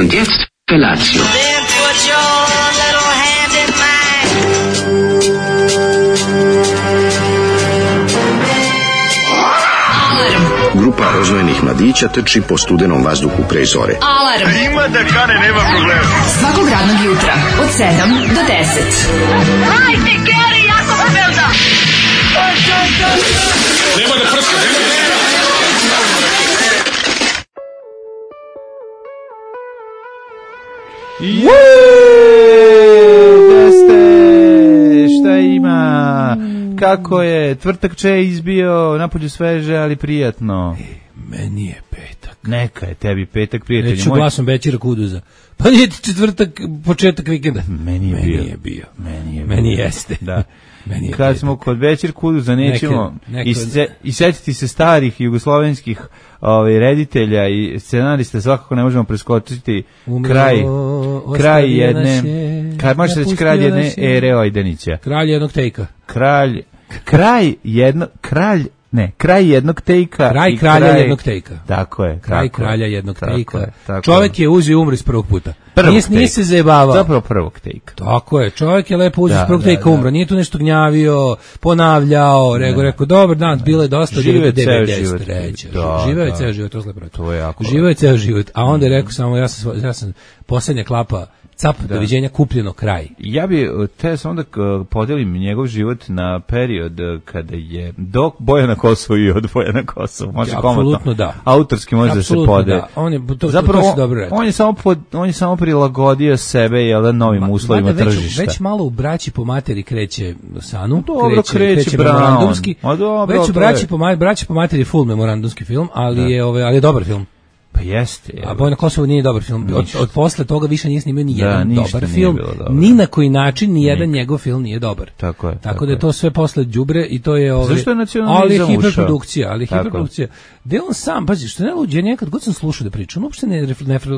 Und jetzt Felatio. Then put your little hand in mine. Grupa rozvojenih mladića trči po studenom vazduhu pre zore. Alarm. Ima da kane, nema problema. Svakog radnog jutra od 7 do 10. Hajde, Geri, jako se velda. Nema da prska, Da ste, šta ima, kako je, tvrtak če izbio, napolju sveže, ali prijatno. Meni je petak. Neka je tebi petak, prijatelji Reću moj. glasom Bećira Kuduza. Pa nije ti četvrtak, početak vikenda. Meni je bio. Meni jeste. Da. Meni je Kad petak. smo kod Bećir Kuduza nećemo Neke- i setiti se starih jugoslovenskih reditelja i scenarista, svakako ne možemo preskočiti kraj jedne, može se reći kralj jedne ere Ojdanića. Kralj jednog tejka. Kraj jednog tejka. Kraj i kralja jednog tejka. Tako je. Kraj tako kralja je, jednog tako tejka. je, tako Čovjek je uzeo i umro iz prvog puta. Nije se tejka. zajebavao. Zapravo prvog tejka. Tako je, čovjek je lepo uzeo iz Da, prvog da, tejka, da. umro. Nije tu nešto gnjavio, ponavljao, rekao, dobar dan, bilo je dosta, Živeo je ceo 93. život. Da, Živeo je da. ceo život, to je lepo. To je jako Živeo je ceo život, a onda je rekao samo, ja sam posljednja klapa, cap, doviđenja, kupljeno, kraj. Ja bi te samo da podelim njegov život na period kada je do boja na Kosovu i od boja na Kosovu. Može Apsolutno komotno. da. Autorski može da se Apsolutno pode. da. On je, to Zapravo, si dobro rekao. on je samo prilagodio sebe novim uslovima Mada tržišta. Već malo u braći po materi kreće Sanu. Dobro, kreće Brown. memorandumski. A dobro, Već u to braći po materi full memorandumski film, ali je dobar film. Pa jeste. A Boj na Kosovu nije dobar film. Od posle toga više nije snimio ni jedan ništa dobar nije film. bilo dobro. Ni na koji način ni jedan njegov film nije dobar. Tako je. Tako da je to sve posle đubre i to je Zašto je nacionalizam ali je ušao? hiperprodukcija. Da on sam, pazi, što ne luđe, nekad god sam slušao da priča, on uopšte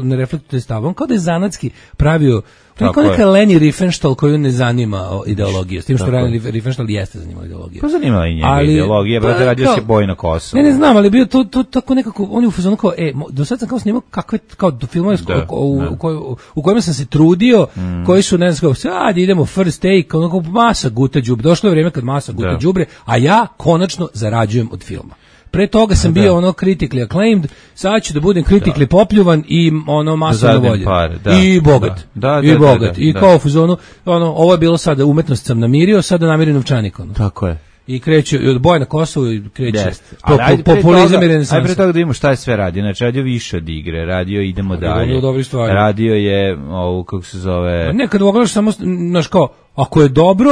ne reflektuje stav. On kao da je zanatski pravio, to je kao neka Leni Riefenstahl koju ne zanima ideologija, s tim što Leni Riefenstahl jeste zanimala ideologija. Pa zanimala i njega ideologija, brate, radio se Boj na Kosovu. Ne znam, ali bio to tako nekako, on je u fazonu kao, do sad sam kao snimao kakve, kao do filmove u kojima sam se trudio, koji su, ne znam, sad idemo first take, onako masa guta đubre, došlo je vrijeme kad masa guta đubre, a ja konačno zarađujem od filma. Pre toga sam bio ono critically acclaimed, sad ću da budem critically popljuvan i ono masovno voljen. I bogat. I bogat. I kao u fazonu, ovo je bilo sada, umetnost sam namirio, sada namirio novčanik. Tako je. I kreće, od Boja na Kosovu i kreće populizam i renesansa. Ajde pre toga da vidimo šta je sve radio. Znači, radio više od igre, radio idemo dalje. Radio je, kako se zove... Ne, kad pogledaš samo, znaš kao, ako je dobro,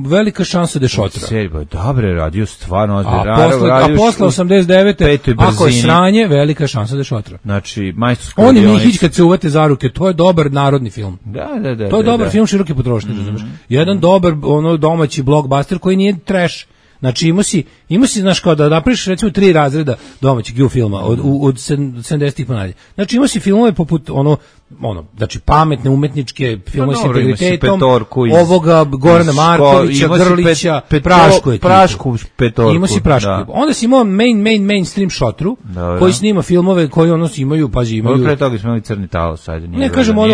velika šansa da je šotra. Serija, dobro je radio, stvarno. A posle 89. ako je sranje, velika šansa da je šotra. Znači, majstorsko... On je Mihić kad se uvate za ruke, to je dobar narodni film. Da. To je dobar film široke potrošnje, razumeš. Jedan dobar domaći blockbuster koji nije trash. Znači imao si, znaš, kao da napraviš recimo 3 razreda domaćeg U filma od 70-ih pa nadalje. Znači imao si filmove poput znači pametne umetničke filmove s integritetom, ovoga Gorana Markovića, Grlića, Prašku petorku. Imao si Prašku. Onda si imao mainstream šotru koji snima filmove koji imaju, pazi, imaju. Pre toga smo imali Crni talas, ajde. Ne, kažem od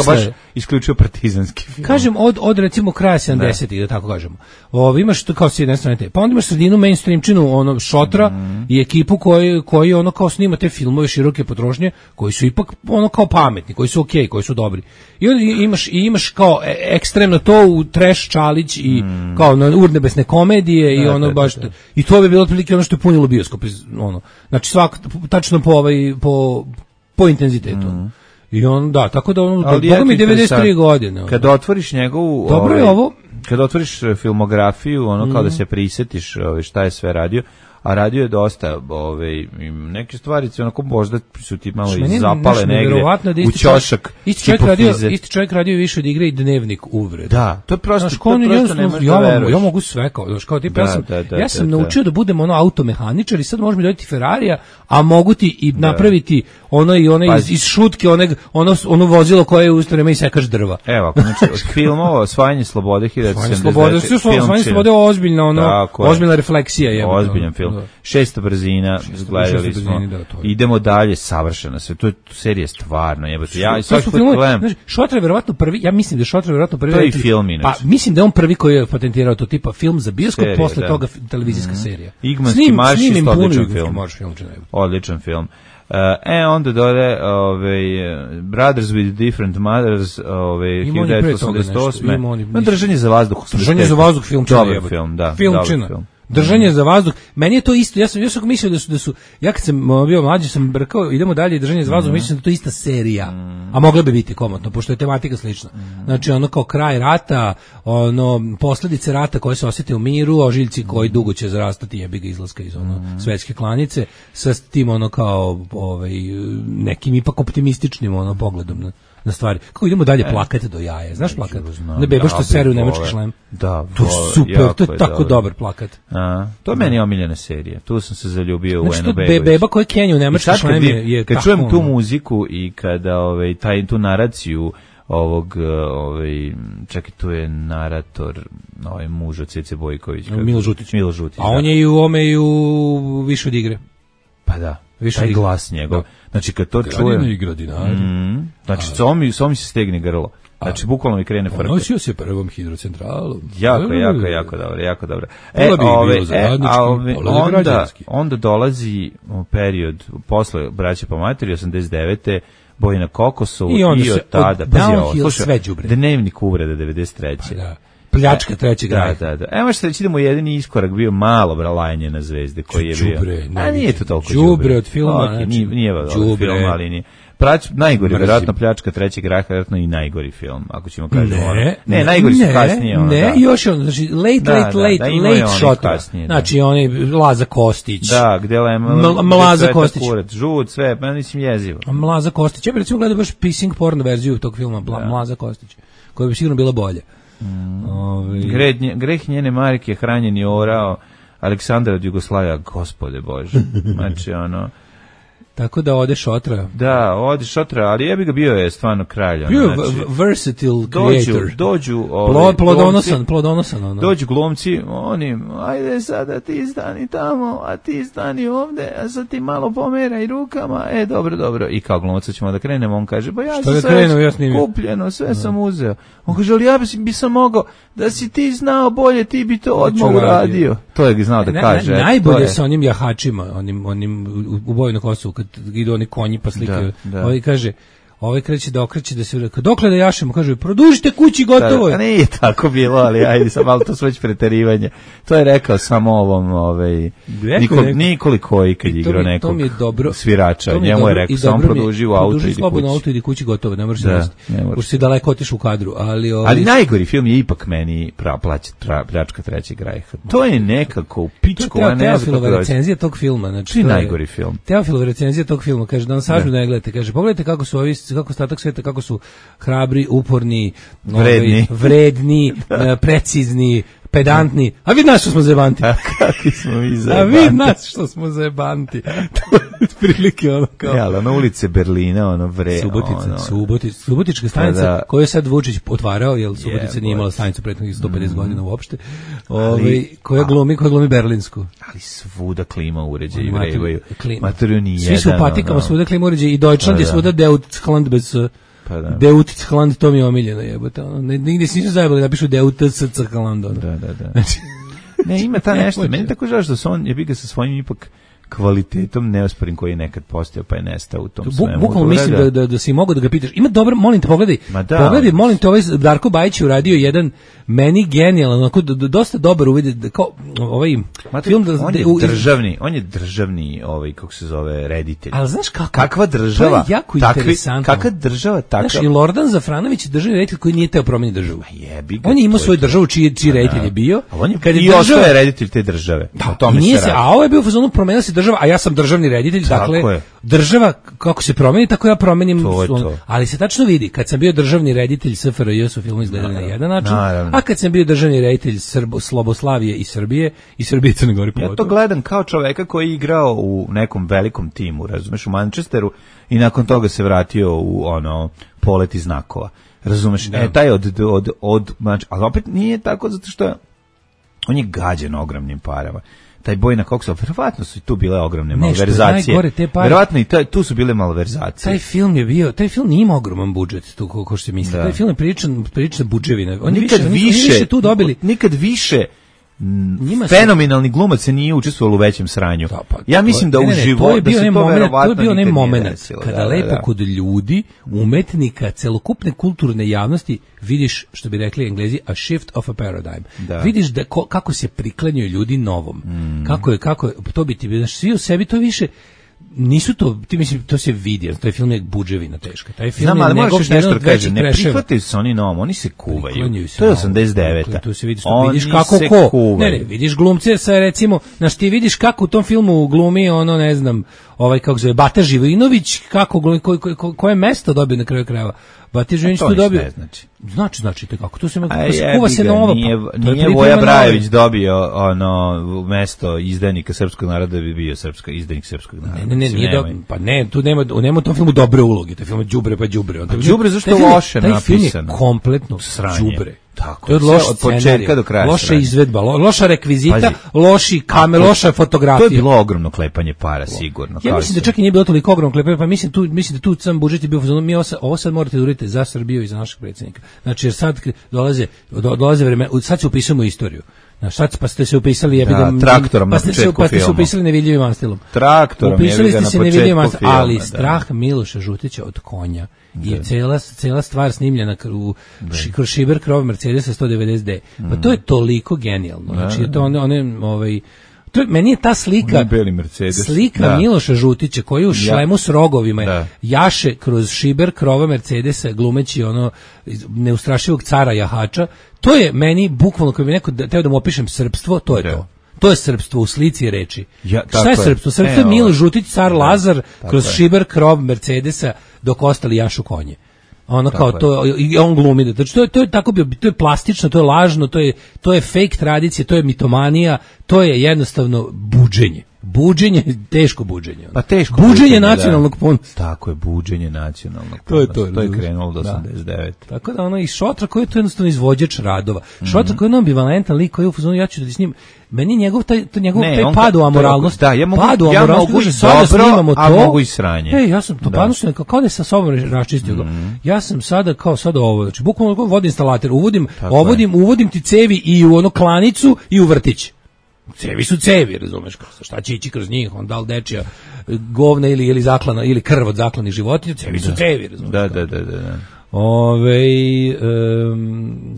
baš isključio partizanski film. Kažem od recimo kraja 70-ih, da tako kažemo. Imaš to kao s jedne strane te. Pa onda imaš sredinu mainstreamčinu, šotra i ekipu koji kao snima te filmove široke potrošnje, koji su ipak kao pametni, koji su okej, koji su dobri. I onda imaš kao ekstremno to u trash Čalić i kao urnebesne komedije i baš i to bi bilo otprilike ono što je punilo bioskop, znači tačno po intenzitetu. I tako da Boga mi 93 godine. Kad otvoriš njegovu... Dobro je ovo. Kad otvoriš filmografiju, kao da se prisetiš šta je sve radio, a radio je dosta, neke stvari onako možda su ti malo zapale negde u ćošak. Isti čovjek radio više od igre i Dnevnik uvreda. Da, to je prosto ne možeš da veruješ. Ja mogu sve kao tip, ja sam naučio da budem automehaničar i sad možeš mi dodati Ferrarija, a mogu ti i napraviti iz šutke, ono vozilo koje je u isto vreme i sekaš drva. Evo, znači, od filmova Osvajanje slobode 1979. Osvajanje slobode je ozbiljna refleksija. Ozbiljan film. film. 600 brzina, gledali smo. Idemo dalje, savršeno sve. To je serija stvarno, jebote. Ja svaki put gledam. Šotra je verovatno prvi, ja mislim da je Šotra verovatno prvi. To je i film inače. Pa mislim da je on prvi koji je patentirao to tipa film za bioskop, posle toga televizijska serija. Igmanski marš je odličan film. Odličan film. Onda dole Brothers with Different Mothers 1988. Držanje za vazduh. Držanje za vazduh filmčina. Dobar film, da. Filmčina. Držanje za vazduh. Meni je to isto. Ja sam mislio da su ja kad sam bio mlađi sam brkao, idemo dalje, držanje za vazduh, mislim da to je ista serija. A mogla bi biti komotno, pošto je tematika slična. Znači ono kao kraj rata, ono posledice rata koje se osjete u miru, ožiljci koji dugo će zarastati, jebi ga, izlaska iz svetske klanice, sa tim ono kao nekim ipak optimističnim pogledom na stvari. Kako idemo dalje plakati do jaja. Znaš plakat? Ne beba što seru nemački šlem. Da, to je super, to je tako dobar plakat. To je meni omiljena serija. Tu sam se zaljubio u Eno Begović. Beba koja kenja u nemački šlem je kad čujem tu muziku i kada tu naraciju ovog čekaj, tu je narator muž od Cece Bojković, Milo Žutić. A on je i u ome i u Više od igre. Pa da, taj glas njegov. Znači kad to čujem, znači samo mi se stegne grlo. Znači bukvalno mi krene frka. Nosio se prvom hidrocentralom. Jako dobro. Onda dolazi period posle Braće po materi 89. Boj na Kokosovu i od tada sve đubre. Dnevnik uvreda 93. Da. Pljačka trećeg graha. Da. Evo što reći, idemo jedini iskorak bio malo bralajanje na zvezde koji je bio. A nije to toliko đubre od filma. Nije od filma, ali nije. Najgori, vjerojatno Pljačka trećeg graha, vjerojatno i najgori film, ako ćemo kažemo. Ne, najgori su kasnije. Ne, još je znači late shot. Znači, onaj Laza Kostić. Da, gde je Mlaza Kostić. Žut, sve, pa mislim jezivo. Mlaza Kostić. Ja bih recimo gledao baš pissing porn verziju tog filma, Mlaza Kostić, koja bi sigurno bila bolja. Greh njene majke hranjen je orao Aleksandra od Jugoslavija, gospode Bože. Znači tako da ode Šotra. Da, ode Šotra, ali jebi ga, bio je stvarno kralj. Bio je versatile creator. Dođu plodonosan. Dođu glumci, ajde sada ti stani tamo, a ti stani ovde, a sad ti malo pomeraj rukama, dobro. I kao glumca ćemo da krenemo, on kaže, ba ja sam sve kupljeno, sve sam uzeo. On kaže, ali ja bi sam mogao, da si ti znao bolje, ti bi to odmah uradio. To je znao da kaže. Najbolje sa onim jahačima, onim u boju na Kosovu, kad idu oni konji pa slikaju. Ovaj kaže, kreće da okreće da se dokle da jašemo, kaže, produžite kući, gotovo je. Da, nije tako bilo, ali ajde sam, ali to su već preterivanje. To je rekao samo ovom, Nikoli Koji kad je igrao nekog svirača, njemu je rekao, samo produži u auto, produži slobodno auto, idi kući, gotovo, ne možeš se desiti. Pošto si daleko otiš u kadru, ali najgori film je ipak meni Pljačka trećeg graha. To je nekako u pičku, a ne Teofilova recenzija tog filma, znači najgori film. Teofilova recenzija tog filma, kaže da on sažu ne gledate, kaže pogledajte kako su ovi, kako ostatak sveta, kako su hrabri, uporni, vredni, precizni, pedantni. A vid nas što smo zajebanti. Kakvi smo mi zajebanti. A vid nas što smo zajebanti. To je prilike kao. Ja, na ulice Berlina, Subotička stanica koju je sad Vučić otvarao, jer Subotica nije imala stanicu prethodnih 150 godina uopšte. Koja glumi berlinsku. Ali svuda klima uređaji vrevaju. Materiju ni jedan. Svi su u patikama, svuda klima uređaji i Deutschland je svuda Deutschland bez Deutschland, to mi je omiljeno, jebote. Nigde se nisu zajebali da pišu Deutschland. Da. Ne, ima ta nešto. Meni tako žao što se on je bi ga sa svojim ipak kvalitetom neosporim koji je nekad postojao pa je nestao u tom svemu. Bukvalno mislim da si mogao da ga pitaš. Ima dobro, molim te, pogledaj, molim te, ovaj Darko Bajić je uradio jedan meni genijalan, onako dosta dobar uvid, kao ovaj film on je državni kako se zove, reditelj. Ali znaš kakva država? To je jako interesantno. Kakva država takva? Znaš, i Lordan Zafranović je državni reditelj koji nije teo promeniti državu. On je imao svoju državu čiji reditelj je bio. I ostao je reditelj te države. A ovo je bio u fazonu promenila se država, a ja sam državni reditelj, dakle, država kako se promeni, tako ja promenim. Ali se tačno vidi, kad sam bio državni reditelj SFRJ su filmu izgledali na jedan način, a kad sam bio državni reditelj Sloboslavije i Srbije i Crne Gore. Ja to gledam kao čoveka koji je igrao u nekom velikom timu, razumeš, u Manchesteru i nakon toga se vratio u Polet iz znakova. Razumeš, taj ali opet nije tako zato što on je gađen ogromnim parama. taj Bojna Koksa, verovatno su i tu bile ogromne malverzacije. Najgore, te pare. Verovatno i tu su bile malverzacije. Taj film nije imao ogroman budžet, tu ko se misli. Taj film je priča budževina. Oni nikad više tu dobili. Nikad više fenomenalni glumac se nije učestvovao u većem sranju. Ja mislim da u životu to je bio onaj moment kada lepo kod ljudi, umetnika, celokupne kulturne javnosti vidiš, što bi rekli Englezi, a shift of a paradigm. Vidiš da kako se priklanjaju ljudi novom. Kako to biti, svi u sebi to više nisu to, ti mislim, to se vidi, taj film je budževina teška. Taj film znam, ali moraš još nešto da kaže, ne prihvataju se oni novom, oni se kuvaju. To je 89. Tu se vidiš, vidiš kako ko. Kuvaju. Ne, vidiš glumce sa, recimo, znaš, ti vidiš kako u tom filmu glumi ono, ne znam, kako zove, Bata Živojinović, koje mesto dobio na kraju krajeva. Bata Živojinović tu dobio. Znači kako to se kuva se nova. Nije Voja Brajević dobio ono mesto izdajnika srpskog naroda da bi bio izdajnik srpskog naroda. Ne, tu nema u tom filmu dobre uloge, taj film je đubre pa đubre. Đubre zašto je loše napisano? Taj film je kompletno đubre. Tako, to je loš od početka do kraja. Loša izvedba, loša rekvizita, loši kamer, loša fotografija. To je bilo ogromno klepanje para, sigurno. Ja mislim da čak i nije bilo toliko ogromno klepanje, pa mislim da tu sam budžet je bio, ovo sad morate da uradite za Srbiju i za našeg predsjednika. Znači, jer sad dolaze vreme, sad se upisujemo istoriju. Pa ste se upisali traktorom na početku filma. Pa ste se upisali nevidljivim anstilom. Traktorom upisali ste se nevidljivim anstilom, ali strah Miloša Žutića od konja i cela stvar snimljena kroz šiber krov Mercedesa 190D. Pa to je toliko genijalno. Znači, to meni je ta slika Miloša Žutića koji u šlemu s rogovima jaše kroz šiber krova Mercedesa glumeći ono neustrašivog cara jahača. To je meni bukvalno, kad bi neko teo da mu opišem srpstvo, to je to. To je srpstvo u slici i reči. Šta je srpstvo? Srpstvo je Milo Žutić, car Lazar, kroz šiber krov Mercedesa dok ostali jašu konje. Ono kao to, i on glumi. Znači to je tako bio, to je plastično, to je lažno, to je fake tradicija, to je mitomanija, to je jednostavno buđenje. Buđenje, teško buđenje. Pa teško buđenje nacionalnog ponosa. Tako je, buđenje nacionalnog ponosa. To je krenulo do 89. Tako da ono i Šotra koji je to jednostavno izvođač radova. Šotra koji je ambivalentan lik koji je u fazonu, ja ću da s njim, meni njegov taj pad u amoralnost. Ja mogu dobro, a mogu i sranje. Ja sam to panušno kao da sam sa sobom raščistio. Ja sam sada kao sada ovo, znači bukvalno vodim instalater, uvodim ti cevi i u ono klanicu i u vrtić. Cevi su cevi, razumeš, šta će ići kroz njih, on da li dečija govna ili zaklana, ili krv od zaklanih životinja, cevi su cevi, razumeš. Da.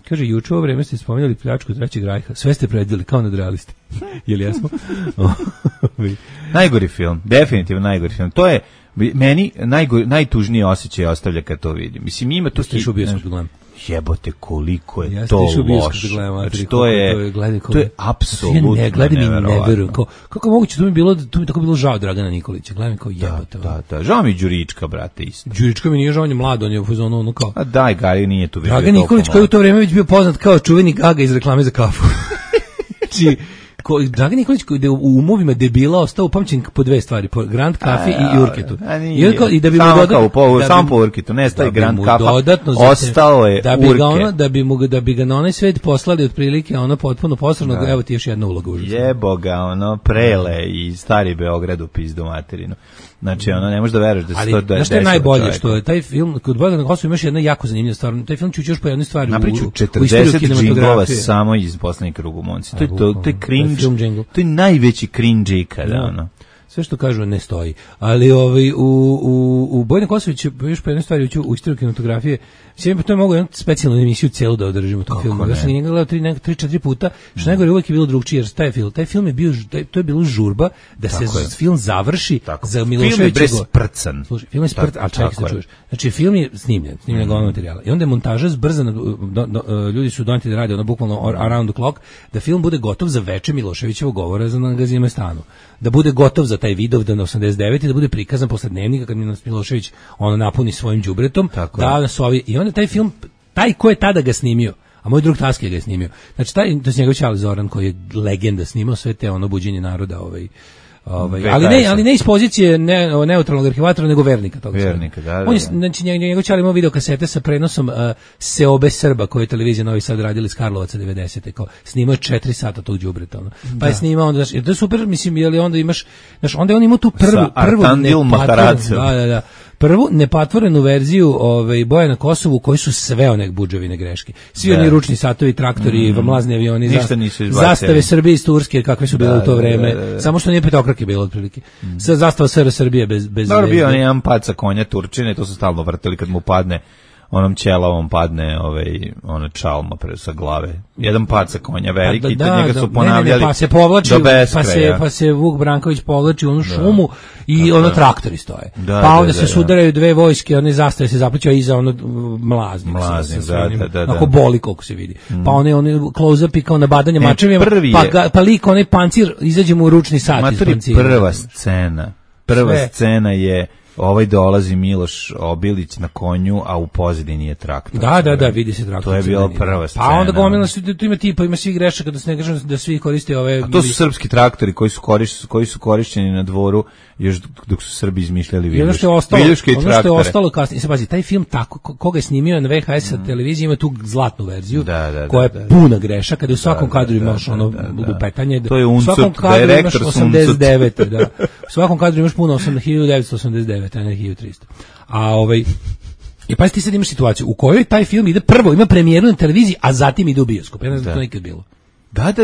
Kaže, juče ovo vreme ste spomenuli pljačku Trećeg rajha, sve ste predvili kao nadrealisti. Jel jesmo? Najgori film, definitivno najgori film. To je meni najtužniji osjećaj ostavlja kad to vidim. Mislim, ima tu stišu bioskop gledam. Jebote, koliko je to loše. Znači, to je apsolutno neverovatno. Kako moguće, to mi tako bilo žao Dragana Nikolića. Gledam kao jebote. Da. Žao mi Đurička, brate, isto. Đurička mi nije žao, on je mlad, on je u fazonu ono kao. A daj, Gari nije tu više. Dragan Nikolić koji u to vrijeme već bio poznat kao čuveni Gaga iz reklame za kafu. Znači, Dragan Nikolić koji je u umovima debila ostao upamćen po dve stvari, po Grand Kafi i Urketu. I da bi mu samo po Urketu, ne staje Grand Kafa, ostao je Urke. Da bi ga na onaj svet poslali otprilike ono potpuno posrano, evo ti još jedna uloga užasna. Jebo ga, ono, Prele i Stari Beograd u pizdu materinu. Znači, ono, ne možeš da veruješ da se to desilo. Znaš što je najbolje, što je taj film, kod Bojana Kosovo imaš jedna jako zanimljiva stvar, taj film ću još po jednoj stvari u istoriju kinematografije. Samo iz Poslednjeg krugu Monci. To je cringe, to je najveći cringe ikada, ono. Sve što kažu ne stoji. Ali u Bojana Kosović još po jednoj stvari u istoriju kinematografije, sve to je mogu jednu specijalnu emisiju celu da održimo tom filmu. Ja sam njega gledao 3-4 puta, što najgore uvijek je bilo drugčije, jer taj film je bio, to je bilo žurba da se film završi za Miloševića. Film je sprcan. Slušaj, film je sprcan, a čekaj se čuješ. Znači, film je snimljen govno materijala. I onda je montaža zbrzana, ljudi su doneti da rade, ono bukvalno around the clock, da film bude gotov za veče Miloševićevog govora na Gazimestanu. Da bude gotov za taj Vidovdan na 89 i da bude prikazan posle Dnevnika kad Milošević ono napuni svojim đubretom, da nas ovi, i onda taj film, taj ko je tada ga snimio, a moj drug Taski ga je snimio. Znači to je njegov čale Zoran koji je legenda, snimao sve te ono buđenje naroda, Ali ne iz pozicije neutralnog arhivatora, nego vernika toga. Vernika, da. On je, znači, njegov čar imao video kasete sa prenosom Seobe Srba, koje je televizija Novi Sad radila iz Karlovaca 90. Kao, snimao je 4 sata tog đubreta. Pa je snimao onda, to je super, mislim, jer onda imaš, znaš, onda je on imao tu prvu nepatvorenu verziju boja na Kosovu, koji su sve one budževine greške. Svi oni ručni satovi, traktori, mlazni avioni, zastave Srbije iz Turske, kakve su bile u to vreme. Samo što nije petokrake bilo otprilike. Zastava SR Srbije bez dobro, bio on jedan pad sa konja Turčine, to su stalno vrteli kad mu padne onom ćelavom padne ona čalma sa glave. Jedan pad sa konja veliki, njega su ponavljali. Pa se povlači, pa se Vuk Branković povlači u onu šumu i ono traktori stoje. Pa onda se sudaraju dve vojske, one zastave se zaplićaju iza ono mlazni. Ako boli koliko se vidi. Pa one close-upi kao nabadanje mačevima, pa lik onaj pancir, izađe mu u ručni sat iz pancira. Prva scena je dolazi Miloš Obilić na konju, a u pozadini je traktor. Da, vidi se traktor. To je bila prva scena. Pa onda gomila se, tu ima svih grešaka, da se ne kažem da svi koriste ove... A to su srpski traktori koji su korišćeni na dvoru još dok su Srbi izmišljali viljuške i traktore. Ono što je ostalo kasnije, pazi, taj film tako, koga je snimio na VHS televiziji, ima tu zlatnu verziju, koja je puna grešaka, kada u svakom kadru imaš lupetanje. To je Uncut, direktor Uncut. U svakom kadru imaš puno 1989, a ne 1300. I pa ti sad imaš situaciju u kojoj taj film ide prvo, ima premijeru na televiziji, a zatim ide u bioskop. Ja ne znam da to nikad bilo. Da. To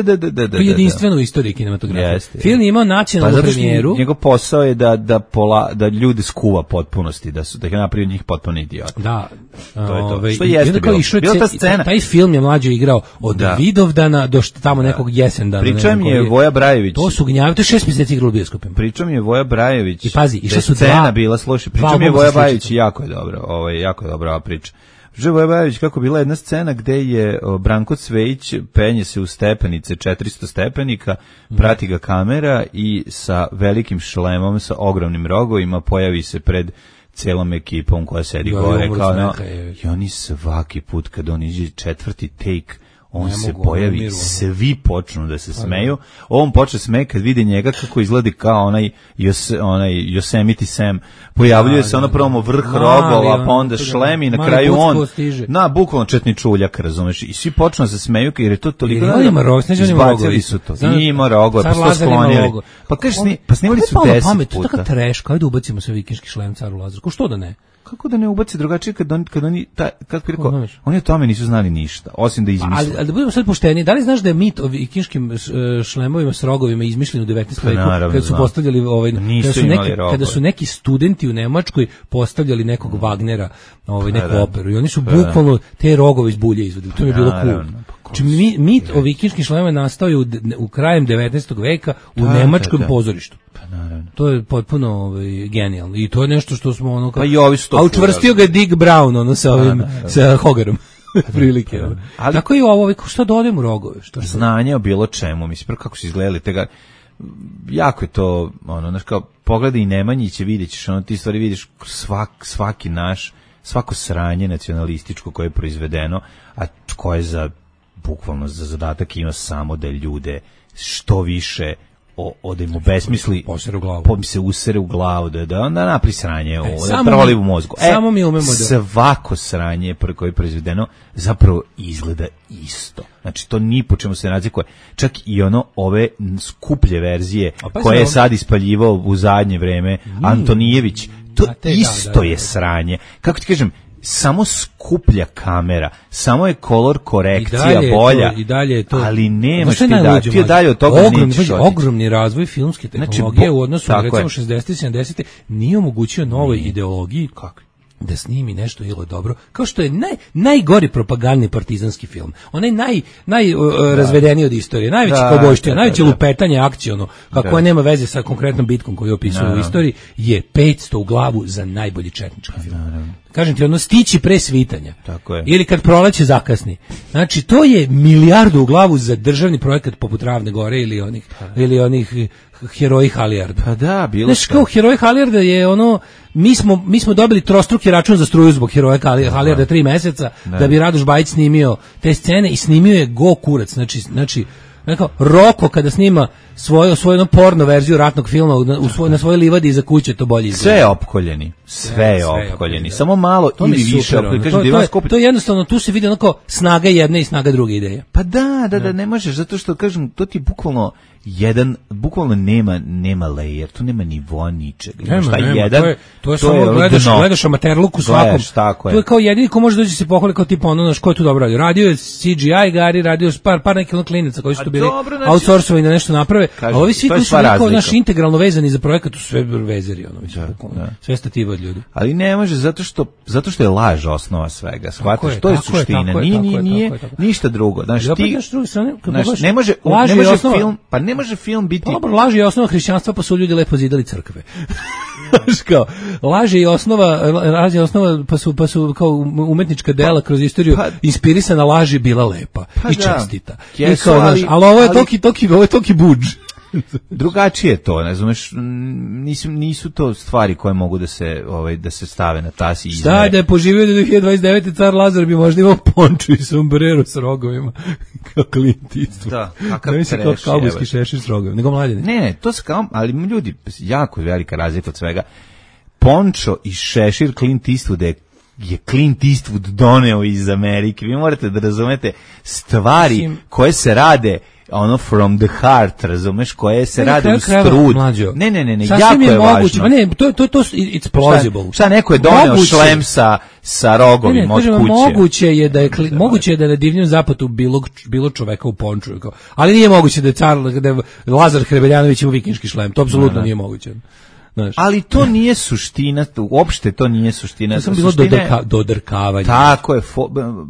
je jedinstveno u istoriji kinematografije. Film je imao nacionalnu premijeru. Njegov posao je da ljude skuva potpunosti, da ga napravi njih potpuno idiota. Da. To je to. Što jeste bilo ta scena. Taj film je mlađe igrao od Vidovdana do tamo nekog jesendana. Pričam je Voja Brajević. To su gnjavi, to je 6 mjeseci igrao u bioskopima. Pričam je Voja Brajević. I pazi, išla su scena bila, slušaj, pričam je Voja Brajević, jako je dobro. Jako je dobra ova priča. Voja Brajević, kako bila jedna scena gde je Branko Cvejić penje se u stepenice, 400 stepenika, prati ga kamera i sa velikim šlemom, sa ogromnim rogovima pojavi se pred celom ekipom koja sedi gore. I oni svaki put kad on iđe četvrti take, on se pojavi, svi počnu da se smeju. On počne smeje kad vidi njega kako izgleda kao onaj Yosemite Sam. Pojavljuje se ono prvo vrh rogova, pa onda šlem i na kraju on bukvalno četničuljak, razumeš? I svi počnu da se smeju jer je to toliko... Izbacili su to. Ima rogove, pa su to sklonili. Pa snimali su 10 puta. To je tako treš, kao da ubacimo sve vikinški šlem caru Lazaru. Što da ne? Kako da ne ubaci drugačije kad oni kako bih rekao, oni o tome nisu znali ništa, osim da izmisle. Ali da budemo sad pošteni, da li znaš da je mit o vikinškim šlemovima s rogovima izmišljen u 19. veku, kad su postavljali kada su neki studenti u Nemačkoj postavljali nekog Wagnera, neku operu i oni su bukvalno te rogove iz bulje izvodili. To mi je bilo cool. Znači, mit o vikinškim šlemovima nastao je u krajem 19. veka u nemačkom pozorištu. To je potpuno genijalno i to je nešto što smo ono kao... A učvrstio ga Dick Brown sa Hogarom. Prilike. Tako i ovo, što dodajemo u rogove? Znanje o bilo čemu, mislim, kako su izgledali tega... Jako je to, znaš, kao pogledaj i Nemanjiće, vidjet ćeš, ti stvari vidiš svako sranje nacionalističko koje je proizvedeno, a koje za bukvalno za zadatak ima samo da ljude što više da im obesmisli, se usere u glavu, da onda napri sranje, da proli u mozgu. Samo mi umemo svako sranje koje je proizvedeno zapravo izgleda isto. Znači, to ni po čemu se razlikuje. Čak i ove skuplje verzije koje je sad ispaljivao u zadnje vreme Antonijević, to isto je sranje. Kako ti kažem, samo skuplja kamera, samo je kolor korekcija bolja, ali nemaš ti dalje od toga nećeš. Ogromni razvoj filmske tehnologije u odnosu na recimo 60. 70. nije omogućio novoj ideologiji da snimi nešto ili dobro, kao što je najgori propagandni partizanski film. Onaj najrazvedeniji od istorije, najveći kaubojština, najveće lupetanje akciono, kako nema veze sa konkretnom bitkom koju opisuje u istoriji, je 500 u glavu za najbolji četnički film. Kažem ti, stići pre svitanja. Ili kad proleće zakasni. Znači, to je milijardu u glavu za državni projekat poput Ravne gore ili onih Heroji Halijarda. Pa da, bilo znači, kao Heroji Halijarda je mi smo dobili trostruki račun za struju zbog Heroja Halijarda 3 meseca da bi Radoš Bajić snimio te scene i snimio je go kurac. Znači Nekao Roko kada snima svoju porno verziju ratnog filma na svojoj livadi iza kuće, to bolje izgleda. Sve je opkoljeni. Sve je opkoljeni. Samo malo ili više opkoljeni. To je jednostavno, tu se vidi onako snaga jedne i snaga druge ideje. Pa da, ne možeš, zato što, kažem, to ti bukvalno nema layer, tu nema nivoa ničega. To je samo gledaš amaterluk u svakom. To je kao jedini ko može doći se pohvali kao tipa ono, ko je tu dobro radio. Radio je CGI Gari, radio je par nekih klinaca koji su tu bili outsourcovani da nešto naprave, a ovi svi koji su kao naš integralno vezani za projekat, tu su sve vezeri, sve stative od ljudi. Ali ne može, zato što je laž osnova svega, shvataš, to je suština, nije ništa drugo. Ne može film biti... Dobro, laž je osnova hrišćanstva, pa su ljudi lepo zidali crkve. Laž je osnova, pa su kao umetnička dela kroz istoriju inspirisana laži bila lepa i čestita. Ali ovo je toki budž. Drugačije to, ne znameš, nisu to stvari koje mogu da se stave na tas i izmere. Šta da je poživio do 2029. car Lazar bi možda imao ponču i sombrero s rogovima, kao Clint Eastwood. Da, kakav treš. Kao kaubojski šešir s rogovima, nego mladine. Ne, to se kao, ali ljudi, jako je velika razlika od svega. Pončo i šešir Clint Eastwooda je Clint Eastwood doneo iz Amerike. Vi morate da razumete stvari koje se rade from the heart, razumeš, koje se rade u strud. Ne, jako je važno. Ma ne, to it's plausible. Šta neko je doneo šlem sa rogovima od kuće. Moguće je da na divljem zapadu bilo čoveka u ponču, ali nije moguće da je Lazar Hrebeljanović ima vikinški šlem, to apsolutno nije moguće. Ali to nije suština, uopšte to nije suština. To sam bilo dodrkavanje. Tako je,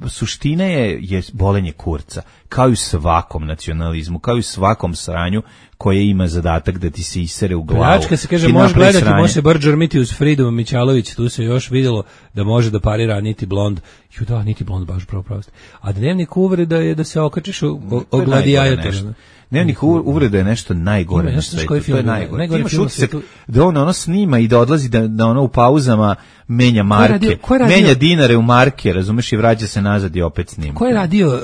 suština je bolenje kurca, kao i u svakom nacionalizmu, kao i u svakom sranju koje ima zadatak da ti se isere u glavu. Pljačka se kaže, može gledati, može se bar džrmiti uz Fridu Mićalović, tu se još vidjelo da može da parira Niti Blond. Niti Blond, baš pravo. A dnevnik uvreda je da se okačiš o gladijatora. Dnevnik uvreda je nešto najgore na svetu. To je najgore. Ti imaš utisak da ono snima i da odlazi da ono u pauzama menja marke. Menja dinare u marke, razumeš, i vraća se nazad i opet snima. Ko je radio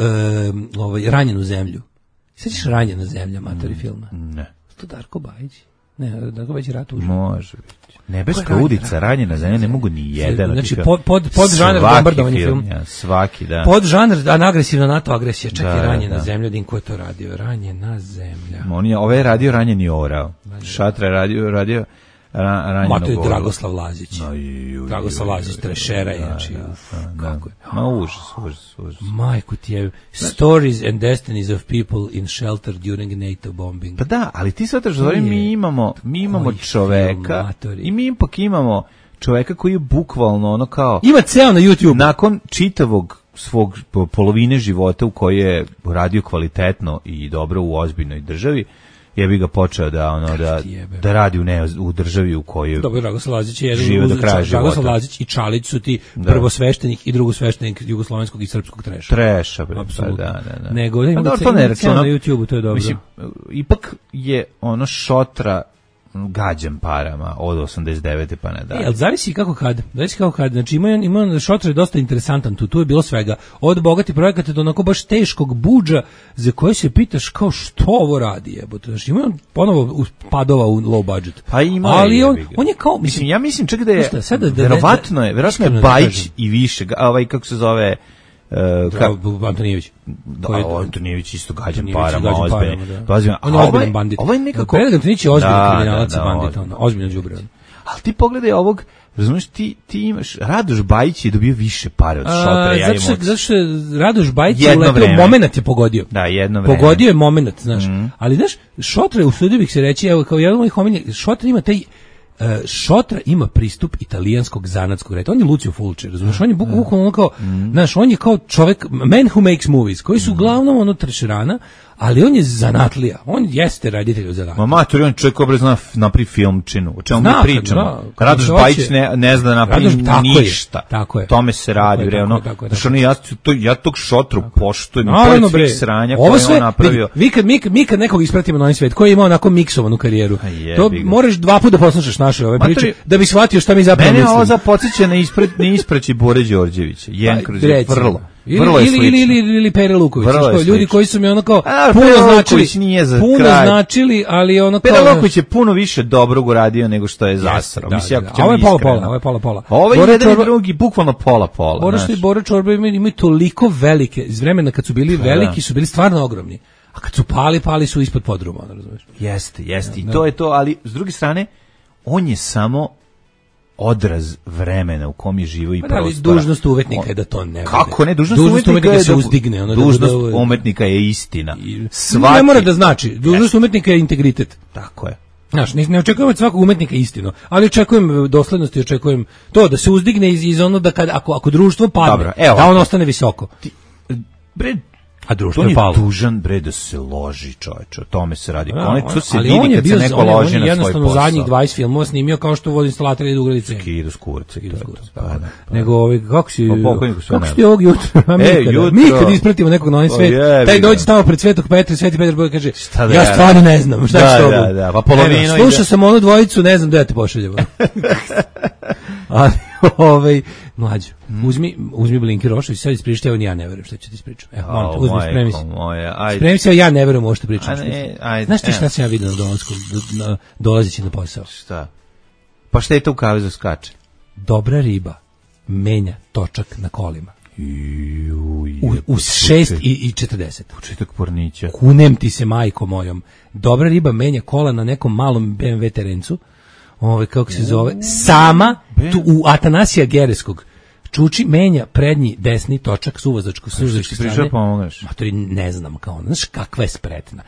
Ranjenu zemlju? Sećaš Ranjena zemlja, matori filma? Ne. To Darko Bajić? Ne, Darko Bajić rat uža. Može biti. Nebeska udica, Ranjena zemlja, ne mogu ni jedan. Znači, pod žanr bombardovanje film. Svaki, da. Pod žanr, agresivna NATO agresija, čak i Ranjena zemlja, din ko je to radio? Ranjena zemlja. Ove je radio Ranjeni orao. Šatra je radio Ranjeno to je Dragoslav Lazić. Dragoslav Lazić, trešera, znači. Kako je? Ma užas. Majku ti je. Stories and destinies of people in shelter during NATO bombing. Pa da, ali ti sad razvori, mi imamo čoveka i mi ipak imamo čoveka koji je bukvalno ono kao... Ima ceo na YouTube. Nakon čitavog svog polovine života u kojoj je radio kvalitetno i dobro u ozbiljnoj državi, je bi ga počeo da radi u državi u kojoj dobro, Dragoslav Lazić je žive do kraja života. Dragoslav Lazić i Čalić su ti prvosveštenik i drugosveštenik jugoslovenskog i srpskog treša. Treša, apsolutno. Da. Nego da to ne računa na YouTubeu, to je dobro. Mislim, ipak je ono Šotra gađan parama od 89. pa ne da. Ali zavisi kako kad. Znači ima Šotra je dosta interesantan tu je bilo svega. Od bogati projekata do onako baš teškog budža za koje se pitaš kao što ovo radi, jebote. Znači ima ponovo padova u low budget. Pa ima. Ali on je kao ja mislim čak da je verovatno je Bajić i više, kako se zove Antonijević. Antonijević isto gađan parama, ozbiljno. On je ozbiljan bandit. Ovaj nekako... Antonijević je ozbiljan kriminalac i bandit, ozbiljno đubre. Ali ti pogledaj ovog, razumiješ, ti imaš, Radoš Bajić je dobio više pare od Šotra. Zato što Radoš Bajić je uletio, moment je pogodio. Da, jedno vreme. Pogodio je moment, znaš. Ali, znaš, Šotra, usudio bih se reći, evo, kao jedan od mojih omiljenih, Šotra ima taj... Šotra ima pristup italijanskog zanatskog reda. On je Lucio Fulci, razumiješ? On je bukvalno kao, znaš, on je kao čovjek, man who makes movies, koji su uglavnom trešerana, ali on je zanatlija. On jeste raditelj od zanatlija. Matori, on čovjek obraz zna napravi filmčinu. O čemu mi pričamo? Radoš Bajić ne zna da napravi ništa. Tako je. Tome se radi. Znaš, ja tog Šotru poštujem. Pored svih sranja koje on napravio. Mi kad nekog ispratimo na ovaj svet, koji je imao onako miksovanu karijeru, to moraš 2 puta da poslušaš naše ove priče, da bi shvatio šta mi zapravo mislimo. Mene ovo zapodsjeća na ispraći Bore Đorđevića. Jen kroz vrlo. Ili Pere Luković, ljudi koji su mi ono kao puno značili, ali ono kao Pere Luković je puno više dobrog uradio nego što je zasrao. Mislim, ovo je pola. Ovo je jedan i drugi, bukvalno pola. Bora Čorba imaju toliko velike, iz vremena kad su bili veliki, su bili stvarno ogromni. A kad su pali su ispod podruma, razumeš? Jeste. I to je to, ali s druge strane, on je samo odraz vremena u kom je živo i prostora. Ali dužnost umetnika je da to ne bude. Kako ne? Dužnost umetnika je se uzdigne. Dužnost umetnika je istina. Ne mora da znači. Dužnost umetnika je integritet. Tako je. Znaš, ne očekujem od svakog umetnika istinu, ali očekujem doslednost i očekujem to da se uzdigne iz ono da ako društvo padne, da on ostane visoko. A društvo je palo. Tužan bre da se loži, čoveče, o tome se radi. To se ali vidi on je kad bio, se neko loži na svoj posao. Jednostavno zadnjih 20 filmova snimio kao što vodi instalator i ugradice. Skidu s kurca. Nego kako si ti ovog jutra? Mi kad ispratimo nekog na onaj svet, taj dođe tamo pred Svetog Petra, Sveti Petar bude kaže, ja stvarno ne znam, šta će to bude. Da, pa polovino. Slušao sam onu dvojicu, ne znam da ja te pošaljem. Ali mlađo, uzmi Blinky Rošović, sad ispričaj, evo ja ne verujem šta ću ti ispričati. Evo, uzmi, spremi se. Spremi se, ja ne verujem ovo što pričam. Znaš ti šta sam ja vidio na dolasku, dolazeći na posao? Šta? Pa šta je to u kavezu skače? Dobra riba menja točak na kolima. U 6:40. Početak pornića. Kunem ti se, majko mojom. Dobra riba menja kola na nekom malom BMW terencu. Kako se zove, sama u Atanasija Gereskog čuči menja prednji desni točak s uvozačke strane. Matori, ne znam kao, znaš kakva je spretna.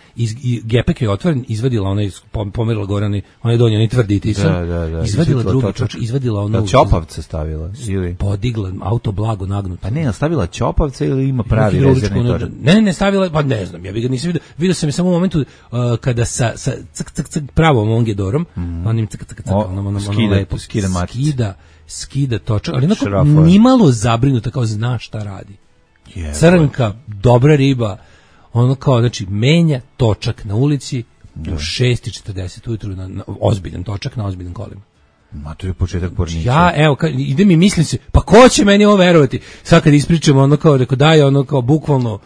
Gepek je otvoren, izvadila onaj, pomerila gore, onaj donji, onaj tvrdi tisan, izvadila drugi točak, izvadila ono... Ćopavca stavila? Podigla, auto blago nagnuto. Pa ne, stavila ćopavca ili ima pravi rezervni točak? Ne, stavila, pa ne znam, ja bi ga nisam vidio. Vidio sam je samo u momentu kada sa pravom ongedorom, onim skida točak, ali onako nimalo zabrinuta, kao zna šta radi. Crnka, dobra riba, ono kao, znači, menja točak na ulici u 6:40 ujutru, na ozbiljan točak, na ozbiljan kolima. Ma to je početak pornića. Ja, evo, idem i mislim se, pa ko će meni ovo verovati? Sad kad ispričamo, ono kao, rekao, daj, ono kao, bukvalno,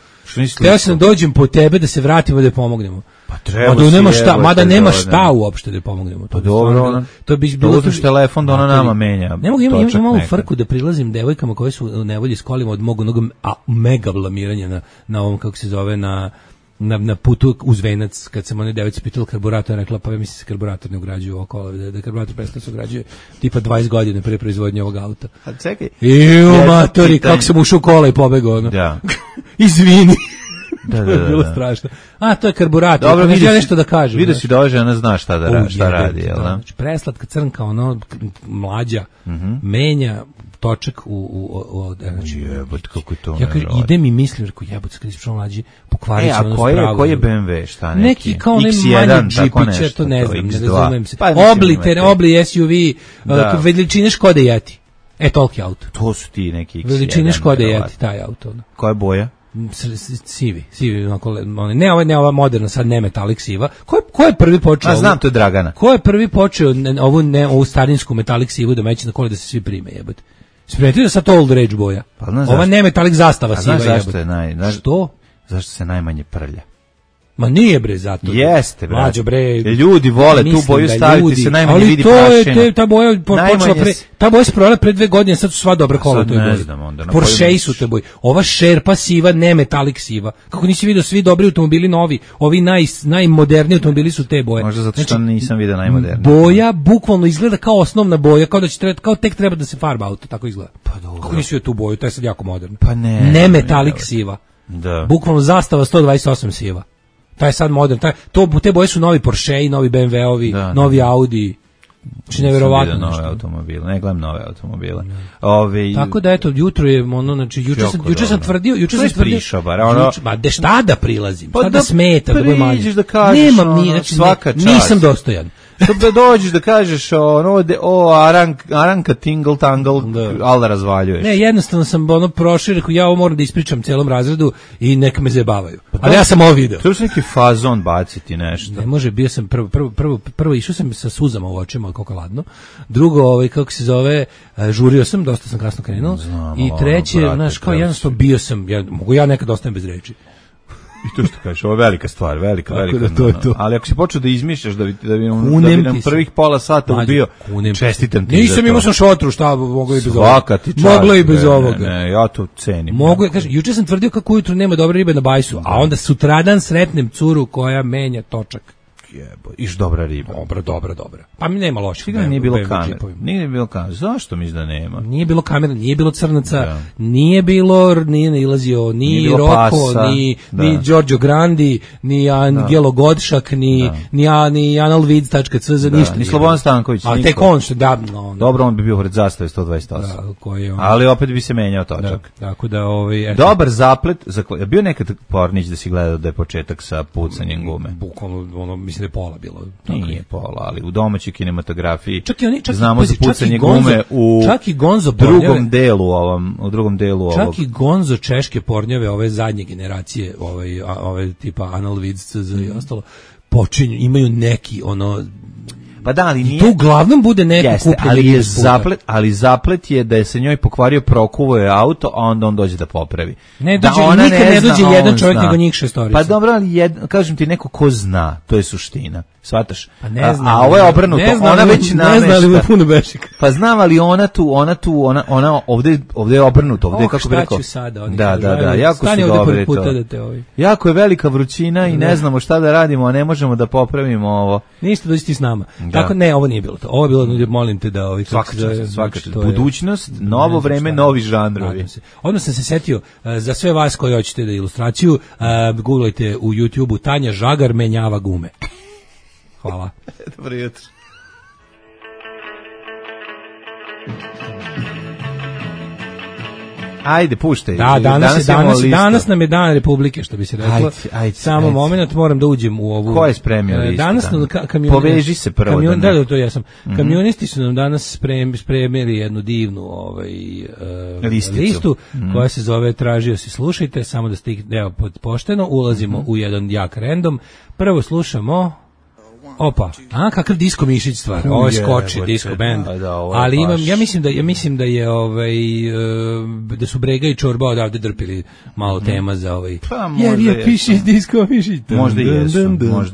teo sam da dođem po tebe da se vratimo da pomognemo. Pa treba mada nema šta uopšte da pomognemo. Pa dobro, to bi bilo da uzmeš telefon da ona nama menja. Ne mogu, imam ovu frku da prilazim devojkama koje su u nevolji s kolima od mog onog mega blamiranja na ovom, kako se zove, na putu uz Venac, kad sam one devojci pitala karburator, rekla, pa ja mislim se karburator ne ugrađuje u okolo, da karburator prestao se ugrađuje tipa 20 godina pre proizvodnje ovog auta. A čekaj. Matori, kako sam ušao u kola i pobegao, ono. Da. Izvini. Da. Bilo strašno. A, to je karburator. Dobro, ja nešto da kažem. Vidio si da ova žena zna šta radi, jel da? Znači, preslatka crnka, ono, mlađa, menja točak znači, jebot, kako je to ja idem i mislim, rekao, jebot, kad ispričao mlađi, pokvarit će ono spravo. Koji je BMW, šta neki kao onaj manji džipić, to ne znam, ne razumijem se. Obli SUV, veličine Škode Yeti. Toliki auto. To su ti neki X1. Veličine Škode Yeti, taj auto. Koja je boja? Sivi, ne ova moderna, sad ne metalik siva. Ko je prvi počeo? Znam, to je Dragana. Ko je prvi počeo ovu starinsku metalik sivu da meće na kole da se svi prime, jebote? Spremite da sad to old rage boja. Ova ne metalik zastava siva, jebote. Zašto je Što? Zašto se najmanje prlja? Ma nije bre zato. Jeste bre. Mlađo bre. Ljudi vole tu boju staviti, se najmanje vidi prašina. Ali ta boja počela ta boja se prodala pre 2 godine, sad su sva dobra kola u toj boji. Porsche su te boji. Ova šerpa siva, ne metalik siva. Kako nisi vidio, svi dobri automobili novi, ovi najmoderniji automobili su te boje. Možda zato što nisam vidio najmoderniji. Boja bukvalno izgleda kao osnovna boja, kao da će kao tek treba da se farba auto, tako izgleda. Pa dobro. Kako nisi vidio tu boju, to je sad jako moderno. Pa ne. Ne metalik siva. Da. Bukvalno zastava 128 siva. Taj je sad modern, te boje su novi Porsche, novi BMW-ovi, novi Audi. Znači nevjerovatno nešto. Nove automobile, ne gledam nove automobile. Tako da eto, jutro je ono, znači juče sam tvrdio, ma šta da prilazim, šta da smeta, da budem manje. Da kažeš, nemam ni, znači nisam dostojan. Da dođeš da kažeš Aranka tingle tangle, ali da razvaljuješ. Ne, jednostavno sam prošao, rekao ja ovo moram da ispričam celom razredu i neka me zajebavaju. Ali ja sam ovo video. Treba se neki fazon baciti nešto. Ne može, bio sam prvo išao sam sa suzama u očima, koliko ladno. Drugo, kako se zove, žurio sam, dosta sam kasno krenuo. I treće, znaš, kao jednostavno bio sam, mogu ja nekad ostajem bez reči. I to što kažeš, ovo je velika stvar, velika. Da, to. Ali ako si počeo da izmišljaš da bi nam prvih pola sata ubio, čestitam ti. Nisam imao sam šotru, šta moglo i bez ovoga. Svaka ti čast. Moglo i bez ovoga. Ne, ja to cenim. Mogu, kažem, juče sam tvrdio kako ujutru nema dobre ribe na bajsu, a onda sutradan sretnem curu koja menja točak. Jebo, iš dobra riba. Dobra. Pa mi nema loših. Nije bilo kamera. Nije bilo kamera. Zašto misliš da nema? Nije bilo kamera, nije bilo crnaca, nije bilo, nije nailazio ni Roko, ni Giorgio Grandi, ni Angelo Godšak, ni analvids.cz, ništa. Ni Slobodan Stanković. A tek on što da. Dobro, on bi bio pored zastave 128. Ali opet bi se menjao točak. Tako da dobar zaplet, je bio nekad Pornić da si gledao da je početak sa pucanjem gume. Bukvalno, mislim da je pola bilo. Nije pola, ali u domaćoj kinematografiji znamo za pucanje gume u drugom delu ovog. Čak i Gonzo češke pornjave, ove zadnje generacije, ove tipa Analvids i ostalo, počinju, imaju neki pa da, ali nije. To uglavnom bude neko kupljeni ali zaplet je da se njoj pokvario, prokuvo je auto, a onda on dođe da popravi. Nikad ne dođe jedan čovjek nego njih šestorica. Pa dobro, ali kažem ti, neko ko zna, to je suština. Shvataš? Pa ne znam. A ovo je obrnuto, ona već namešta. Ne zna li mu puno bešika. Pa znam, ali ona ovde je obrnuto, ovde je kako bi rekao. Šta ću sada? Da, jako su dobri to. Jako je velika vrućina i ne znamo šta da radimo, a ne možemo da popravimo ovo. Ništa, dođi ti s nama. Tako ne, ovo nije bilo to. Ovo je bilo, molim te da svaka budućnost, novo vreme, novi žanrovi. Odmah sam se setio, za sve vas koji hoćete da ilustraciju, googlajte u YouTube-u Tanja Žagar menjava gume. Hvala. Dobro jutro. Ajde, puštaj. Da, danas nam je dan Republike, što bi se reklo. Samo moment, moram da uđem u ovu. Ko je spremio listu? Danas poveži se prvo. Da, to ja sam. Kamionisti su nam danas spremili jednu divnu listu koja se zove Tražio si slušajte, samo da ste ih pošteno, ulazimo u jedan jak random. Prvo slušamo kakav Disko Mišić stvar. Ovo je skoči Disko band. Ali ja mislim da je da su Brega i Čorba odavde drpili malo tema za jer je piše Disko Mišić. Možda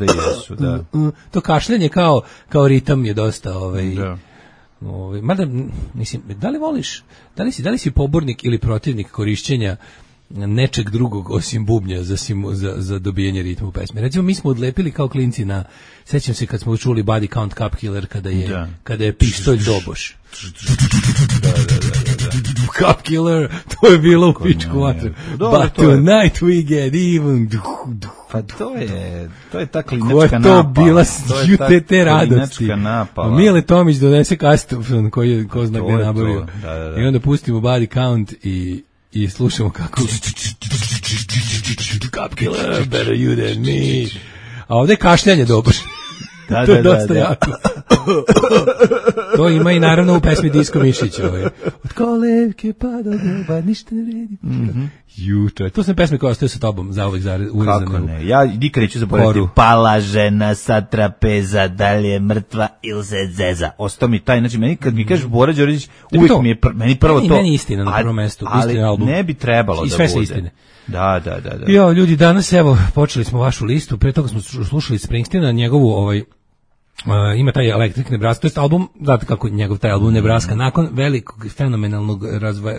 jesu, da. To kašljanje kao ritam je dosta mada, mislim, da li si pobornik ili protivnik korišćenja nečeg drugog osim bubnja za dobijanje ritma u pesmi. Recimo, mi smo odlepili kao klinci sećam se kad smo čuli Body Count Cup Killer kada je pištolj doboš. Cup Killer, to je bilo u pičku vatru. But tonight we get even. Pa to je ta klinačka napala. Ko je to bila te radosti? Mile Tomić donese kastofon koji ko zna gde nabavio. I onda pustimo Body Count i slušamo kako Cup Killer, better you than me. A ovdje je kašljanje dobro. To je dosta jako. To ima i naravno u pesmi Disko Mišić. Od kolevke pa do neba ništa ne redi. Juče. To sam pesme koja ostaje sa tobom za uvek urezane. Kako ne? Ja nikad neću zaboraviti. Pala žena sa trapeza, da li je mrtva ili se zeza. Ostao mi taj, znači meni kad mi kažeš Bora Đorđević, uvijek mi je meni prvo to. Meni istina na prvom mestu, istina album. Ne bi trebalo da bude. I sve sa istine. Da. Jo, ljudi, danas evo počeli smo vašu listu, pre toga smo slušali Springsteena, njegovu ima taj Electric Nebraska, to je album, znate kako njegov taj album Nebraska, nakon velikog fenomenalnog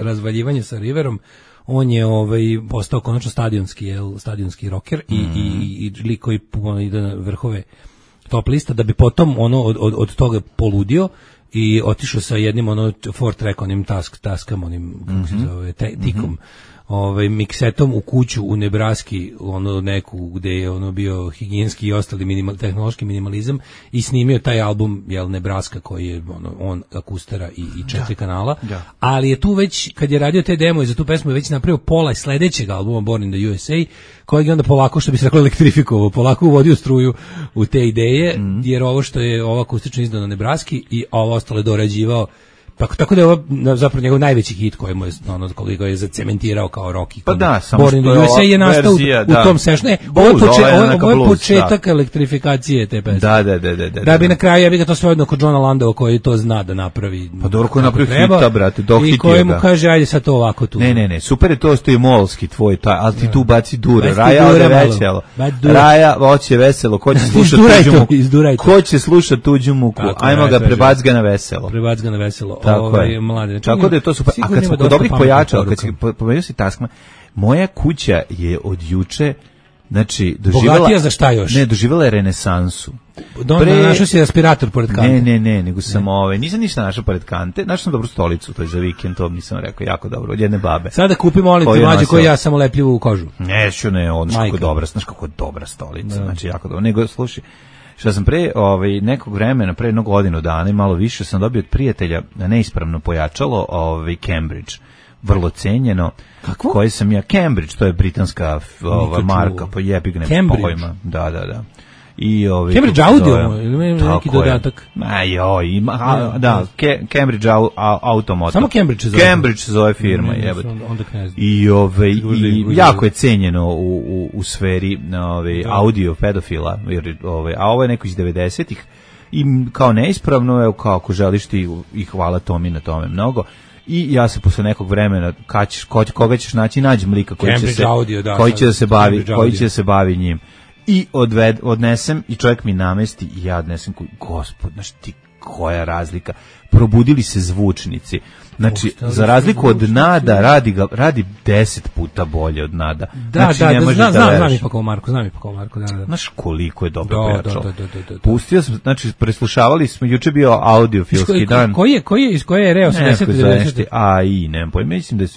razvaljivanja sa Riverom, on je postao konačno stadionski rocker i lik koji ide na vrhove top lista, da bi potom od toga poludio i otišao sa jednim 4 track onim taskam, onim kako se zove, tikom miksetom u kuću u Nebraski, ono neku gde je ono bio higijenski i ostali tehnološki minimalizam i snimio taj album Nebraska koji je on akustara i 4 kanala. Da. Ali je tu već kad je radio te demo i za tu pesmu je već napravio pola sledećeg albuma Born in the USA, kojeg je onda polako, što bi se reklo, elektrifikovao, polako uvodio struju u te ideje, jer ovo što je ovo akustično izdano na Nebraski i ovo ostalo je dorađivao. Tako da je ovo zapravo njegov najveći hit koji mu je koliko je zacementirao kao rock. Pa da, samo Born in the USA je nastao u tom sessionu. Ovo je početak elektrifikacije te pesme. Da bi na kraju ja bih ga to sve odno kod Johna Landau koji to zna da napravi. Pa dobro ko napravi hita, brate, dohitio ga. I koji mu kaže ajde sad to ovako tu. Ne, super je to što je molski tvoj taj, ali ti tu baci dure. Raja ode veselo. Raja hoće veselo, ko će slušati tuđu muku. Ko će slušati tuđu muku? Ajmo ga prebac ga na veselo. Prebac ga na veselo. Tako je. Mlade. Tako da je to super. A kad smo kod dobrih pojačala, kad si pomenuo si Taskman, moja kuća je od juče, znači, bogatija za šta još? Ne, doživjela je renesansu. Našao si respirator pored kante. Ne, nego sam nisam ništa našao pored kante, našao sam dobru stolicu, to je za vikend, to nisam rekao, jako dobro, od jedne babe. Sada kupim molim te mlađe koji ja samo lepljivu u kožu. Znaš kako dobra stolica, znači jako dobro. Nego, slušaj, što sam pre nekog vremena, pre jednog godinu dana i malo više, sam dobio od prijatelja neispravno pojačalo Cambridge, vrlo cenjeno. Kakvo? Koje sam ja, Cambridge, to je britanska marka, pa jebig ne pojma. Da. I Cambridge Audio ili neki dodatak? Cambridge Automotive. Samo Cambridge se zove. Cambridge se zove firma, jebote. I jako je cenjeno u sferi audio pedofila, a ovo je neko iz 90-ih i kao neispravno, evo kao ako želiš ti i hvala Tomi na tome mnogo. I ja se posle nekog vremena koga ćeš naći, nađem lika koji će da se bavi njim. I odnesem i čovjek mi namesti i ja odnesem gospod, znaš ti koja razlika, probudili se zvučnici, znači za razliku od Nada radi 10 puta bolje od Nada. Znam i pa Marko, da. Znaš koliko je dobro pojačalo. Pustio sam, znači preslušavali smo, juče bio audiofilski dan. Iz koje je Reo 80-90? Nemam pojma,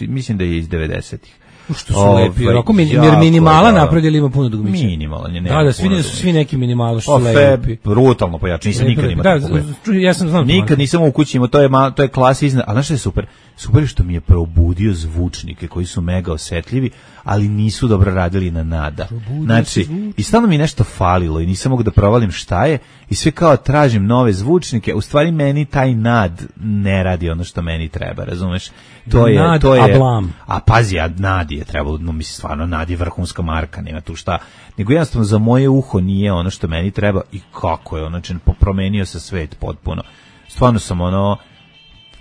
mislim da je iz 90-ih. Što su lepi, jer minimala napravili ima puno dugmića. Minimalan je, da, svi neki minimala što su lepi. Brutalno pojačan, nisam nikad imao tako. Ja sam znam. Nikad nisam u kući imao, to je klasa iznad, ali znaš što je super? Super je što mi je probudio zvučnike koji su mega osetljivi, ali nisu dobro radili na Nada. Znači, i stalno mi nešto falilo i nisam mogu da provalim šta je i sve kao tražim nove zvučnike, u stvari meni taj Nad ne radi ono što meni treba, razumeš? To je ablam. A pazi, Nad je trebalo, mislim stvarno Nad je vrhunska marka, nema tu šta, nego jednostavno za moje uho nije ono što meni treba i kako je, znači promenio se svet potpuno. Stvarno sam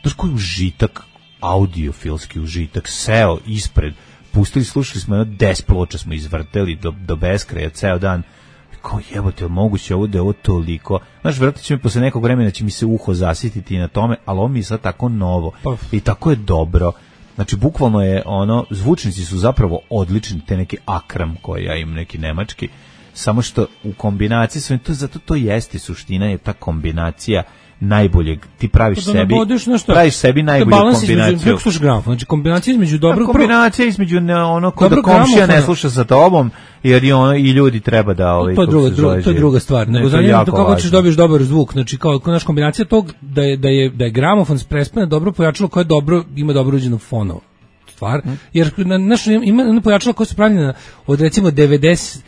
znaš koji užitak, audiofilski užitak, seo ispred, pustili, slušali smo 10 ploča smo izvrteli do beskraja ceo dan. Kao jebote, moguće ovo da je ovo toliko. Znaš, vjerojatno će mi posle nekog vremena će mi se uho zasititi na tome, ali ovo mi je sad tako novo i tako je dobro. Znači, bukvalno je zvučnici su zapravo odlični, te neki Akram koji ja imam, neki nemački, samo što u kombinaciji sa zato to jeste suština, je ta kombinacija najboljeg, ti praviš sebi najbolju kombinaciju. Kako slušaš gramofon? Znači kombinacija između dobrog... Kombinacija između kod komšija ne sluša sa tobom, jer i ljudi treba da... To je druga stvar. Nego zanimljivo kako ćeš dobiješ dobar zvuk. Znači kao naš kombinacija tog da je gramofon sprespane dobro pojačalo koje ima dobro uđenu fonovu stvar. Jer ima pojačalo koje su pravljene od recimo 90...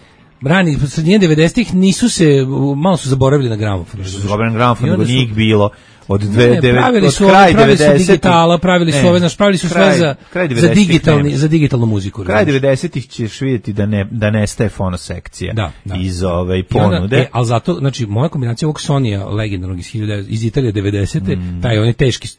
srednje 90-ih nisu se, malo su zaboravili na gramofon. Zaboravili na gramofon, nego nije ih bilo. Od pravili su digitala, pravili su sve za digitalnu muziku. Kraj 90-ih ćeš vidjeti da nestaje fonosekcija iz ponude. Ali zato, znači, moja kombinacija ovog Sonija legendarnog iz Italije 90-te, taj on je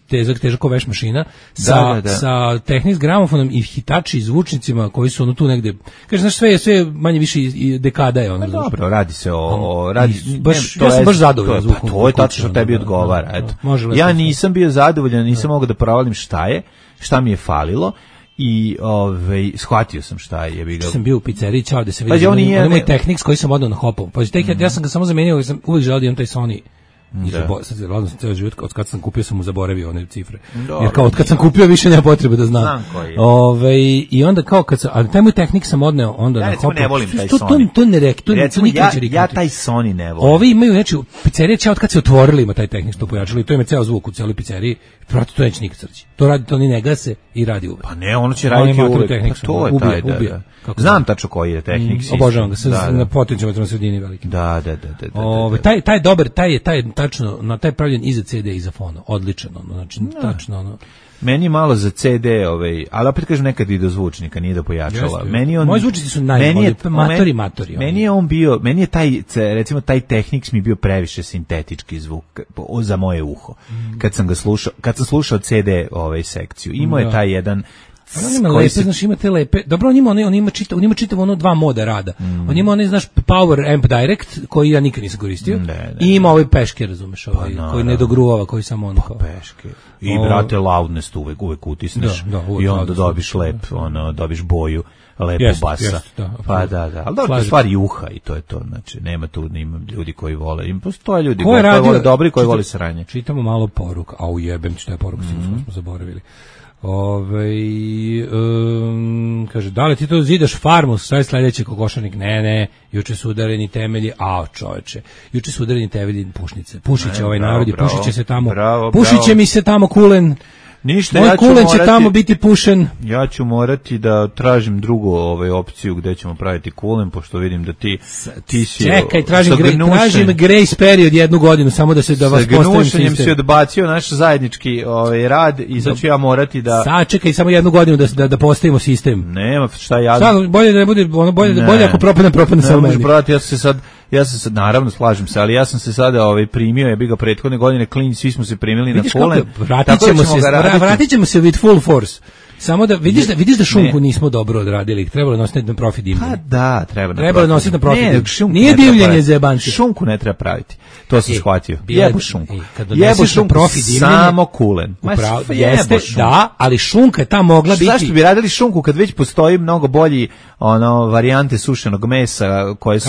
težak ko veš mašina, sa tehnik s gramofonom i hitači i zvučnicima koji su tu negde, kaže, znaš, sve manje više dekada je. Dobro, radi se o... Ja sam baš zadovoljan zvukom. To je tačno što tebi odgovara, eto. Ja nisam bio zadovoljan, nisam mogao da provalim šta mi je falilo i shvatio sam šta je. Ja sam bio u pizzeriji, čao da se vidi. On je moj tehnik s koji sam odao na hopovu. Pa ja sam ga samo zamenio, sam uvijek želeo da imam taj Sony Sad sam ceo život, od kad sam kupio sam mu zaboravio one cifre. Jer kao od kad sam kupio više nema potrebe da znam. I onda kao kad sam, ali taj moj tehnik sam odneo onda na hopu. Ne volim taj Sony. To ne rekao, ja taj Sony ne volim. Ovi imaju, znači, pizzerija će od kad se otvorili ima taj tehnik što pojačali, to ima ceo zvuk u celoj pizzeriji. Proti to neće nikad srći. To radi, to ni ne gase i radi uvek. Pa ne, ono će raditi uvek. Pa to je taj, da. Znam tačno koji je tehnik. Obožavam ga, na potencijalnoj sredini veliki. Da. Taj je dobar, taj je tačno, na taj je pravljen i za CD i za fono. Odličan, znači tačno ono. Meni malo za CD, ali opet kažem nekad i do zvučnika, nije do pojačala. Moji zvučnici su najbolji, matori. Meni je taj, recimo taj Technics mi bio previše sintetički zvuk za moje uho. Kad sam slušao CD sekciju, imao je taj jedan. On ima lepe, znaš, ima te lepe. Dobro, on ima čitav ono dva moda rada. On ima onaj, znaš, Power Amp Direct, koji ja nikad nisam koristio. I ima ovaj peške, razumeš, koji ne dogruvava, koji samo on kao. Peške. I brate, loudness uvek utisneš. I onda dobiš dobiš boju lepo basa. Pa da. Ali dobro, to stvari uha i to je to. Znači, nema ljudi koji vole. Postoje ljudi koji vole dobri, koji vole sranje. Čitamo malo poruka. A ujebem ti šta je poruka, smo zaboravili. Kaže, da li ti to zidaš farmu, sve sledeće kokošarnik? Ne, juče su udareni temelji, čoveče, juče su udareni temelji Pušnice, pušiće ovaj narod i pušit će se tamo, pušiće mi se tamo kulen, ništa, moj kulen će tamo biti pušen. Ja ću morati da tražim drugu opciju gde ćemo praviti kulen, pošto vidim da ti si... Čekaj, tražim grace period 1 godinu, samo da vas postavim sistem. Sa gnušanjem si odbacio naš zajednički rad i sad ću ja morati da... Sačekaj samo 1 godinu da postavimo sistem. Nema, šta ja... Bolje da ne bude, bolje ako propadne sa meni. Ja sam se naravno slažem se, ali ja sam se sada primio, ja bih ga prethodne godine klin, svi smo se primili na kulen. Vratit ćemo se with full force. Samo da vidiš da šunku nismo dobro odradili, trebalo nositi na profi dimljenje. Pa da, trebalo nositi na profi dimljenje. Nije dimljenje za jebanci. Šunku ne treba praviti. To sam shvatio. Jebu šunku. Jebu šunku profi dimljenje. Samo kulen. Jeste, da, ali šunka je ta mogla biti. Zašto bi radili šunku kad već postoji mnogo bolji varijante sušenog mesa koje su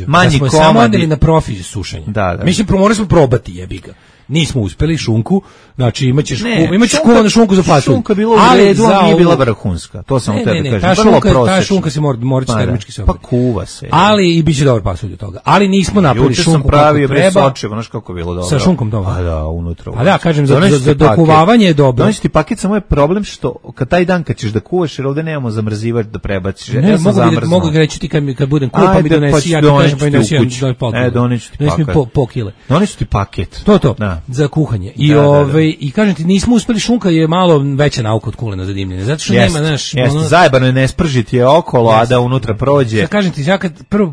manji komadi. Samo odeli na profi sušenje. Mislim, morali smo probati, jebi ga. Nismo uspeli šunku, znači imaćeš kuvanu šunku za fasulj. Šunka bila u redu, ali nije bila vrhunska. To sam tebe kažem. Ta šunka se mora termički se obraditi. Pa kuva se. Ali i biće dobar pasulj od toga. Ali nismo napravili šunku kako treba. Juče sam pravio sočevo, znaš kako je bilo dobro. Sa šunkom dobro. A da, unutra. A da, kažem, za dokuvavanje je dobro. Doneći ti paket, samo je problem što kad taj dan kad ćeš da kuvaš, jer ovde nemamo zamrzivač da prebaciš. Ne, mogu ga reći ti kad budem kuva, pa mi donesi, ja ti kažem pa mi donesi pola kile. Doneći ti paket. To. Za kuhanje. I kažem ti, nismo uspeli, šunka je malo veća nauka od kulena za dimljenje. Zato što nema, znaš, zajebano je ne spržiti je okolo, a da unutra prođe. Ja kažem ti,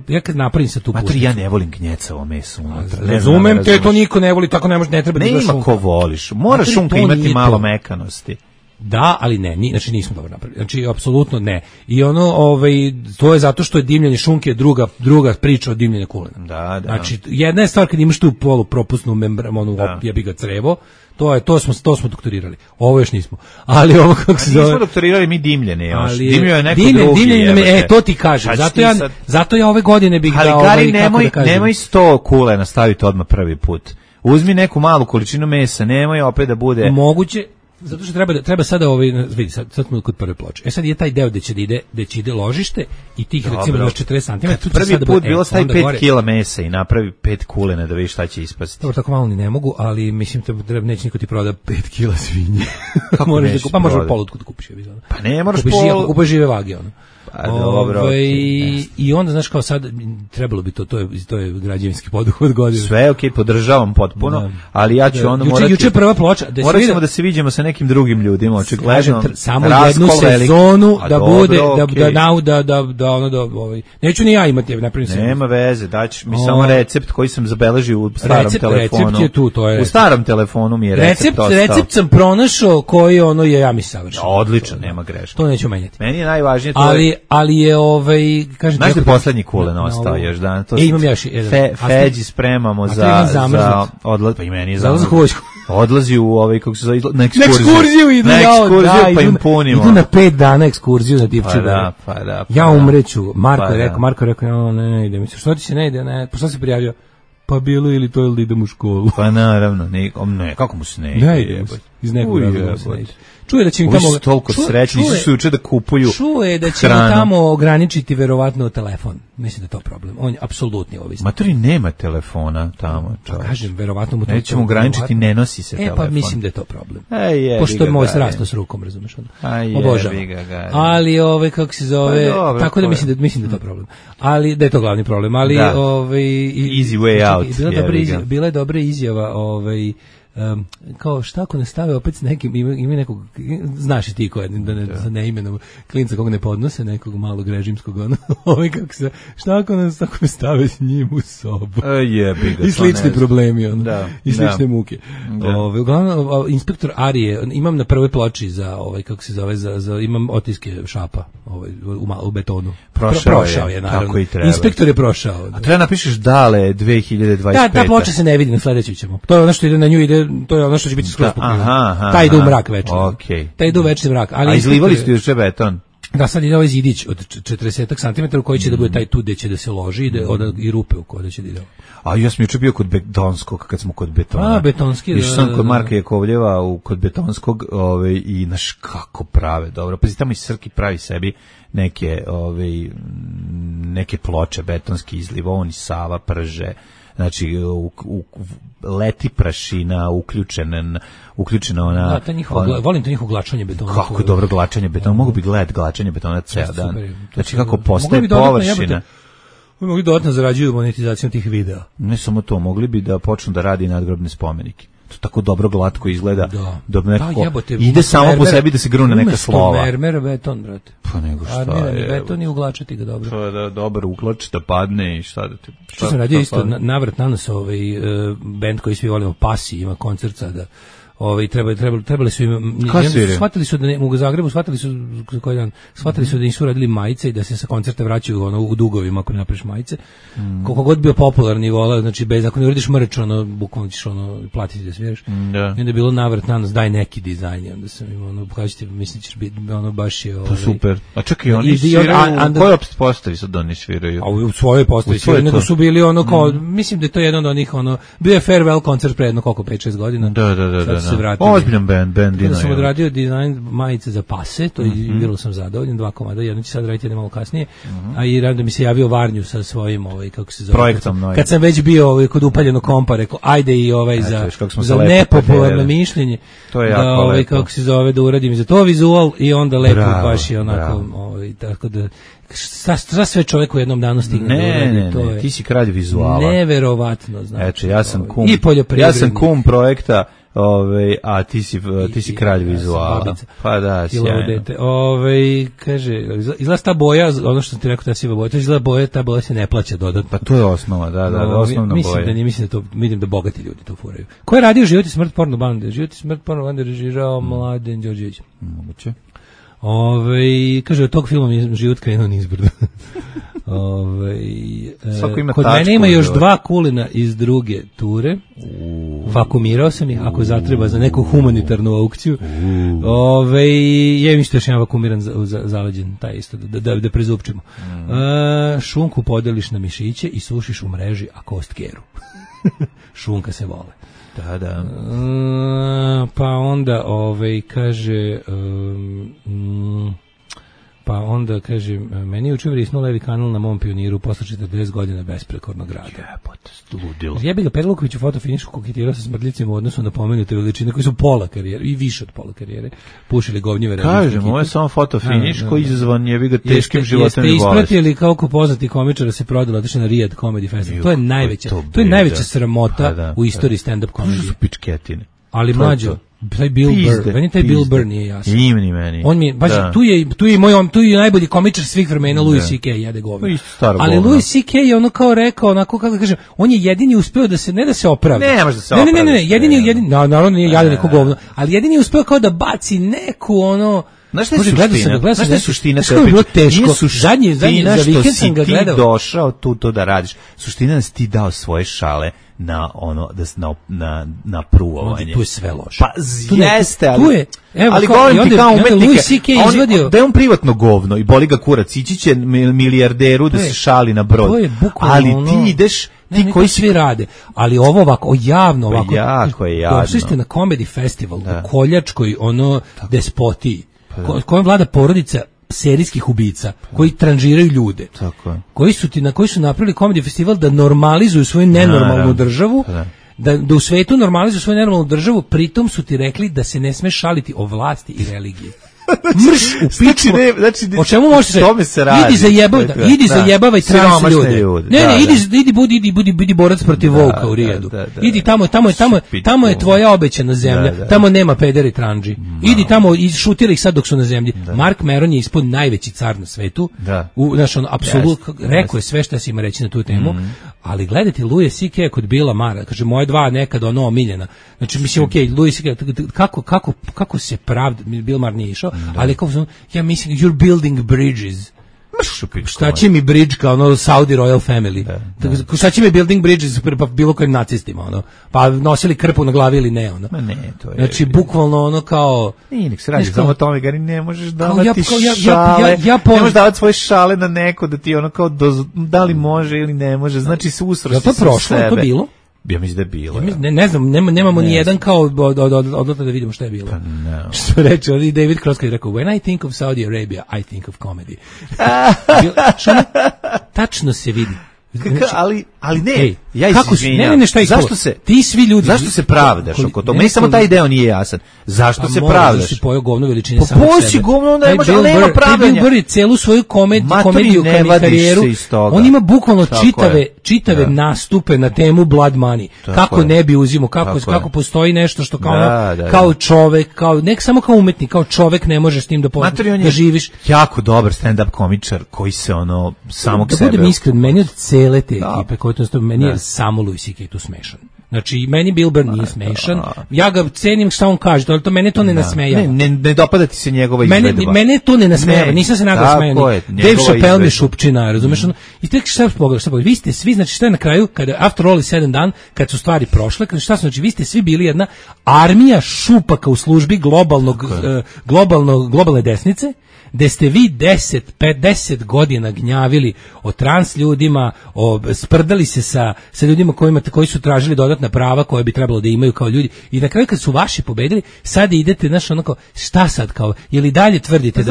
ja kad napravim sa tu pušnicu. Ja ne volim gnjecavo meso unutra. Razumem te, to niko ne voli, tako ne treba da ima šunka. Ko voliš. Mora šunka imati malo mekanosti. Da, ali ne, znači nismo dobro napravili. Znači apsolutno ne. I to je zato što je dimljenje šunke druga priča od dimljenja kulena. Da. Znači jedna je stvar kad imaš tu polupropusnu membranu, jebi ga crevo, to smo doktorirali. Ovo još nismo. Ali ovo kako se zove. Nismo doktorirali mi dimljenje još. Dimljenje je neko drugi. Dimljenje, to ti kažem. Zato ja ove godine bih dao Gari, nemoj 100 kulena staviti odmah prvi put. Uzmi neku malu količinu mesa, nemoj opet da bude moguće. Zato što treba sada vidi, sad smo kod prve ploče. Sad je taj deo gde će ide ložište i tih recimo 40 cm. Prvi put bilo stavi 5 kg mesa i napravi 5 kulena da vidiš šta će ispasti. Dobro, tako malo ni ne mogu, ali mislim neće niko ti proda 5 kg svinje. Možeš polutku da kupiš. Pa ne, moraš kupaš žive vage, ono. Dobro, i onda znaš kao sad trebalo bi to je građevinski poduhvat godine. Sve okej, podržavam potpuno, ali ja ću ono morati. Juče prva ploča, moramo da se viđemo sa nekim drugim ljudima, očigledno. Samo jednu sezonu da bude neću ni ja imati, nema veze, daću mi samo recept koji sam zabeležio u starom telefonu. Recept je tu, to je. U starom telefonu mi je recept ostao. Recept sam pronašao koji je ja mi savršen. Odlično, nema greške. To neću menjati. Meni je najvažnije to. Ali je kažem znaš da poslednji kulen ostao još dan. Imam još jedan. Feđi spremamo za odlaz, pa i meni je odlazi u kako se zove, na ekskurziju idu, pa im punimo. Idu na 5 dana ekskurziju na Divčibar. Pa da. Ja umreću. Marko je rekao, ne ide mi se. Što ti se ne ide? Pa što se prijavio? pa bilo ili to ili idem u školu. Pa naravno, ne, kako mu se ne ide? Ne ide, iz nekog razloga se ne ide. Čuje da će im Ovi tamo... su toliko srećni, su juče da kupuju Čuje da će im tamo ograničiti verovatno telefon. Mislim da je to problem. On je apsolutni ovisnik. Matori nema telefona tamo. Pa kažem, verovatno mu to... Nećemo ograničiti, ne nosi se telefon. Pa mislim da je to problem. Pošto je moj srasno s rukom, razumeš ono. Obožavam. Ali, kako se zove... Tako da mislim da je to problem. Ali, da je to glavni problem. Ali, easy way out. Bila je dobra izjava, kao šta ako ne stave opet s nekim, ima nekog, znaš i ti ko je, da ne imenom klinca kog ne podnose, nekog malog režimskog, šta ako ne stave s njim u sobu. I slični problemi, i slične muke. Uglavnom, inspektor Arije, imam na prvoj ploči za, kako se zove, imam otiske šapa u betonu. Prošao je, naravno. Inspektor je prošao. A treba napišeš Dale 2025. Da, ta ploča se ne vidi, na sledeću ćemo. To je ono što ide na nju, to je ono što će biti skroz pokriveno. Taj ide u mrak večer. Taj ide u večni mrak. A izlivali ste juče beton? Da, sad ide ovaj zidić od 40 cm u koji će da bude taj tu gde će da se loži i rupe u koje će da ide. A ja sam juče bio kod betonskog, kad smo kod betona. Betonski, Išao sam kod Marka Jakovljeva kod betonskog i naš kako prave, dobro. Pazi, tamo i Srki pravi sebi neke ploče betonski izliv, on i Sava prže. Znači, leti prašina, uključena ona... Da, volim to njihovo glačanje betona. Kako dobro glačanje betona, mogu bi gledati glačanje betona ceo dan. Znači, kako postaje površina. Mogli dodatno zarađuju monetizacijom tih videa. Ne samo to, mogli bi da počnu da radi nadgrobne spomenike. To tako dobro glatko izgleda. Ide samo po sebi da se grune neka slova. Umesto mermera beton, brate. Pa nego šta je. Armirani beton i uglačati ga dobro. To je da dobro uglači da padne i šta da te... Što sam radio isto, navrat na nas band koji svi volimo, Pasi, ima koncert sada. Trebali su im, shvatili su da u Zagrebu, shvatili su da nisu radili majice i da se sa koncerta vraćaju u dugovima ako ne napraviš majice. Koliko god bio popularni vola, znači bez ako ne uradiš merch, bukvalno ćeš platiti da sviraš. I onda je bilo navrat na nas, daj neki dizajn, i onda sam im pokažite, mislim ćeš biti baš je to super. A čekaj, oni sviraju, koji postavi sad oni sviraju? A u svojoj postavi sviraju, nego su bili kao, mislim da je to jedan od onih, bio je farewell koncert pre jedno koliko 5-6 godina. Da. Ozbiljan band Dino. Sam odradio dizajn majice za Pase, to je bilo sam zadovoljan, 2 komada, jedno će sad raditi malo kasnije, a i rado mi se javio Varnju sa svojim, kako se zove, projektom. Kad sam već bio kod upaljenog kompa, rekao, ajde i za nepopularno mišljenje, to je jako lepo. Kako se zove, da uradim za to vizual i onda lepo baš je onako, tako da šta sve čovjek u jednom danu stigne. Ne, ti si kralj vizuala. Neverovatno, znači. Eto, ja sam kum projekta, a ti si kralj vizuala. Pa da, sjajno. Kaže, izgleda ta boja, ono što ti rekao, ta siva boja, to izgleda ta boja se ne plaća dodatno. Pa to je osnova, da, osnovna boja. Mislim da to, vidim da bogati ljudi to furaju. Ko je radio Život i smrt porno bande? Život i smrt porno bande režirao Mladen Đorđević. Moguće. Kaže, od tog filma je život krenuo nizbrdo. Kod mene ima još 2 kulina iz druge ture. Vakumirao sam ih, ako zatreba za neku humanitarnu aukciju. Je mi što još jedan vakumiran zaleđen, taj isto, da prezupčimo. Šunku podeliš na mišiće i sušiš u mreži, a kost keru. Šunka se vole. Da. Pa onda, kaže... Pa onda, kaže, meni je učer vrisnuo levi kanal na mom Pioniru posle 40 godina besprekornog rada. Ludilo. Jebi ga, Perluković u fotofinišu koketirao sa smrdljicima u odnosu na pomenute veličine koji su pola karijere, i više od pola karijere, pušili govnjive radnje. Kažem, ovo je samo fotofiniš koji izazvan jebi ga teškim životom i bolesti. Jeste ispratili koliko poznati komičara se prodalo otišli na Rijad Comedy Festival. To je najveća sramota u istoriji stand-up komedije. To su pičketine. Ali mlađo, taj Bill Burr, meni taj Bill Burr nije jasan. Ni meni. On mi, tu je najbolji komičar svih vremena, Louis C.K. jede govno. Ali Louis C.K. je ono kao rekao, onako kako da kažem, on je jedini uspeo da se, ne da se opravi. Ne može da se opravi. Ne, jedini, naravno nije jadan neko govno, ali jedini je uspeo kao da baci neku ono... Znaš šta je suština? Što je bilo teško? Zadnji za vikend sam ga gledao. Ti došao tu to da radiš. Suština da si ti dao svoje šale na ono, na pruvovanje. Tu je sve loše. Pa jeste, ali govorim ti kao umetnike, da je on privatno govno i boli ga kurac, ići će milijarderu da se šali na brod. Ali ti ideš ti koji svi rade, ali ovo ovako, javno ovako. Jako je jadno. Došli ste na Comedy Festival u koljačkoj despotiji, kojom vlada porodica serijskih ubica koji tranžiraju ljude. Tako je. Koji su napravili Comedy Festival da normalizuju svoju nenormalnu državu. Da u svetu normalizuju svoju nenormalnu državu, pritom su ti rekli da se ne sme šaliti o vlasti i religiji. Mrš u pičku. O čemu možeš se radi? Idi zajebavaj trans ljude. Ne, idi borac protiv Vuka u Rijedu. Idi tamo je tvoja obećana zemlja. Tamo nema pederi i tranđi. Idi tamo i šutili ih sad dok su na zemlji. Mark Maron je ispod najveći car na svetu. Apsolutno rekao je sve što se ima reći na tu temu. Ali gledajte Louis C.K. kod Billa Mara, kaže moje dva nekad omiljena. Znači mislim Louis C.K. kako se pravda, Bill Maher nije išao, ali kao ja mislim you're building bridges. Šta će mi bridge kao Saudi Royal Family? Šta će mi building bridges pa bilo kojim nacistima pa nosili krpu na glavi ili ne Ma ne, to je. Znači bukvalno kao nije nek se radi samo tome Gari ne možeš davati šale. Ne možeš davati svoje šale na neko da ti kao da li može ili ne može. Znači se usro to prošlo, to bilo. Ja mislim da je bilo. Ne znam, nemamo ni jedan kao odlata da vidimo šta je bilo. Što reče, ali David Cross kad je rekao, when I think of Saudi Arabia, I think of comedy. Tačno se vidi. Ali ne, ja izvinjam. Zašto se ti svi ljudi zašto se pravdaš oko toga? Meni samo taj deo nije jasan. Zašto se pravdaš? Si pojeo govno veličine samo sebe. Poći govno, onda nema pravdanja. Bill Burr celu svoju komediju karijeru. On ima bukvalno čitave nastupe na temu Blood Money. Kako ne bi uzimao, kako postoji nešto što kao čovek, ne samo kao umetnik, kao čovek ne možeš s tim da živiš. Jako dobar stand-up komičar koji se samog sebe. Da budem iskren, meni od cele te ekipe koje to meni je samo Louis C.K. tu smešan. Znači, meni Bill Burr nije smešan. Ja ga cenim šta on kaže, ali to mene to ne nasmejava. Ne dopada ti se njegova izvedba. Mene to ne nasmejava. Nisam se nagao smejao. Dave Chappelle mi šupčina, razumeš? I tek šta pogledaš? Vi ste svi, znači šta je na kraju, kada after all is said and done, kad su stvari prošle, kada šta su, znači vi ste svi bili jedna armija šupaka u službi globalne desnice, gde ste vi 10 godina gnjavili o trans ljudima, sprdali se sa ljudima koji su tražili dodatna prava koje bi trebalo da imaju kao ljudi, i na kraju kad su vaši pobedili, sad idete, znaš, šta sad kao, je li dalje tvrdite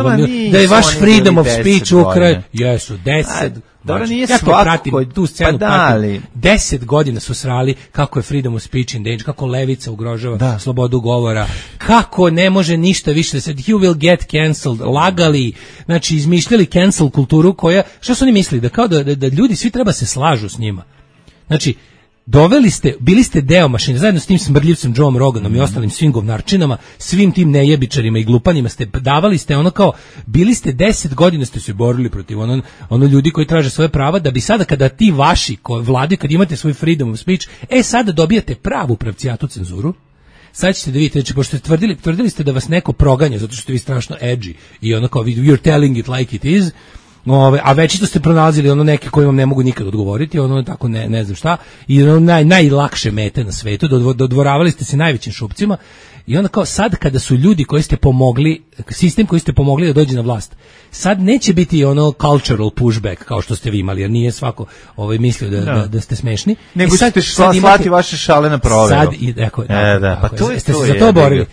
da je vaš freedom of speech u kraju? Jesu, 10. Dobro, nije ja to pratim, tu scenu pratim. 10 godina su srali kako je freedom of speech in danger, kako levica ugrožava slobodu govora, kako ne može ništa više da se, you will get cancelled, lagali, znači izmišljali cancel kulturu koja, što su oni mislili, da kao da ljudi svi treba se slažu s njima. Znači, bili ste deo mašine, zajedno s tim smrdljivcem Joeom Roganom i ostalim svim govnarčinama, svim tim nejebičarima i glupanima davali ste bili ste 10 godina ste se borili protiv ljudi koji traže svoje prava, da bi sada kada ti vaši vlade, kad imate svoj freedom of speech, sada dobijate pravu pravcijatu cenzuru. Sad ćete da vidite, znači, pošto ste tvrdili ste da vas neko proganja zato što ste vi strašno edgy i you're telling it like it is. A večito ste pronalazili neke koji vam ne mogu nikad odgovoriti, tako ne znam šta, i najlakše mete na svetu, dodvoravali ste se najvećim šupcima, i onda kao sad kada su ljudi koji ste pomogli, sistem koji ste pomogli da dođe na vlast, sad neće biti cultural pushback kao što ste vi imali, jer nije svako mislio da ste smešni. Nego ćete slati vaše šale na proveru. Ste se za to borili.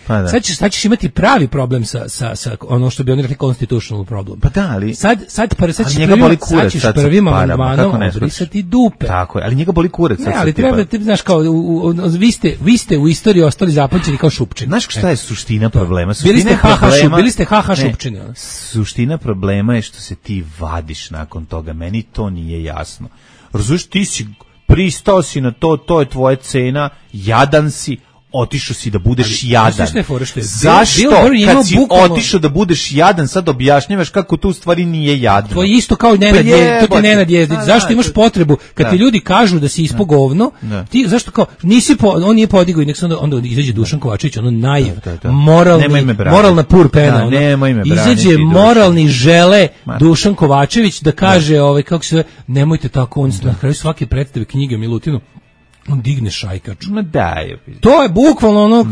Sad ćeš imati pravi problem sa ono što bi oni rekli constitutional problem. Pa da, ali sad ćeš prvim amandmanom obrisati dupe. Tako je, ali njega boli kurac. Ne, ali treba, znaš, kao, vi ste u istoriji ostali zapamćeni kao šupčini. Znaš šta je suština problema? Bili ste haha šupčini. Suština problema je što se ti vadiš nakon toga. Meni to nije jasno. Razumiješ, ti si pristao si na to je tvoja cena, jadan si, otišao si da budeš jadan. Zašto kad si otišao da budeš jadan, sad objašnjavaš kako to u stvari nije jadno? To je isto kao Nenad Jezdić. Zašto imaš potrebu kad ti ljudi kažu da si ispo govno, ti zašto kao on nije podigao i nek se onda izađe Dušan Kovačević, moralna purpena, izađe moralni žele Dušan Kovačević da kaže kako se nemojte tako, on na kraju svake predstave knjige o Milutinu on digne šajkač. To je bukvalno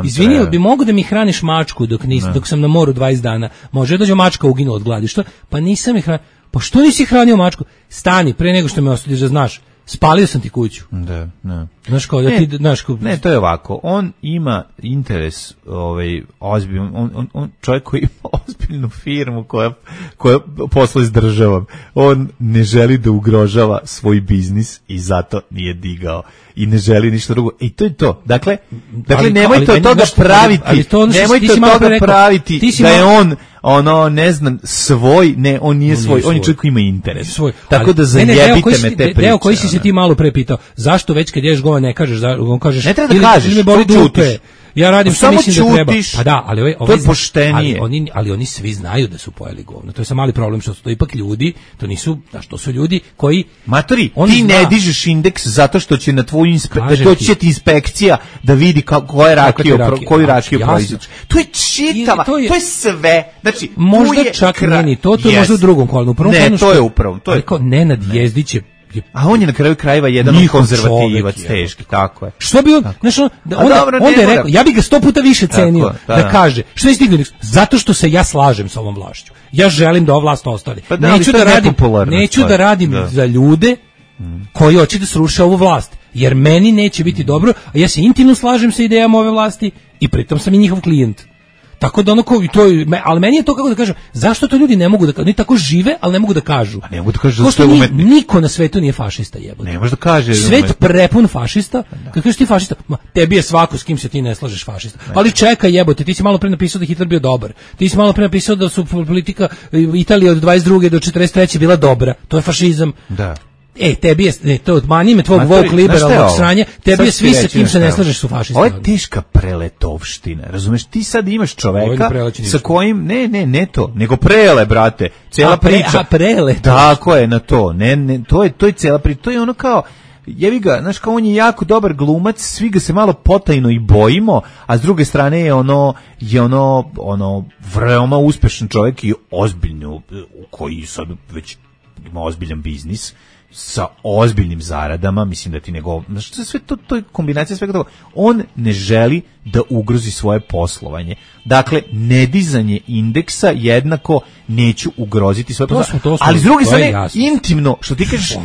izvini, bi mogu da mi hraniš mačku dok sam na moru 20 dana. Može dođe mačka uginula od gladi. Što? Pa nisam ih hranio. Pa što nisi hranio mačku? Stani, pre nego što me osudiš da znaš. spalio sam ti kuću. Da. Znaš kao da ti, znaš kao... Ne, to je ovako. On ima interes, ozbiljan, on čovjek koji ima ozbiljnu firmu koja posluje s državom. On ne želi da ugrožava svoj biznis i zato nije digao i ne želi ništa drugo. I to je to. Dakle nemojte od toga praviti. Nemojte od toga praviti da je on ne znam, svoj, ne, on nije svoj, on je čovjek koji ima interes. Tako da zajebite me te priče. Deo koji si se ti malo pre pitao, zašto već kad ješ govor ne kažeš, on kažeš, ne treba da kažeš, me boli dupe. Ja radim što mislim da treba. Pa da, ali to je poštenije. Ali oni svi znaju da su pojeli govno. To je samo mali problem što su to ipak ljudi, to nisu, to su ljudi koji Matori, ti ne dižeš indeks zato što će na tvoju inspekcija da vidi koju rakiju proizvodiš. To je čitava, to je sve. Znači, možda čak nije to je možda u drugom kolonu. Ne, to je upravo. To je kao Nenad Jezdić je. A on je na kraju krajeva jedan konzervativac, teški, tako je. Što bi on, znaš, onda je rekao, ja bih ga 100 puta više cenio da kaže, što je stigao, zato što se ja slažem sa ovom vlašću. Ja želim da ova vlast ostane. Neću da radim za ljude koji hoće da sruše ovu vlast, jer meni neće biti dobro, a ja se intimno slažem sa idejama ove vlasti i pritom sam i njihov klijent. Tako da ali meni je to, kako da kažem, zašto to ljudi ne mogu da kažu, oni tako žive, ali ne mogu da kažu. A ne mogu da kažu da ste umetni. Niko na svetu nije fašista, jebote. Ne može da kaže. Svet prepun fašista. Kad kažeš ti fašista, tebi je svako s kim se ti ne slažeš fašista. Ali čekaj, jebote, ti si malo pre napisao da Hitler bio dobar. Ti si malo pre napisao da su politika Italije od 22. do 43. bila dobra. To je fašizam. Da. Tebi je, to odmani me tvog woke liberalnog sranja, tebi je svi sa kim se ne slažeš su fašisti. Ovo je teška preletovština, razumeš, ti sad imaš čoveka sa kojim, ne to, nego prele, brate, cijela priča. Prele. Tako je, na to, to je cijela priča, to je ono kao, jevi ga, znaš, kao on je jako dobar glumac, svi ga se malo potajno i bojimo, a s druge strane je ono veoma uspešan čovjek i ozbiljno, koji sad već ima ozbiljan biznis, sa ozbiljnim zaradama, mislim da ti nego, znači sve to je kombinacija svega toga. On ne želi da ugrozi svoje poslovanje. Dakle, nedizanje indeksa jednako neću ugroziti svoje poslovanje. Ali s druge strane, intimno, što ti kažeš,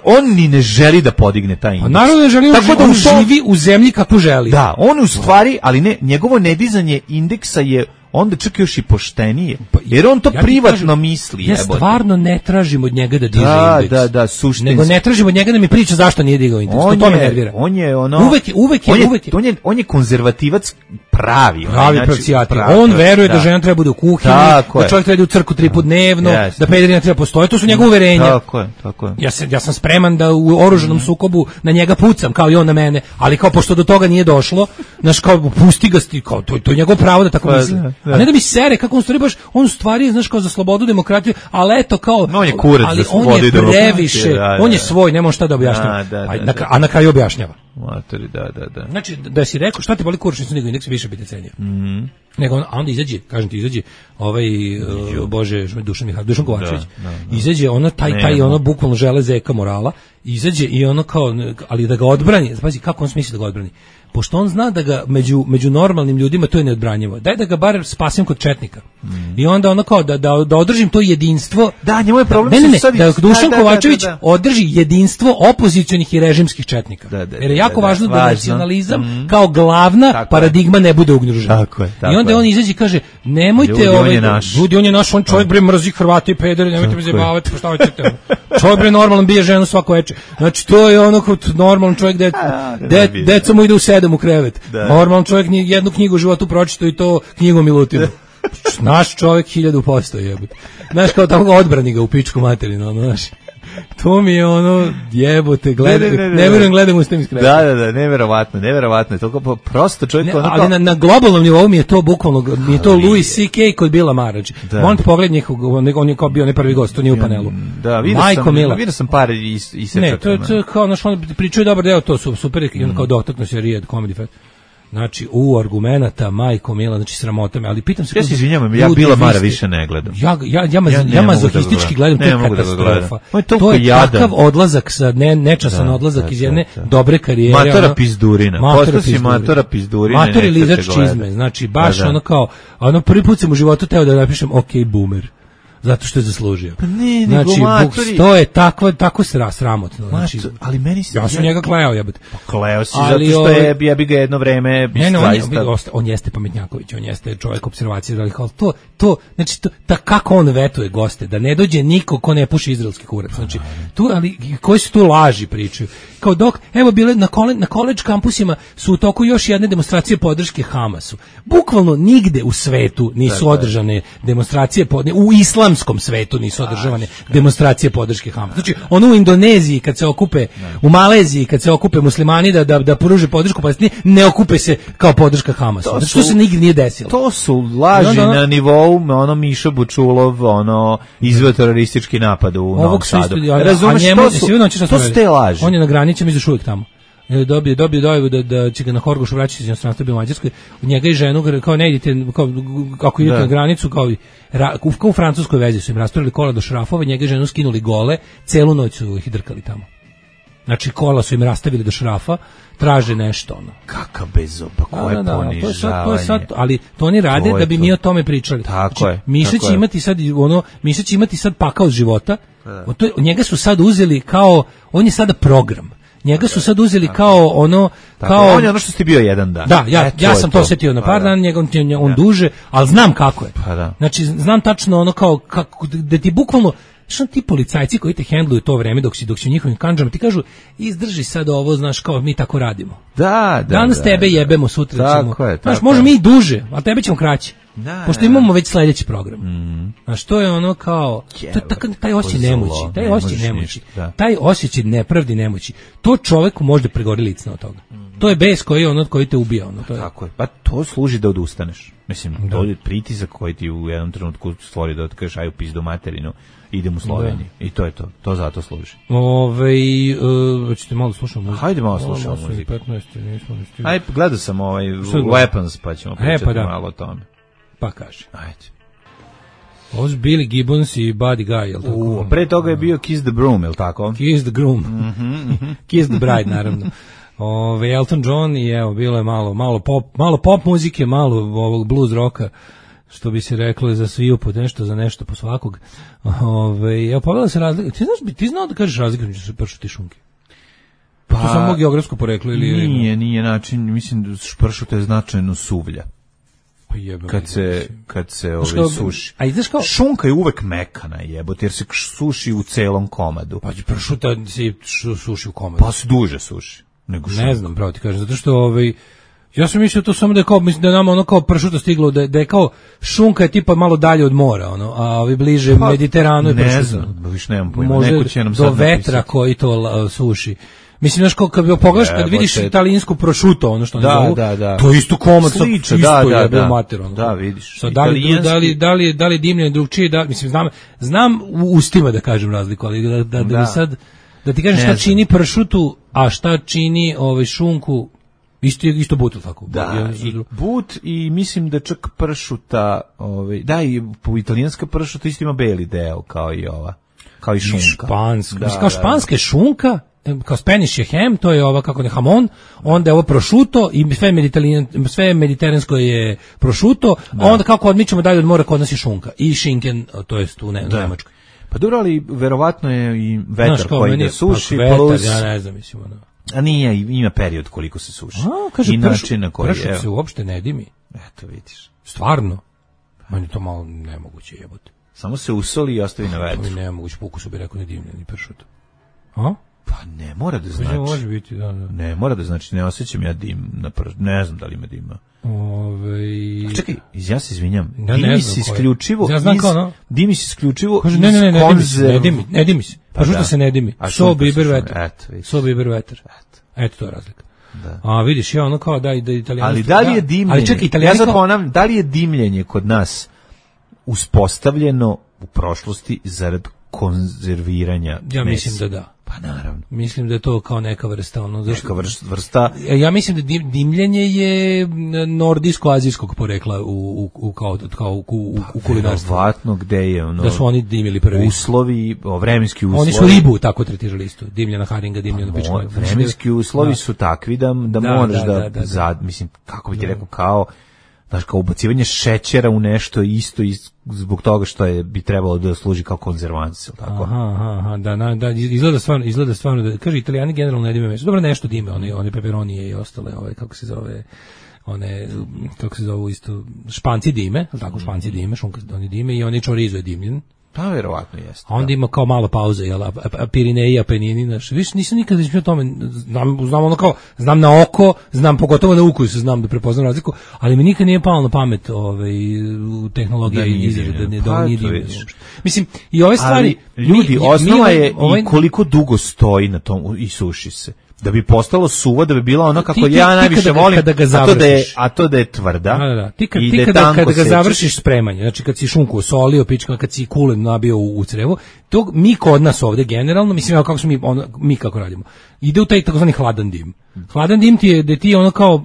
on ni ne želi da podigne taj indeks. A naravno ne želi, on živi u zemlji kako želi. Da, on u stvari, ali ne, njegovo nedizanje indeksa je onda čak još i poštenije, jer on to privatno misli. Ja stvarno ne tražim od njega da diže indeks. Da, suštinski. Nego ne tražim od njega da mi priča zašto nije digao indeks. To me nervira. On je ono... On je konzervativac pravi. Pravi pravcijati. On veruje da žena treba bude u kuhinji, da čovjek treba u crkvu 3 puta dnevno, da pederina treba postoje. To su njegove uverenja. Tako je. Ja sam spreman da u oružanom sukobu na njega pucam, kao i on na mene, ali kao pošto do toga nije došlo, znaš, kao pusti ga, kao to je njegovo pravo da tako misli. A ne da mi sere, kako on stvari baš, on u stvari, znaš, kao za slobodu, demokratiju, ali eto kao, on je kurac ali za slobodu i demokratiju. Previše, on je svoj, nema šta da objašnjava, a na kraju objašnjava. Matori, da. Znači, da si rekao, šta te boli kurac, nisu nego indeks više biti cenio. Nego, a onda izađe, kažem ti, izađe Dušan Kovačević, izađe ono, taj ono, bukvalno žele zeka morala, izađe i ono kao, ali da ga odbrani, pazi, kako on smisli da ga odbrani. Pošto on zna da ga među normalnim ljudima to je neodbranjivo. Daj da ga bar spasim kod četnika. I onda ono kao da održim to jedinstvo. Da, njemu je problem. Da Dušan Kovačević održi jedinstvo opozicionih i režimskih četnika. Jer je jako važno da nacionalizam kao glavna paradigma ne bude ugrožena. I onda on izađe i kaže, nemojte ljudi, on je naš, on čovjek bre mrzi Hrvate i pederi, nemojte me zajebavati, šta hoćete. Čovjek bre normalan bije ženu svako veče. Znači to je ono kao normalan čovjek deca mu ide u 7 u krevet. Normalan čovjek jednu knjigu u životu pročitao i to knjigu Milutinu. Naš čovjek 1000% jebote. Znaš, kao tamo odbrani ga u pičku materinu, ono, znaš. To mi je ono, jebote, ne vjerujem gledam u stem iskreno. Da, neverovatno. Toliko prosto čovjek ono kao... Ali na globalnom nivou mi je to bukvalno, mi je to Louis C.K. kod Billa Marriage. On pogled njihov, on je kao bio prvi gost, to nije u panelu. Da, vidio sam par isečaka. Ne, to je kao, znaš, on pričuje dobar deo, to su super, i on kao dotakno se Rijed Comedy Fest. Znači, argumenata, majko mila, znači sramota me, ali pitam se... Ja se izvinjavam, ja Bila Mara više ne gledam. Ja mazohistički gledam, to je katastrofa. To je takav odlazak, nečasan odlazak iz jedne dobre karijere. Matora pizdurina. Posto si matora pizdurina. Matori lizač čizme, znači, baš ono kao, ono prvi put sam u životu teo da napišem OK boomer. zato što je zaslužio. Pa ne, znači, to je tako sramotno. Znači, ali meni ja sam njega kleo, jebote. Pa kleo si zato što je jebi ga jedno vreme on jeste pametnjaković, on jeste čovjek observacije, ali kao znači kako on vetuje goste, da ne dođe niko ko ne puši izraelski kurac. Znači, tu, ali koji su tu laži pričaju. Kao dok, evo bile na college kampusima su u toku još jedne demonstracije podrške Hamasu. Bukvalno nigde u svetu nisu održane demonstracije u islamskom svetu nisu održavane demonstracije podrške Hamasu. Znači, ono u Indoneziji kad se okupe, u Maleziji kad se okupe muslimani da pruže podršku Palestini, ne okupe se kao podrška Hamasu. Znači, to se nigdje nije desilo. To su laži na nivou Miša Bučulov, izveo teroristički napad u Novom Sadu. Razumeš, to su te laži. On je na granici, mi još uvijek tamo. Dobio dojavu da će ga na Horgošu vraćati iz inostranstva bio u Mađarskoj. Njega i ženu, kao ne idete, kako idete na granicu, kao u francuskoj vezi su im rasturili kola do šrafova, njega i ženu skinuli gole, celu noć su ih drkali tamo. Znači, kola su im rastavili do šrafa, traže nešto, Kakav bezoba, koje ponižavanje. Ali to oni rade da bi mi o tome pričali. Tako je. Miša će imati sad pakao od života. Njega su sad uzeli kao, on je sada program. Njega su sad uzeli kao on je ono što ste bio jedan dan. Da, ja sam to osjetio na par dana, on duže, ali znam kako je. Znači, znam tačno kako, da ti bukvalno, što ti policajci koji te hendluju to vreme dok si u njihovim kandžama ti kažu izdrži sad ovo, znaš, kao mi tako radimo. Danas tebe jebemo, sutra ćemo. Znaš, možemo mi duže, a tebe ćemo kraće. Pošto imamo već sljedeći program. Znaš, to je kao taj osjećaj nemoći. Taj osjećaj nepravdi nemoći. To čoveku može pregori licno od toga. To je bes koji te ubija. Tako je. Pa to služi da odustaneš. Mislim, to je pritisak koji ti u jednom trenutku stvori da kažeš ajde u pizdu materinu, idem u Sloveniju. I to je to. To zato služi. Hoćete malo slušati muziku? Hajde malo slušati muziku. 15, nismo ni stigli. Ajde, gledao sam Weapons, pa ćemo pričati malo o tome. Pa kaže. Ajde. Ovo su Billy Gibbons i Buddy Guy, jel tako? Pre toga je bio Kiss the Broom, jel tako? Kiss the Groom. Kiss the Bride, naravno. Elton John i evo, bilo je malo pop muzike, malo ovog blues roka, što bi se reklo za sviju po nešto, za nešto po svakog. Evo, pogledala se razlika. Ti znao da kažeš razliku među pršuti i šunke? Pa, to samo geografsko poreklo ili... Nije način, mislim da pršut je značajno suvlja. Kad se suši. A ideš kao šunka je uvek mekana, jebote, jer se suši u celom komadu. Pa pršuta se suši u komadu. Pa se duže suši nego šunka. Ne znam, pravo ti kažem, zato što ja sam mislio to samo da je kao, mislim da je nama kao pršuta stiglo, da je kao šunka je tipa malo dalje od mora, a bliže Mediteranu je pršuta. Ne znam, više nemam pojma. Može do vetra koji to suši. Mislim, znaš, kad pogledaš, kad vidiš italijansku prosciutto, ono što oni zovu, to je isto komad, isto je mater. Da, vidiš. Da li je dimljen drugčije, mislim, znam u ustima da kažem razliku, ali da ti kažem šta čini pršutu, a šta čini šunku, isto but, ili tako? Da, but i mislim da čak pršuta, i italijanska pršuta isto ima beli deo, kao i ova, kao i šunka. Kao španska je šunka, kao Spanish je ham, to je ova kako ne hamon, onda je ovo prosciutto i sve mediteransko je prosciutto, a onda kako odmičemo dalje od mora kod nas je šunka i šinken, to jest u Nemačkoj. Pa dobro, ali verovatno je i vetar koji da suši, plus... Ja ne znam, mislim, A nije, ima period koliko se suši. Kaže, i način na koji pršut se uopšte ne dimi. Eto, vidiš. Stvarno? Meni to malo nemoguće jebote. Samo se usoli i ostavi na vetru. To mi nemoguće, po ukusu bi rekao ne dimljeni pršut. A? Pa ne mora da znači. Može biti, da. Ne mora da znači, ne osjećam ja dim na pršut. Ne znam da li ima dima. Čekaj, ja se izvinjam. Dimi se isključivo dimi se isključivo iz ne dimi se. Pršuta se ne dimi. So biber vetar. Eto, to je razlika. Da. A vidiš, ja ono kao da italijanstvo. Ali da li je dimljenje? Ali čekaj, da li je dimljenje kod nas uspostavljeno u prošlosti zarad konzerviranja mesa? Ja mislim da da. Pa naravno. Mislim da je to kao neka vrsta neka vrsta. Ja mislim da dimljenje je nordijsko-azijskog porekla u kulinarstvu. Verovatno gde je da su oni dimili prvi. Uslovi, vremenski uslovi. Oni su ribu tako tretirali isto. Dimljena haringa, dimljena pička. Vremenski uslovi su takvi da moraš mislim, kako bi ti rekao, kao Znaš, kao ubacivanje šećera u nešto isto zbog toga što bi trebalo da služi kao konzervans, tako? Aha, da, izgleda stvarno da, kaže, Italijani generalno ne dime meso. Dobro, nešto dime, one peperonije i ostale, kako se zovu isto, španci dime, tako, španci dime, šunka oni dime i oni chorizo je dimljen. Pa verovatno jeste. A onda ima kao malo pauze, jel, Pirineji, Apenini, znaš, više nisam nikada o tome, znam ono kao, znam na oko, znam pogotovo na ukusu, znam da prepoznam razliku, ali mi nikad nije palo na pamet tehnologija i izraže, da nije dimljen. Mislim, i ove stvari... Ljudi, osnova je i koliko dugo stoji na tom i suši se. Da bi postalo suvo, da bi bila ono kako ja najviše volim, a to da je tvrda. Da. Ti kada ga završiš spremanje, znači kad si šunku osolio, kad si kulen nabio u crevu, to mi kod nas ovde generalno, mislim kako smo mi kako radimo, ide u taj takozvani hladan dim. Hladan dim ti je da ti ono kao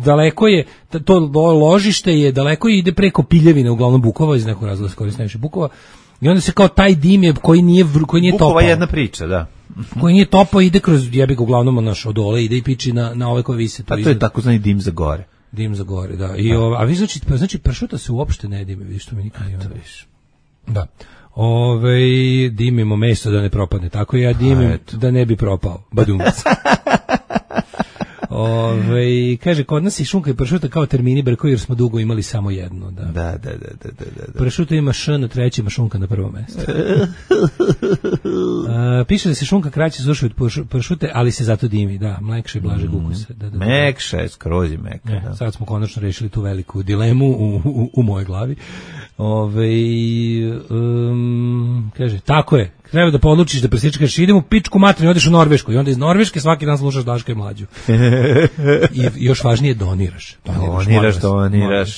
daleko je, to ložište je daleko i ide preko Piljevine, uglavnom Bukova, iz nekog razloga se koristi najviše Bukova. I onda se kao taj dim je koji nije topao. Bukova je jedna priča, da. Koji nije topao, ide kroz jebik uglavnom od dole, ide i piči na ove koje vise. Pa to je takozvani dim za gore. Dim za gore, da. A vi znači pršuta se uopšte ne dime, vidiš, što mi nikad nije onda viš. Da. Dimimo meso da ne propadne, tako ja dimim da ne bi propao. Badumc. Kaže, kod nas je šunka i pršuta kao termini brko, jer smo dugo imali samo jedno. Da. Pršuta ima š na trećem, a šunka na prvom mjestu. Piše da se šunka kraće suši od pršute, ali se zato dimi. Da, mlekše i blaže ukuse. Mekše, skroz je meka. Da. Sad smo konačno rešili tu veliku dilemu u mojoj glavi. Kaže, tako je. Treba da podlučiš da presječkaš, idem u pičku materinu, odeš u Norvešku i onda iz Norveške svaki dan slušaš Daška i Mlađu. I još važnije doniraš,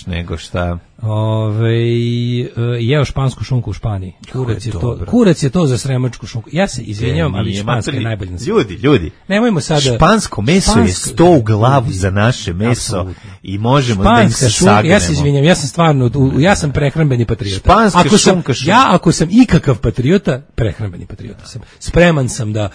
nego šta. Jeo špansku šunku u Španiji. Kurac je to za sremačku šunku. Ja se izvinjavam, ali španska je najbolja na svijetu. Ljudi. Nemojmo sada. Špansko meso je 100 u glavu za naše meso. Absolutno. I možemo da im se sagnemo. Ja se izvinjam, ja sam prehrambeni patriota. Španska šunka. Ako sam ikakav patriota, prehrambeni patriota sam. Spreman sam da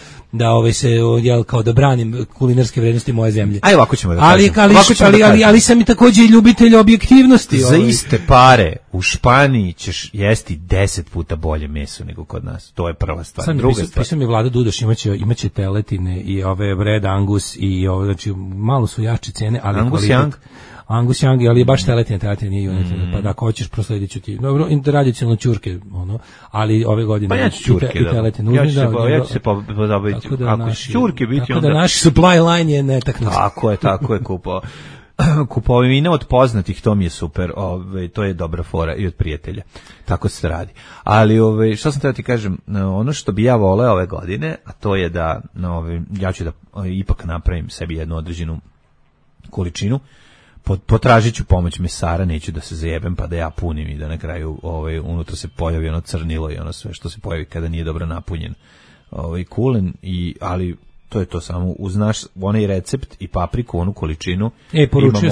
kao da branim kulinarske vrednosti moje zemlje. Aj, ovako ćemo da kažem. Ali sam i također i ljubitelj objektivnosti. Za iste pare u Španiji ćeš jesti 10 puta bolje meso nego kod nas. To je prva stvar. Druga stvar. Pisao mi Vlada Dudoš, imaće teletine i ove Red Angus i znači malo su jače cene, ali Angus Young, ali je baš teletina nije junetina, pa da ako hoćeš prosledit ću ti. Dobro, tradicionalno ćurke, ali ove godine pa ja ću ćurke, i teletine. Ja ću se pozabaviti. Ako će ćurke biti, onda... Tako da naš supply line je netaknut. Tako je kupovina od poznatih, to mi je super, to je dobra fora i od prijatelja. Tako se radi. Ali što sam teo ti kažem, ono što bi ja voleo ove godine, a to je da ja ću da ipak napravim sebi jednu određenu količinu. Potražit ću pomoć mesara, neću da se zajebem pa da ja punim i da na kraju unutra se pojavi ono crnilo i ono sve što se pojavi kada nije dobro napunjen kulen, ali to je to samo uz naš onaj recept i papriku, onu količinu. Poručio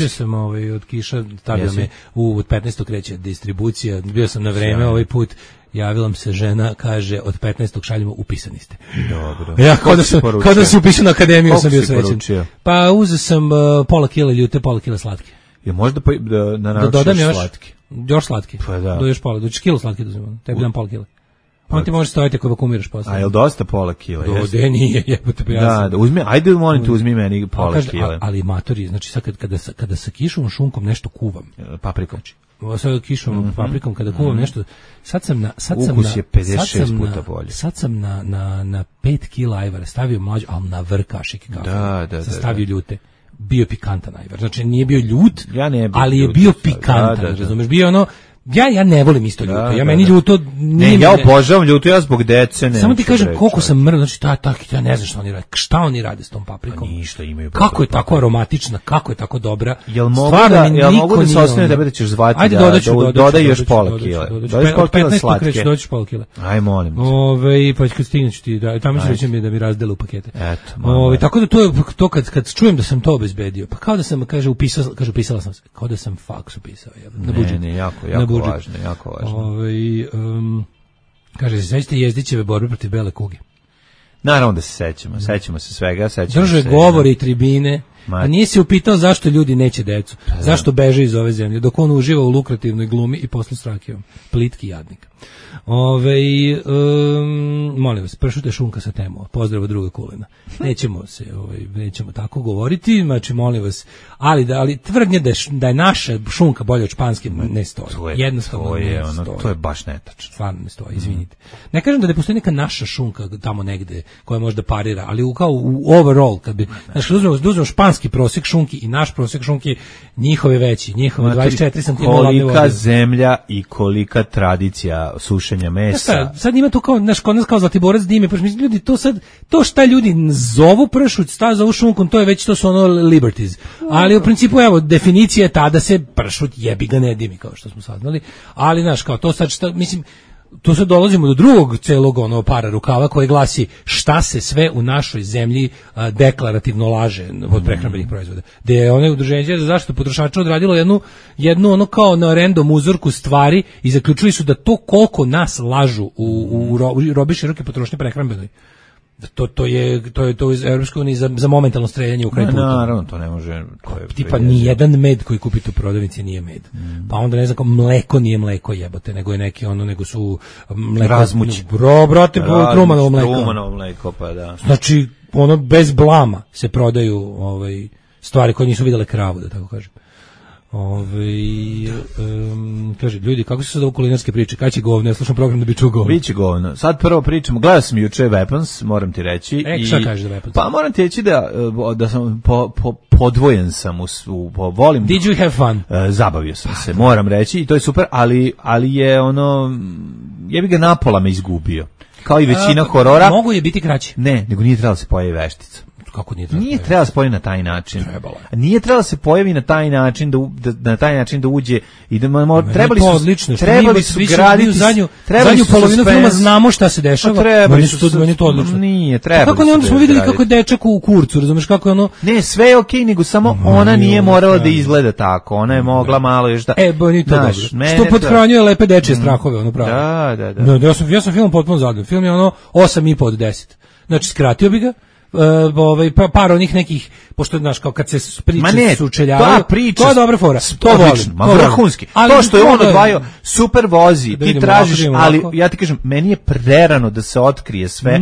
sam od Kiša, stavio me u 15. kreće distribucija, bio sam na vreme ovaj put. Javila mi se žena, kaže, od 15. šaljimo, upisani ste. Dobro. Ja, kao da se upišao na akademiju, sam bio srećen. Pa uzeo sam pola kila ljute, pola kila slatke. Je možda da naručiš slatke? Još slatke. Pa da. Do još pola, do kilo slatke dozimam. Tebi dam pola kila. On ti može stojiti ako vakumiraš posle. A je li dosta pola kila? Nije, jebote, pa ja da, uzmi, ajde molim te, uzmi meni pola kila. Ali matori, znači sad kada sa kišovom šunkom nešto kuvam. Paprikom. Sad kišovom paprikom kada kuvam nešto, ukus je 56 puta bolje. Sad sam na 5 kila ajvara stavio mlađu, ali na vrh kašike kafe. Da. Stavio ljute. Bio pikantan ajvar. Znači nije bio ljut, ali je ljut, bio pikantan, razumeš? Bio ono, ja ne volim isto ljuto. Meni ljuto nije. Ja obožavam ljuto, ja zbog dece ne. Samo ti kažem koliko sam mrdav, znači ja ne znam šta oni rade s tom paprikom. Ništa imaju. Kako je tako aromatična, kako je tako dobra. Jel mogu da se osnovi da ćeš zvati da dodaj još pola kila. Dodaj pola kila slatke. Dođeš pola kila. Aj molim. Pa kad stigneš ti, tamo ćeš reći mi da mi razdele u pakete. Eto. Tako da to kad čujem da sam to obezbedio, pa kao da sam upisala sam se, kao da sam faks upisao, na budžet. Ne, jako važno. Kaže, sećate Jezdićeve borbe protiv bele kuge? Naravno da se sećamo se svega. Drže govore i tribine A nije se upitao zašto ljudi neće decu, zašto beže iz ove zemlje, dok on uživa u lukrativnoj glumi i poslu s rakijom. Plitki jadnik. Molim vas, pršute šunka sa temo. Pozdrav od druga Kulena. Nećemo tako govoriti, znači molim vas, ali tvrdnje da je naša šunka bolja od španske ne stoji. Jednostavno ne stoji. To je baš netačno. Stvarno ne stoji, izvinite. Ne kažem da ne postoji neka naša šunka tamo negde koja možda parira, ali kao u overall, kad bi, znači, uzmemo španski prosjek šunki i naš prosjek šunki, njihove veći, njihove 24 cm. Kolika zemlja i kolika tradicija sušenja mesa. Sad ima tu kao, znaš, kod nas kao Zlatiborac dime, pa mislim, ljudi, to šta ljudi zovu pršut, zovu šunkom, to je već, to su ono liberties. Ali u principu, evo, definicija je ta da se pršut jebi ga ne dimi, kao što smo saznali, ali, znaš, kao to sad, mislim, tu se dolazimo do drugog celog para rukava koji glasi šta se sve u našoj zemlji deklarativno laže od prehrambenih proizvoda. Da je ono udruženje za zaštitu potrošača odradilo jednu ono kao na random uzorku stvari i zaključili su da to koliko nas lažu u robi široke potrošnje prehrambenoj. To je u Evropskoj uniji za momentalno streljanje u kraj puta. Naravno, to ne može. Tipa nijedan med koji kupite u prodavnici nije med. Pa onda ne znam kao mleko nije mleko jebote, nego je neki nego su mleko. Razmuć. Brate, Trumanovo mleko. Trumanovo mleko, pa da. Znači, ono bez blama se prodaju stvari koje nisu vidjele kravu, da tako kažem. Kaže, ljudi, kako su sad ovo kulinarske priče? Kad će govno? Ja slušam program da bi čuo govno. Biće govno. Sad prvo pričamo, gledao sam juče Weapons, moram ti reći. Šta kažeš za Weapons? Pa moram ti reći da sam podvojen sam, volim. Did you have fun? Zabavio sam se, moram reći, i to je super, ali je jebi ga napola me izgubio. Kao i većina horora. Mogu je biti kraći? Ne, nego nije trebalo se pojavi veštica. Kako nije trebalo? Nije trebalo se pojavi na taj način. Trebalo. Nije trebalo se pojavi na taj način da uđe i da trebali su graditi zadnju polovinu filma znamo šta se dešava. Meni to odlično. Nije trebalo. Kako ne, onda smo videli kako je dečak u kurcu, razumeš kako je ono. Ne, sve je okej, nego samo ona nije morala da izgleda tako. Ona je mogla malo još da. Ni to dobro. Što pothranjuje lepe dečije strahove, ono pravo. Da. Ja sam film potpuno zadovoljan. Film je 8,5 od 10. Znači skratio bi ga. Par onih nekih, pošto znaš kao kad se priče sučeljavaju, to je dobra fora, to volim, vrhunski. To što je on odvajao, super vozi, ti tražiš, ali ja ti kažem, meni je prerano da se otkrije sve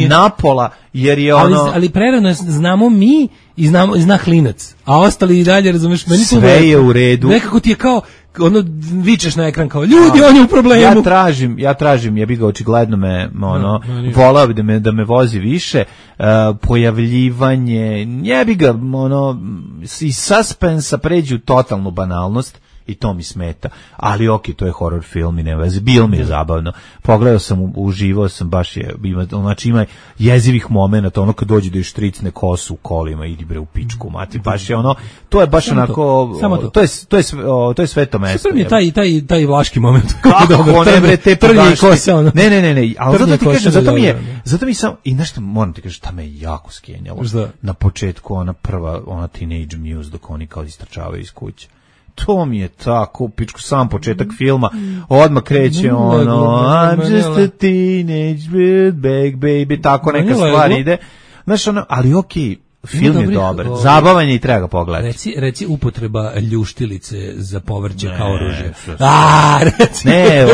napola, jer je ono. Ali prerano znamo mi i zna klinac, a ostali i dalje, razumeš, meni sve je u redu. Nekako ti je kao vičeš na ekran kao ljudi, on je u problemu. Ja tražim, ja bih ga očigledno volao da me vozi više, pojavljivanje, ja bih ga iz suspensa pređe u totalnu banalnost. I to mi smeta, ali okej, to je horror film i ne veze, bilo mi je zabavno, pogledao sam, uživao sam, baš je, znači ima jezivih momenata, kad dođe da je štricne kosu u kolima, idi bre u pičku, mati, baš je to je baš onako, to je sveto mesto. Super mi je taj vlaški moment. Kako ne bre, te trnje kose, ono. Ne, ali zato ti kažem, zato mi sam, i nešto moram ti kažem, šta me jako skenjalo, na početku, ona prva, teenage muse, dok oni kao istračavaju iz kuće. To mi je tako, pičku, sam početak filma, odmah kreće I'm just a teenage big baby, tako neka stvar ide. Znaš, ali okej, film je dobar, zabavan je i treba ga pogledati. Reci upotreba ljuštilice za povrće kao oružje. Ne,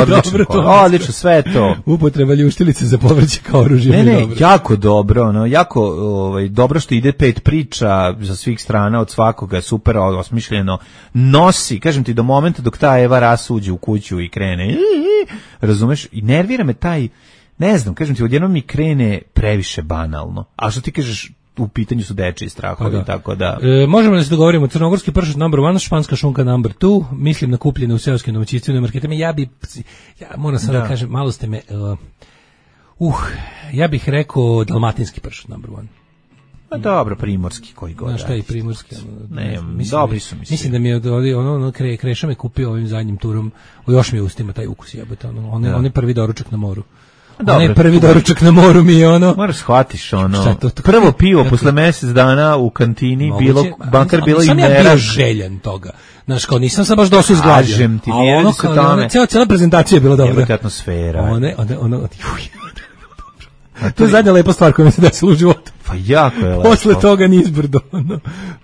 odlično, sve je to. Upotreba ljuštilice za povrće kao oružje. Ne, jako dobro, jako dobro što ide 5 priča za svih strana, od svakoga, super osmišljeno, nosi, kažem ti, do momenta dok ta Eva Ras uđe u kuću i krene, razumeš, i nervira me taj, ne znam, kažem ti, odjednom mi krene previše banalno, a što ti kažeš, u pitanju su dečiji strahovi, tako da. Možemo da se dogovorimo, crnogorski pršut number 1, španska šunka number 2, mislim na kupljene u seoskim domaćinstvima i marketima. Ja moram sad da kažem, malo ste me, ja bih rekao dalmatinski pršut number 1. Pa dobro, primorski, koji god. Znaš šta je primorski? Dobri su mi se. Mislim da mi je Kreša me kupio ovim zadnjim turom, još mi je ustima taj ukus jebote, on je prvi doručak na moru. Onaj prvi doručak na moru mi je moraš shvatiš prvo pivo posle mjesec dana u kantini bankar bilo i sam ja bio željen toga. Znaš, kao nisam sad baš došao izgladio. Kažem ti, nije se tome. Cijela prezentacija je bila dobra. Jebate atmosfera. To je zadnja lepa stvar koja mi se desila u životu. Pa jako je lepo. Posle toga nizbrdo.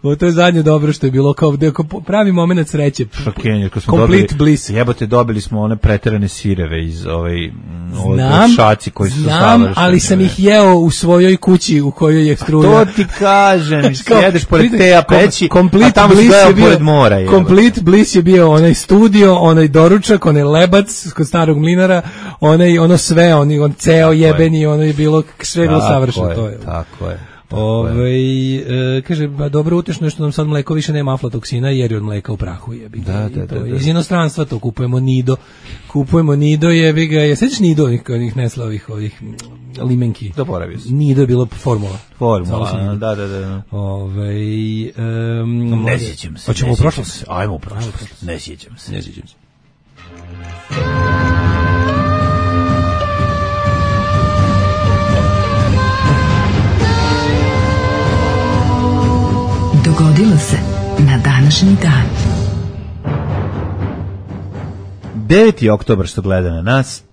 To je zadnje dobro što je bilo, kao pravi moment sreće. Šokenje, kad smo Complete bliss. Jebote, dobili smo one preterane sireve iz šaci koji su Znam, ali sam ih jeo u svojoj kući u kojoj je struja. To ti kažem, jedeš pored Teja peći, a tamo si gledao pored mora. Complete bliss je bio onaj studio, onaj doručak, onaj lebac kod starog mlinara, ono sve, on ceo jebeni, ono je bilo, sve je bilo savršeno. Tako je. Kaže, dobro, utešno je što nam sad mleko više nema aflatoksina jer je od mleka u prahu, jebi ga. Da. Iz inostranstva to kupujemo Nido, jebi ga. Je sećaš Nido onih Nesla ovih limenki? Zaboravio sam. Nido je bilo formula, da. Ne sjećam se. Hoćemo u prošlost? Ajmo u prošlost. Ne sjećam se. Dogodilo se na današnji dan. 9. oktobar što gleda na nas.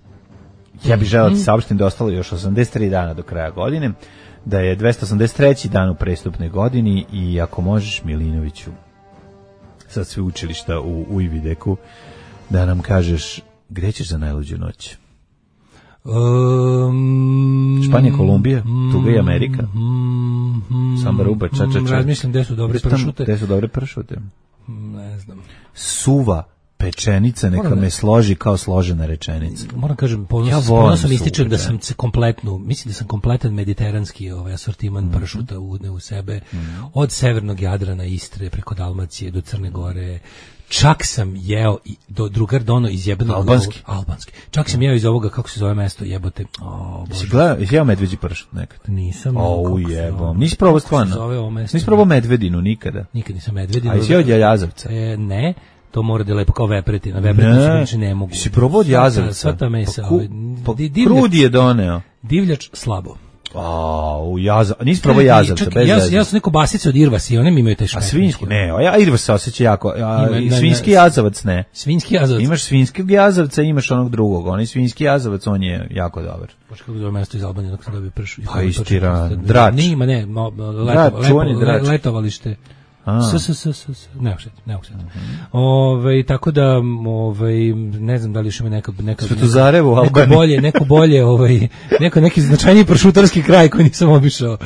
Ja bih želeo ti saopštim da je ostalo još 83 dana do kraja godine, da je 283. dan u prestupnoj godini i ako možeš, Milinoviću, sa sveučilišta u Ivideku, da nam kažeš gde ćeš za najluđu noć? Španija, Kolumbija, Tuga i Amerika. Samba Ruba, ča. Razmišljam gde su dobre pršute. Ne znam. Suva pečenica, neka me složi kao složena rečenica. Moram kažem, ponosom ističem da sam se mislim da sam kompletan mediteranski asortiman pršuta u sebe, od severnog Jadrana, Istre, preko Dalmacije do Crne Gore. Čak sam jeo do drugar dono iz jebenog albanski. Čak sam jeo iz ovoga, kako se zove mesto, jebote. Jesi jeo medveđi pršut nekad? Nisam. Jebom. Nisi probao stvarno? Nisi probao medvedinu nikada? Nikad nisam medvedinu. A jesi jeo od jazavca? Ne. To mora da je lepo kao vepretina. Vepretina se ne mogu. Si probao od jazavca? Sva ta mesa. Krudi je doneo. Divljač slabo. Nisi probao jazavca, bez jazavca. Ja sam neko basice od irvasa i one mi imaju te šmetke. A svinjski? Ne, irvas se osjeća jako. Svinjski jazavac ne. Svinjski jazavac? Imaš svinjskog jazavca, imaš onog drugog. Onaj svinjski jazavac, on je jako dobar. Bože, kako zove mesto iz Albanije dok sam dobio pršu. Pa istira, Drač. Nima, ne, letovalište. Ne uopšte. Tako da, ne znam da li još ima neka Svetozarevo u Albaniji. Neki značajniji pršutarski kraj koji nisam obišao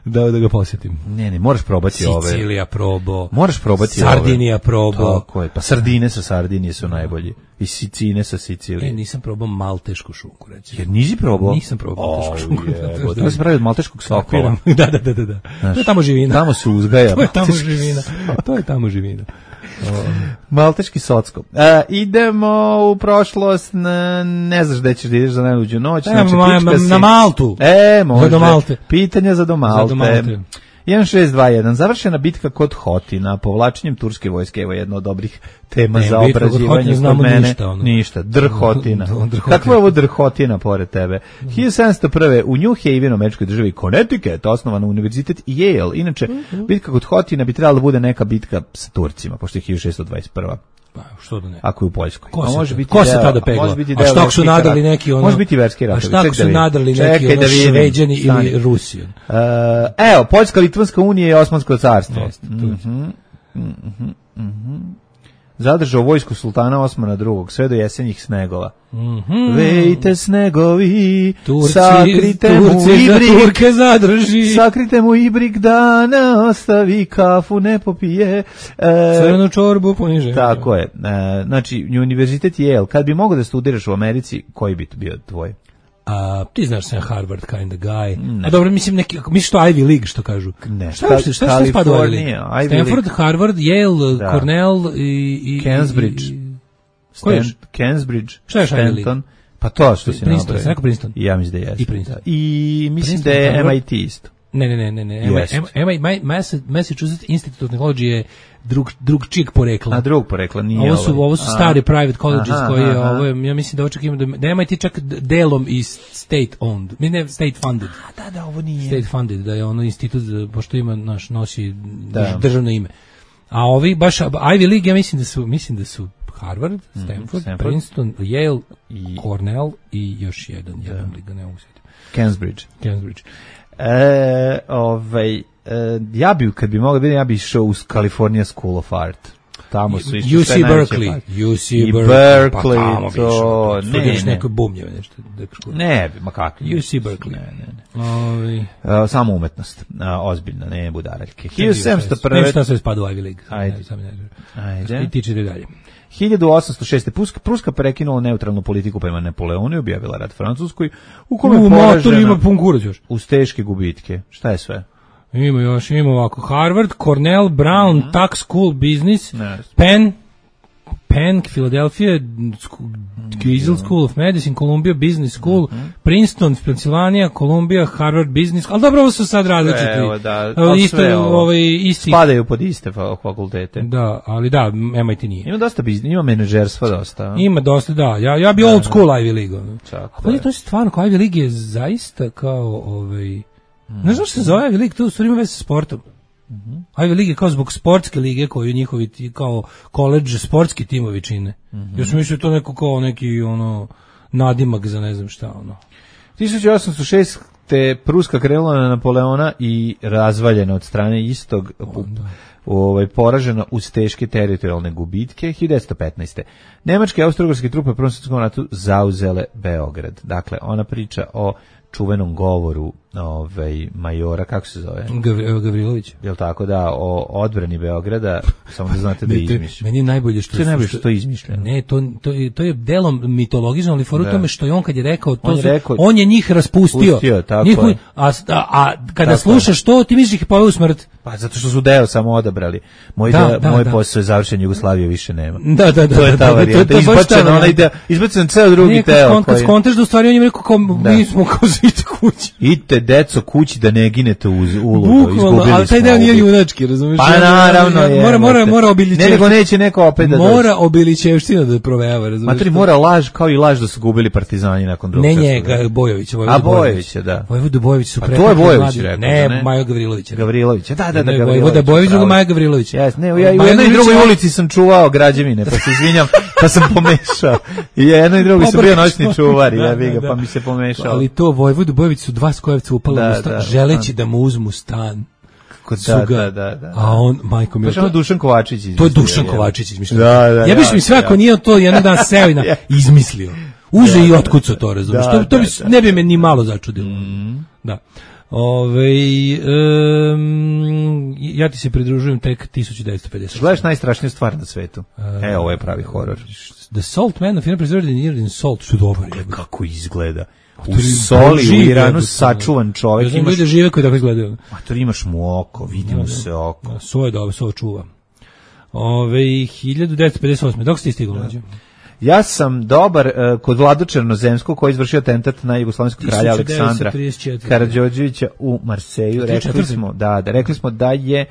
da ga posjetim. Ne, moraš probati ove. Sicilija probo. Moraš probati Sardinija probo. Tako je, pa sardine sa Sardinije su najbolji. I Sicine sa Sicilije. Nisam probao maltešku šunku, reći. Jer nisi probao? Nisam probao maltešku šunku. To se pravi od malteškog sokova. Da. To je tamo živina. Tamo se uzgaja. To je tamo živina. Malteški socko. Idemo u prošlost, ne znaš gde ćeš da ideš za najluđu noć. Na Maltu. Može. Do Malte. Pitanja za do Malte. 1621. Završena bitka kod Hotina, povlačenjem turske vojske, evo jedna od dobrih tema za obrađivanje kod mene. Ništa. Drhotina. Kakva je ovo Drhotina pored tebe? 1701. U New Havenu, američkoj državi Connecticut, osnovan univerzitet Yale. Inače, bitka kod Hotina bi trebala da bude neka bitka sa Turcima, pošto je 1621. Pa, što da ne? Ako je u Poljskoj. Ko se tada pegla? A što su nadali neki ono? Može biti verski rat. A što su nadali neki ono Šveđani ili Rusi? Evo, Poljska, Litvanska unija i Osmansko carstvo. Zadržao vojsku sultana Osmana II. Sve do jesenjih snegova. Vejte snegovi, sakrite mu ibrik, Turke zadrži. Sakrite mu ibrik da ne ostavi, kafu ne popije. Crnu čorbu poniže. Tako je. Znači, univerzitet Yale. Kad bi mogao da studiraš u Americi, koji bi to bio tvoj? Ti znaš sam Harvard kind of guy. A dobro, misliš to Ivy League, što kažu? Ne, šta spada u Ivy League? Stanford, Harvard, Yale, Cornell i Cambridge. Cambridge. Šta je Ivy League? Pa to što si nabrao. Neko Princeton. Ja mislim da je. I Princeton. I mislim da je MIT isto. Ne. Massachusetts Institute of Technology je drugčijeg porekla. A drug porekla nije ovo su stari private colleges koji ja mislim da očekujemo da MIT čak delom i state owned. Ne, state funded. Da, ovo nije. State funded, da je ono institut, pošto ima nosi državno ime. A ovi baš Ivy League, ja mislim da su Harvard, Stanford, Princeton, Yale, Cornell i još jedan liga, ne mogu sjetiti. Cambridge. Ja bi, kad bi mogao biti, ja bi išao u California School of Art. Tamo su išli UC Berkeley. UC Berkeley, pa tamo bi to išao. ne. Neko bumljeve nešto. Ne bi, ma kako. UC Berkeley. Ne. Samo umetnost. Ozbiljno, ne budaraljke. 1701. Ne šta sve spada u Ivy League. Ajde. I tičite dalje. 1806. Pruska prekinula neutralnu politiku prema Napoleonu i objavila rat Francuskoj, u kome je poražena ima pun kurac još. Uz teške gubitke. Šta je sve? Ima ovako. Harvard, Cornell, Brown, Tuck School Business, Penn, Philadelphia, Giesel School of Medicine, Columbia Business School, Princeton, Pennsylvania, Columbia, Harvard Business, ali dobro, ovo su sad različiti. Evo, da, isti. Spadaju pod iste fakultete. Da, ali da, MIT nije. Ima dosta ima menadžerstva dosta. Ima dosta, da. Ja bi old school Ivy League. Pa to je stvarno, kao Ivy League je zaista kao, ne znam što se zove Ivy League, to u stvari ima veze sa sportom. Ivy League je kao zbog sportske lige koju njihovi kao koledž sportski timovi čine. Ja sam mislio to neko kao neki nadimak za ne znam šta 1806. te Pruska krenula na Napoleona i razvaljena od strane istog poražena uz teške teritorijalne gubitke. 1915. Nemačke i austro-ugarske trupe u Prvom svjetskom ratu zauzele Beograd. Dakle, ona priča o čuvenom govoru majora, kako se zove? Gavrilović. Jel tako, da, o odbrani Beograda, samo da znate da je izmišljeno. Meni je najbolje što je izmišljeno. Ne, to je delom mitologično, ali foru tome što je on kad je rekao, on je njih raspustio. A kada slušaš to, ti misliš ih poveo u smrt. Pa zato što su deo samo odabrali. Moj posao je završen, Jugoslavije više nema. Da. To je ta varijanta. Izbacen ceo drugi teo. Kad skontaš da u stvari on je rekao kao, mi smo kao zite kući. Idite, deco, kući da ne ginete u ulogu. Bukvalno, ali taj deo nije junački, razumiješ? Pa naravno je. Mora obilićevština. Nego neće neko opet da dođe. Mora obilićevština da provejava, razumiješ? Matri, mora laž, kao i laž da su gubili partizani nakon drugog svjetskog rata. Ne njega, Bojovića. A Bojovića, da. Vojvoda Bojović su preplatili. A to je Bojović rekao. Ne, Majo Gavrilović. Gavrilović, da, Vojvoda Bojović, drugo Maja Gavrilović. Jes, ne, ja u jednoj i drugoj ulici sam čuvao građevine, pa se izvinjam, pa sam pomešao. I jedno i drugo sam bio noćni čuvar, pa mi se pomešao. Ali to Vojvodu Bojović su dva skojevca upala u stan, želeći da mu uzmu stan. Da. A on, majko mi... To je Dušan Kovačić izmislio. To je Dušan Kovačić izmislio. Ja biš mi sve ako nije to jedan dan seo i izmislio. Uze i otkucao to, razumiješ. To ne bi me ni malo začudilo. Da. Ja ti se pridružujem tek 1950. Gledaš najstrašniju stvar na svetu. Ovo je pravi horor. The Salt Man of Preserved in Salt. Što dobro je. Kako izgleda. U soli, u Iranu sačuvan čovjek. Imaš ljudi žive koji tako izgledaju. Mator, imaš mu oko, vidi mu se oko. Svo je dobro, svo čuva. 1958. Dok ste ti stigli? Ja sam dobar kod Vlado Černozemskog koji je izvršio atentat na jugoslovenskog kralja Aleksandra Karađorđevića u Marseju. Rekli smo da je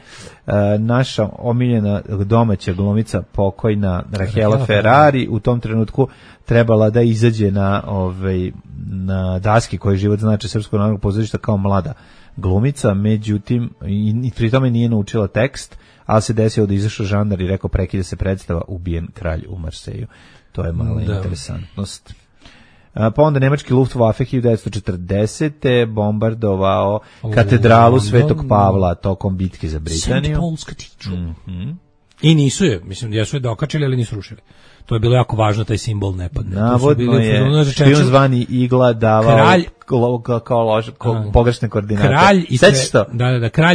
naša omiljena domaća glumica pokojna Rahela Ferrari u tom trenutku trebala da izađe na daski koji život znači Srpskog narodnog pozorišta kao mlada glumica, međutim i pri tome nije naučila tekst, ali se desilo da izašao žandar i rekao prekida se predstava, ubijen kralj u Marseju. To je mala interesantnost. Pa onda nemački Luftwaffe 1940. bombardovao katedralu Svetog Pavla tokom bitke za Britaniju. St. Paul's Cathedral. I nisu je, mislim, jesu je dokačili, ali nisu rušili. To je bilo jako važno, taj simbol ne padne. Navodno je špijun zvani Igla davao kao pogrešne koordinate. Kralj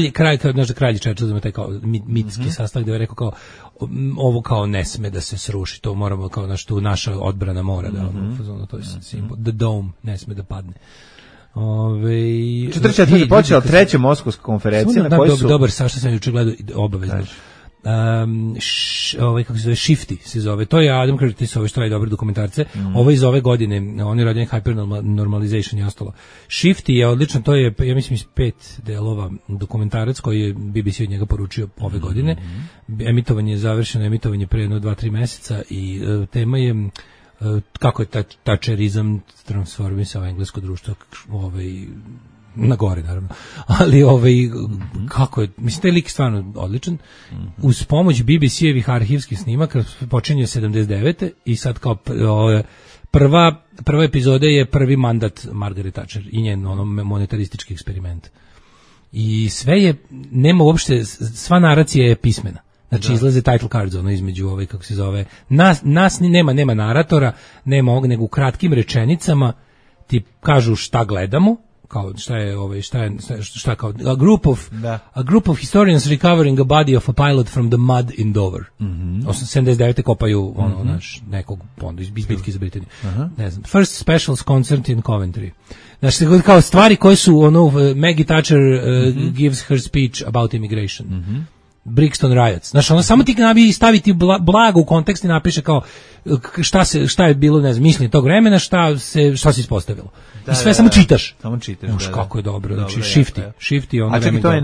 i kralj Churchill ima taj kao mitski sastav gdje je rekao kao ovo kao ne sme da se sruši, to moramo kao naša odbrana mora da to je simbol. The dome ne sme da padne. 44. je počela treća Moskovska konferencija na kojoj su... Dobar, Saša sam juče gledao obavezno. Kako se zove, Shifty se zove, to je Adam Curtis, što radi dobre dokumentarce, ovo iz ove godine, on je radio Hypernormalization i ostalo. Shifty je odličan, to je, ja mislim, iz 5 delova dokumentarac koji je BBC od njega poručio ove godine. Emitovanje je završeno, emitovanje pre 2-3 meseca i tema je kako je tačerizam transformisao englesko društvo na gore, naravno. Ali kako je, mislim, taj lik stvarno odličan. Uz pomoć BBC-evih arhivskih snimaka počinje 79. i sad kao prva prva epizoda je prvi mandat Margaret Thatcher i njen ono monetaristički eksperiment. I sve je, nema uopšte, sva naracija je pismena. Znači izlaze title cards ono između ove, kako se zove, nas nema naratora, nema ovog, nego u kratkim rečenicama ti kažu šta gledamo, kao šta kao a group of historians recovering a body of a pilot from the mud in Dover. 79. kopaju ono naš nekog fonda iz bitke za Britaniju. Ne znam. First specials concert in Coventry. Znači kao stvari koje su ono Maggie Thatcher gives her speech about immigration. Brixton riots. Znači ono samo ti staviti blago u kontekst i napiše kao šta je bilo, ne znam, mišljenje tog vremena, šta se ispostavilo. I sve samo čitaš. Samo čitaš. Kako je dobro. Znači shifty ono. A čekaj, to je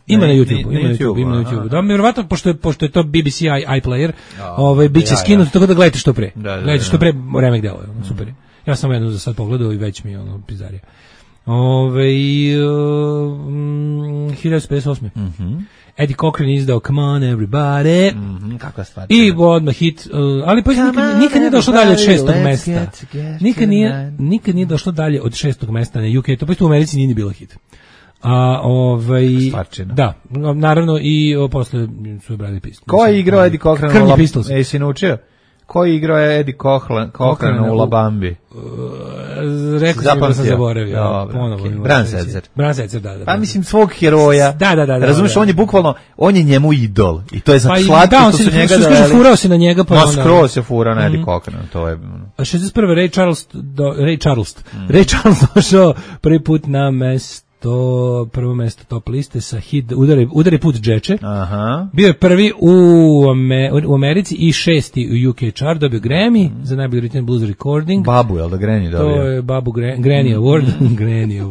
ima na YouTube. Da, verovatno pošto je to BBC iPlayer, biće skinuto tako da gledate što pre. Gledate što pre remek delo, super je. Ja sam jednu za sad pogledao i već mi je ono pizdarija. 1958. Eddie Cochran izdao Come on Everybody. Kakva stvar. I odmah hit, ali pa nikad nije došlo dalje od 6. mesta. Nikad nije došlo dalje od 6. mesta na UK. To pa u Americi nije ni bilo hit. Stvarčina. Da, naravno i posle su brali Pistols. Ko je igrao Eddie Cochran? Krnji Pistols. Si naučio? Ko je igrao Eddie Cochran u La Bambi? Rekao sam da sam zaboravio. Bran Setzer, da. Pa mislim svog heroja. Da. Razumiješ, on je bukvalno, on je njemu idol. I to je slatko što su njega dali. Furao se na njega. No, skroz se furao na Eddie Cochran. To je... 61. Ray Charles došao prvi put na prvo mesto top liste sa hit Udari put džeče. Bio je prvi u Americi i 6. u UK chart, dobio Grammy za najbolji rhythm and blues recording. Babu, jel da Granny dobio? To je Babu Granny Award. Granny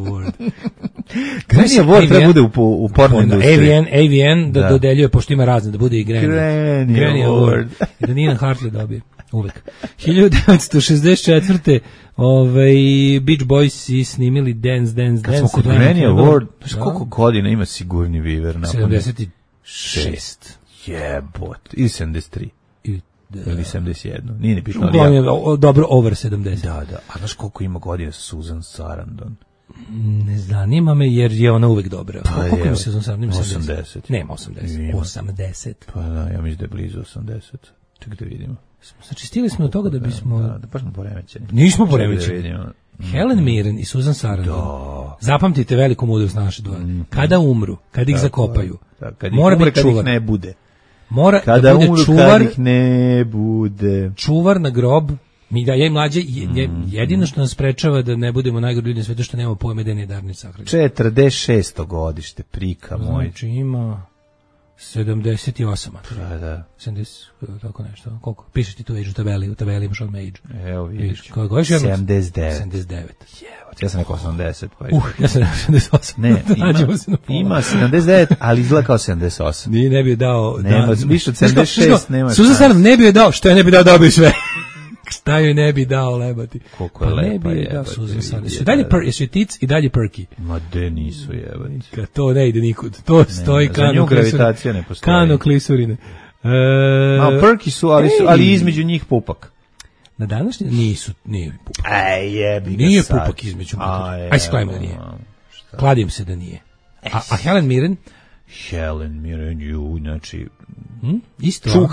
Award treba bude u porno industriji. AVN da dodeljuje, pošto ima razne, da bude i Granny Award. I da Nina Hartley dobije. Uvek. 1964. Beach Boys i snimili Dance. Kad smo kod Granny Award, koliko godina ima Sigurni Viver? 76. Jebot. Ili 73. Ili 71. Nije ni bitno. Dobro, over 70. Da. A znaš koliko ima godina Susan Sarandon? Ne zanima me jer je ona uvek dobra. Koliko ima Susan Sarandon? 80. Nema 80. 80. Pa da, ja mislim da je blizu 80. Čekaj da vidimo. Znači, stigli smo od toga da bismo... Da, baš smo poremećeni. Nismo poremećeni. Helen Mirren i Susan Sarandon. Zapamtite veliku mudrost naše dvoje. Kada umru, kada ih zakopaju, mora biti čuvar. Kad ih ne bude. Mora kada da bude umru, čuvar. Kad ih ne bude. Čuvar na grob. Mi da ja i mlađe, jedino što nas sprečava da ne budemo najgori ljudi na svetu, što nemamo pojme da nije darni sahranjen. 46. godište, prika moj. Znači ima... 78. Da. 70, tako nešto. Koliko? Pišeš ti tu age u tabeli imaš odmah age. Evo vidiš. 79. Ja sam rekao 80. Pa ja sam rekao 78. Ne, ima 79, ali izgleda kao 78. Ne bi dao... Nema, više od 76 nema. Susan Sarandon ne bi joj dao, što je ne bi dao bi sve. Šta joj ne bi dao lebati? Koliko je lepa je. Jesu tic i dalje perky. Ma de nisu jebati. To ne ide nikud. To stoji kano klisurine. Perky su, ali između njih pupak. Na današnji nije pupak. Jebi ga nije sad. Pupak između pupak. Aj se kladimo da nije. Kladim se da nije. A Helen Mirren? Helen Mirren, znači... Isto.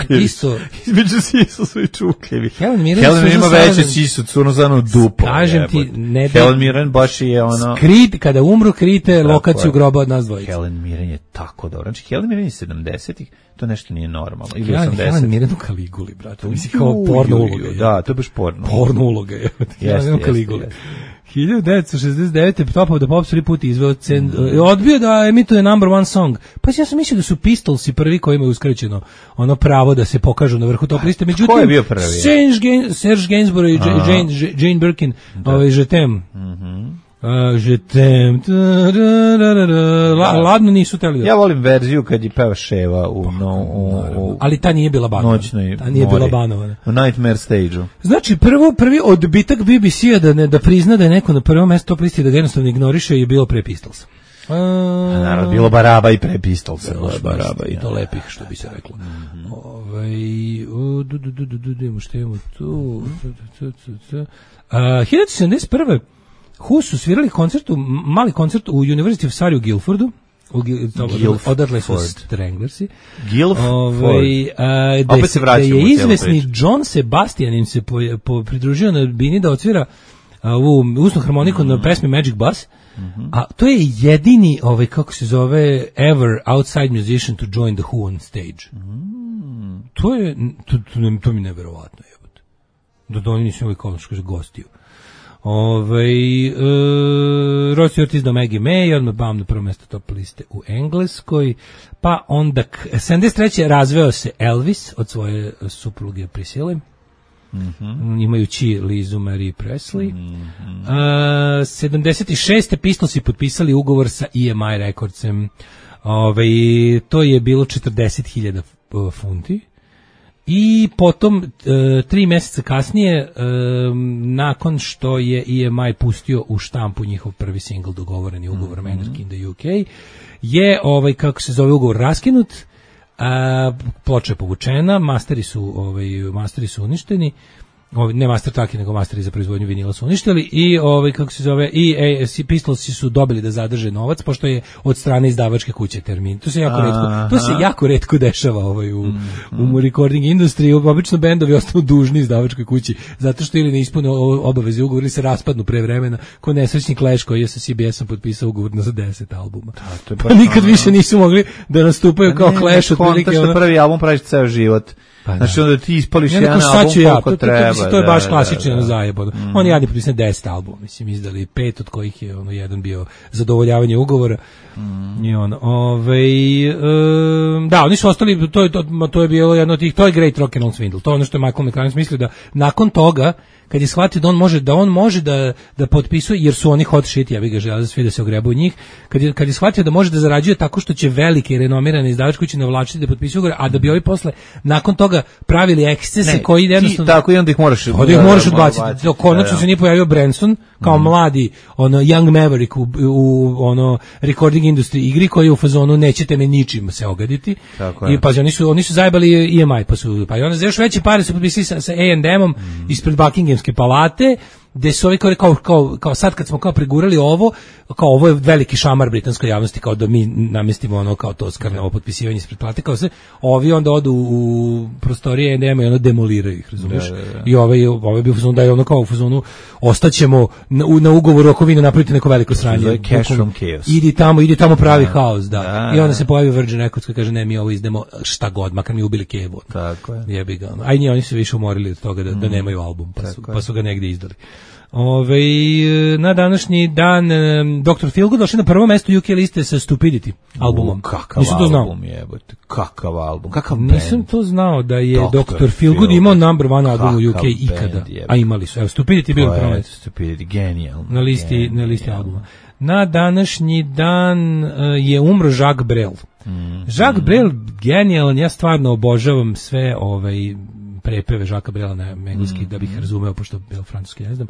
Između sisu su i čukljevi. Helen Mirren ima veće sisu, crno zanu dupo. Kažem ti, ne da... Helen Mirren baš je ono... Kada umru, krite lokaciju groba od nas dvojica. Helen Mirren je tako dobro. Znači, Helen Mirren je 70-ih, to nešto nije normalno. Ili 80. Helen Mirren u Kaliguli, brate. Mislim, kao porno uloga. Da, to je baš porno. Porno uloga je. Jeste. 1969. Top of the Pops prvi put izveo odbio da emituje number one song. Pa ja sam mislio da su Pistolsi prvi koji imaju uskraćeno ono pravo da se pokažu na vrhu top liste. Međutim, ko je bio prvi? Serge Gainsbourg i Jane Birkin, Je t'aime. Je t'aime. Ladno nisu teli. Ja volim verziju kad je peva Ševa ali ta nije bila banovana. Ta nije bila banovana. U Nightmare Stage-u. Znači, prvi odbitak BBC-a da prizna da je neko na prvom mestu top listi da ga jednostavno ignoriše je bilo pre Pistols. Naravno, bilo baraba i pre Pistolsa. Baraba i to lepih, što bi se reklo. Što imamo tu? 1971. Who su svirali mali koncert u University of Surrey u Guildfordu. Odatle su Stranglersi. Opet se vraćamo. Je izvesni John Sebastian im se pridružio na bini da otvira ovu usnu harmoniku na pesmi Magic Bus. A to je jedini, kako se zove, ever outside musician to join the Who on stage. To mi neverovatno je. Da oni nisu imali gostiju. Rod Stewart izdao Maggie May, odmah bam na prvo mjesto top liste u Engleskoj, pa onda 73. razveo se Elvis od svoje supruge Priscille, imajući Lizu Marie Presley. 76. Pistolsi potpisali ugovor sa EMI Recordsem, to je bilo 40.000 funti. I potom 3 mjeseca kasnije, nakon što je EMI pustio u štampu njihov prvi singl, dogovoreni ugovor Anarchy in the UK, je ugovor raskinut, ploča je povučena, masteri su uništeni. Ne master tracki, nego masteri za proizvodnju vinila su uništili i Pistolsi su dobili da zadrže novac, pošto je od strane izdavačke kuće termin. To se jako retko dešava u recording industriji. Obično bendovi ostanu dužni izdavačkoj kući, zato što ili ne ispune obaveze ugovor ili se raspadnu pre vremena, ko nesrećni Clash koji je sa CBS-om potpisao ugovor za 10 albuma. Pa nikad više nisu mogli da nastupaju kao Clash. Konta što prvi album praviš ceo život. Znači onda ti ispališ jedan album koliko treba. To je baš klasično zajebano. Oni jadni potpisali 10 albuma, mislim, izdali 5 od kojih je jedan bio zadovoljavanje ugovora. I da, oni su ostali, to je bilo jedno od tih, to je Great Rock and Roll Swindle. To je ono što je Michael McCartney mislio da nakon toga, kad je shvatio da on može da potpisuje, jer su oni hot shit, ja bih ga želeo svi da se ogrebu u njih, kad je shvatio da može da zarađuje tako što će velike i renomirane izdavačke kuće navlačiti da potpisuju ugovor, a da bi ovi posle nakon toga pravili ekscese koji jednostavno... Tako i onda ih moraš odbaciti. Konačno se nije pojavio Branson kao mladi young maverick u recording industry igri koji je u fazonu nećete me ničim se ogaditi. I pazi, oni su zajebali EMI, pa i onda za još veće pare su potpisali sa A&M-om ispred Buckinghamske palate, gde su ovi kao sad kad smo kao pregurali ovo je veliki šamar britanskoj javnosti, kao da mi namestimo kao to skarno potpisivanje ispred palate, kao sve, ovi onda odu u prostorije A&M i demoliraju ih, razumiješ? I ovaj bi u fazonu da je kao u fazonu ostaćemo na ugovoru ako vi ne napravite neko veliko sranje. Cash from chaos. Idi tamo pravi haos, da. I onda se pojavi Virgin Records koji kaže ne, mi ovo izdemo šta god, makar mi ubili Kevu. Tako je. Jebi ga. Oni su više umorili od toga da nemaju album, pa su ga negdje izdali. Na današnji dan Dr. Feelgood došli na prvo mesto UK liste sa Stupidity albumom. Kakav album, kakav band. Nisam to znao da je Dr. Feelgood imao number one album u UK ikada. A imali su. Evo, Stupidity je bilo prvo mesto. Stupidity, genijalno. Na listi albuma. Na današnji dan je umro Jacques Brel. Jacques Brel, genijalan, ja stvarno obožavam sve prepeve Jacquesa Brela na engleski da bih razumeo, pošto je francuski, ne znam.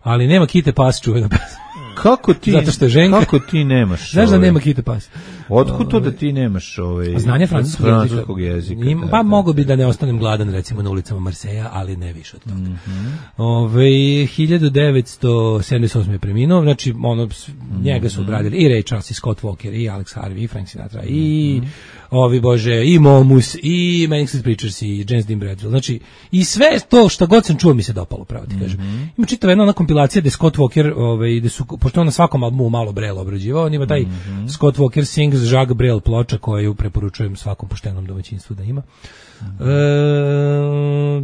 Ali nema Kite Pas, čuvena pesma. Kako ti? Zato što je ženka. Kako ti nemaš? Znaš da nema Kite Pas? Otkud to da ti nemaš znanje francuskog jezika? Pa mogu bi da ne ostanem gladan recimo na ulicama Marseja, ali ne više od toga. 1978 je preminuo, znači njega su obradili i Ray Charles, i Scott Walker, i Alex Harvey, i Frank Sinatra, i i Momus, i Manic Street Preachers, i James Dean Bradfield. Znači, i sve to što god sam čuo mi se dopalo, pravo ti kažem. Ima čitava jedna ona kompilacija gde Scott Walker, gde su, pošto on na svakom albumu malo Brel obrađivao, on ima taj Scott Walker Sings Jacques Brel ploča koju preporučujem svakom poštenom domaćinstvu da ima.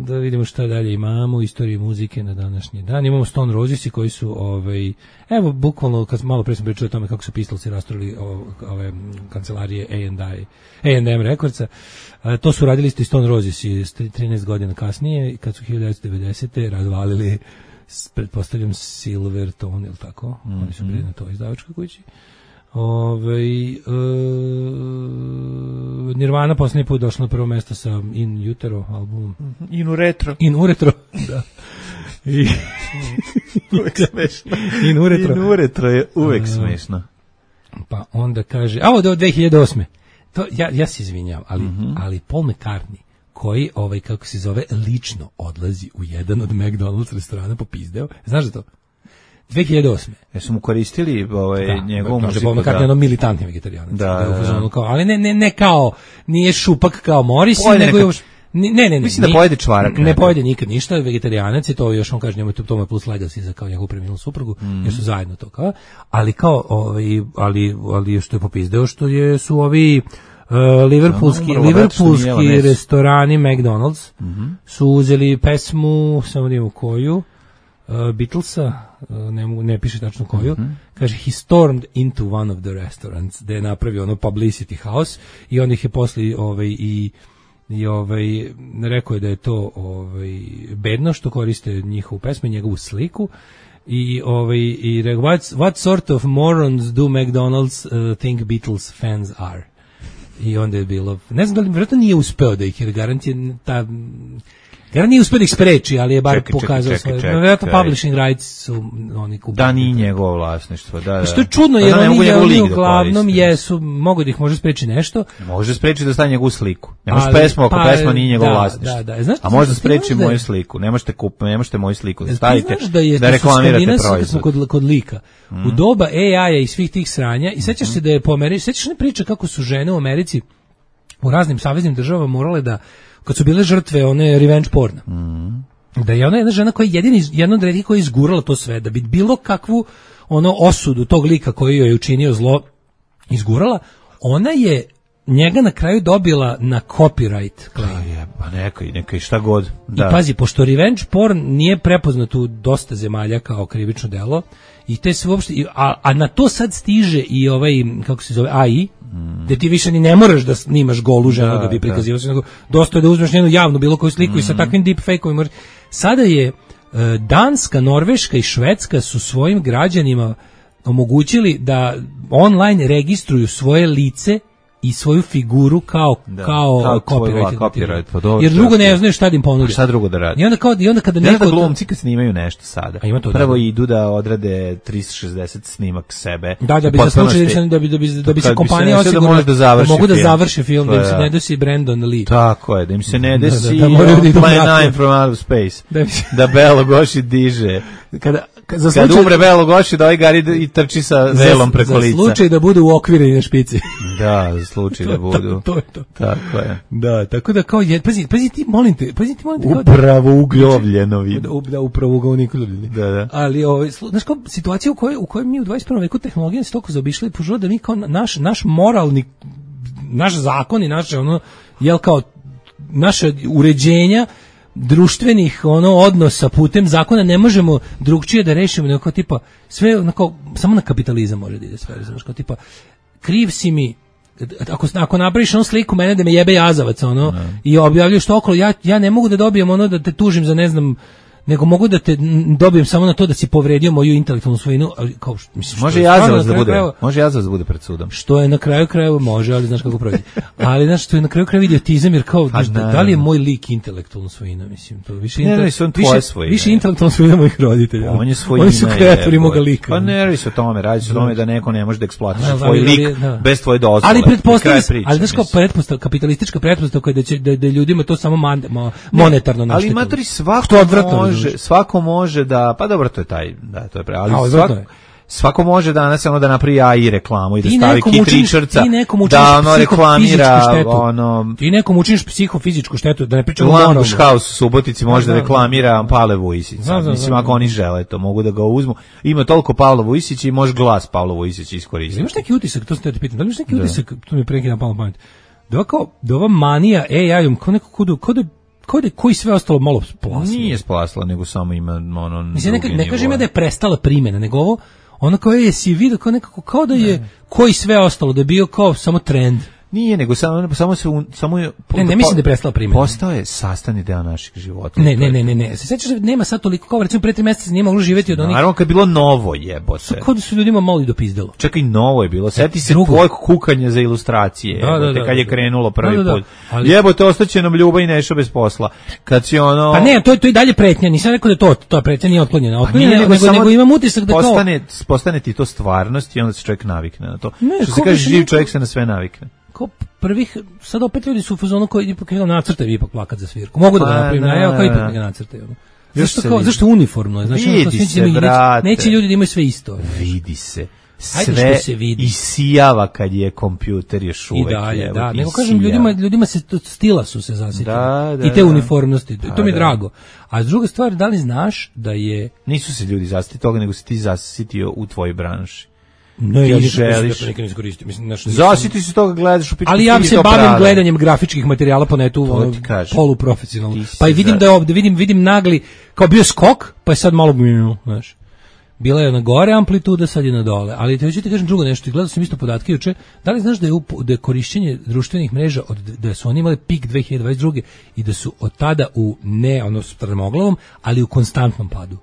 Da vidimo šta dalje imamo u istoriji muzike na današnji dan. Imamo Stone Rosesi koji su evo bukvalno kad malo pre sam pričao o tome kako su Pistolsi rasturili ove kancelarije A&M Recordsa. To su radili isto i Stone Rosesi 13 godina kasnije, kad su 1990. razvalili, pretpostavljam, Silvertone, ili tako? Oni su bili na toj izdavačkoj kući. Nirvana posljednji put došla na prvo mjesto sa In Utero albumom. In Uretro, da. Uvek smešno. In Uretro je uvek smešno. Pa onda kaže, do 2008. To, ja se izvinjam, ali Paul McCartney, koji, kako se zove, lično odlazi u jedan od McDonald's restorana popizdeo. Znaš da to? 2008. Jesu mu koristili njegovu muziku? Kaže, makar je militantni vegetarijanac. Da. Ali ne kao, nije šupak kao Morrissey, nego još... Ne. Mislim da pojede čvarak. Ne pojede nikad ništa, vegetarianac je to, još on kaže, njemu to je plus legacy za kao njegovu preminulu suprugu, jer su zajedno to kao, ali kao, ali što je popizdeo, što su ovi liverpoolski restorani McDonald's su uzeli pesmu, samo da imamo koju, Beatlesa, ne piše tačno koju, kaže he stormed into one of the restaurants, da je napravio ono publicity house i on ih je posle rekao je da je to bedno što koriste njihovu pesmu, njegovu sliku i rekao what sort of morons do McDonald's think Beatles fans are. I onda je bilo, ne znam da li vjerojatno nije uspeo da ih, jer garant nije uspeo da ih spreči, ali je bar pokazao svoje. Vjerojatno publishing rights su oni kupili. Da, nije njegovo vlasništvo. Da. Što je čudno, jer oni uglavnom jesu, mogu da ih može spreči nešto. Može spreči da staje njegovu sliku. Ne može pesmu ako pesma nije njegovo vlasništvo. A može da spreči moju sliku. Ne možete moju sliku da stavite, da reklamirate proizvod. Kod lika. U doba AI-a i svih tih sranja, i sećaš se da je po Americi, sećaš ne priča kako su žene u Americi u raznim saveznim državama morale da, kad su bile žrtve one revenge porna, da je ona jedna žena koja je jedna od retkih koja je izgurala to sve, da bi bilo kakvu osudu tog lika koji joj je učinio zlo izgurala, ona je njega na kraju dobila na copyright claim. Pa neka šta god. Da. I pazi, pošto revenge porn nije prepoznat u dosta zemalja kao krivično delo, i te sve uopšte, a na to sad stiže i kako se zove, AI, da ti više ni ne moraš da snimaš golu ženu da bi prikazivao se, nego dosta je da uzmeš njenu javnu bilo koju sliku i sa takvim deepfake-ovima. Sada je Danska, Norveška i Švedska su svojim građanima omogućili da online registruju svoje lice i svoju figuru kao copyright. Jer drugo ne znaju šta da im ponude. Šta drugo da radi? I onda kada neko glumci kad snimaju nešto sada. Prvo idu da odrade 360 snimak sebe. Da bi za slučaj da bi se kompanija osigurala da mogu da završe film, da im se ne desi Brandon Lee. Tako je, da im se ne desi Plan 9 from Outer Space. Da Belo Goši diže. Kad umre Belo Goši, da ovaj gari i trči sa velom preko lica. Za slučaj da budu uokvireni na špici. Da, za slučaj da budu. To je to. Tako je. Da, tako da kao pazi ti molim te. Upravo ugljovljeno vidim. Da, upravo ugljovljeni. Da. Ali znaš kao situacija u kojoj mi u 21. veku tehnologija se toliko zaobišla i požela da mi kao naš moralni, naš zakon i naše kao naše uređenja društvenih odnosa putem zakona ne možemo drugčije da rešimo, nego tipa sve samo na kapitalizam može da ide sve, znaš, kao tipa kriv si mi ako napraviš sliku mene da me jebe jazavac i objavljuješ to okolo, ja ne mogu da dobijem da te tužim za ne znam, nego mogu da te dobijem samo na to da si povredio moju intelektualnu svojinu, ali kao mislim, može jazavac da bude pred sudom. Što je na kraju krajeva može, ali znaš kako prođe. Ali znaš što je na kraju krajeva idiotizam, jer kao da li je moj lik intelektualna svojina, mislim, to više više intelektualna svojina mojih roditelja. On je svojina. Oni su kreatori moga lika. Pa ne radi se o tome, radi se o tome da neko ne može da eksploatiše tvoj lik bez tvoje dozvole. Ali znaš kao kapitalistička pretpostavka da ljudima to samo monetarno naštetilo. Ali matori svako može da, pa dobro, to je taj, da, to je ali svako može danas da napravi AI reklamu i da stavi kitričarca, da reklamira ti nekom učiniš psihofizičku štetu, da ne pričamo o Lambuš House u Subotici može da reklamira Pavle Vujsića. Mislim, ako oni žele to, mogu da ga uzmu. Ima toliko Pavla Vujsića i može glas Pavla Vujsića iskoristiti. Imaš neki utisak, to sam te pitam, da li imaš neki utisak, to mi prekida na pamet, da ova manija AI-om kao neko koji sve ostalo malo splasilo. Nije splasilo, nego samo ima mislim, ne kažem ja da je prestala primjena, nego ono kao si vidio kao da je koji sve ostalo, da je bio kao samo trend. Nije, nego samo je... Ne mislim da je prestala primjena. Postao je sastavni deo naših života. Ne. Se sećaš da nema sad toliko, kao recimo pre 3 meseca nije moglo živjeti od onih... Naravno, kad je bilo novo, jebote. Kao da su ljudima malo i dopizdalo. Čekaj, novo je bilo. Sjeti se tvojeg kukanja za ilustracije. Da, kad je krenulo prvi put. Jebote, ostaće nam Ljuba i Neša bez posla. Kad si Pa ne, to je dalje pretnja. Nisam rekao da to pretnja nije otklonjena. Nego imam utisak da postane ti to stvarnost i onda se čovjek navikne na to. Što se kaže, živ čovjek se na sve navikne. kao prvih, sad opet ljudi su u fazonu koji ipak nacrtaju ipak plakat za svirku. Mogu da ga napravim, ja kao ipak ga nacrtaju. Zašto uniformno? Znači, vidi se, brate. Neće ljudi da imaju sve isto. Vidi se. Sve isijava kad je kompjuter još uvek. I dalje, da. Nego kažem, ljudima se stila su se zasitili. I te uniformnosti. To mi je drago. A druga stvar, da li znaš da je... Nisu se ljudi zasitili toga, nego si ti zasitio u tvojoj branši. Ne, ja želiš. Nikad ne koristim. Zasiti se toga, gledaš u pičku. Ali ja se bavim gledanjem grafičkih materijala po netu, poluprofesionalno. Pa i vidim da je ovde, vidim nagli, kao bio skok, pa je sad malo, znaš. Bila je na gore amplituda, sad je na dole. Ali te ću ti kažem drugo nešto, i gledao sam isto podatke juče. Da li znaš da je korišćenje društvenih mreža, da su oni imali pik 2022. i da su od tada strmoglavom, ali u konstantnom padu.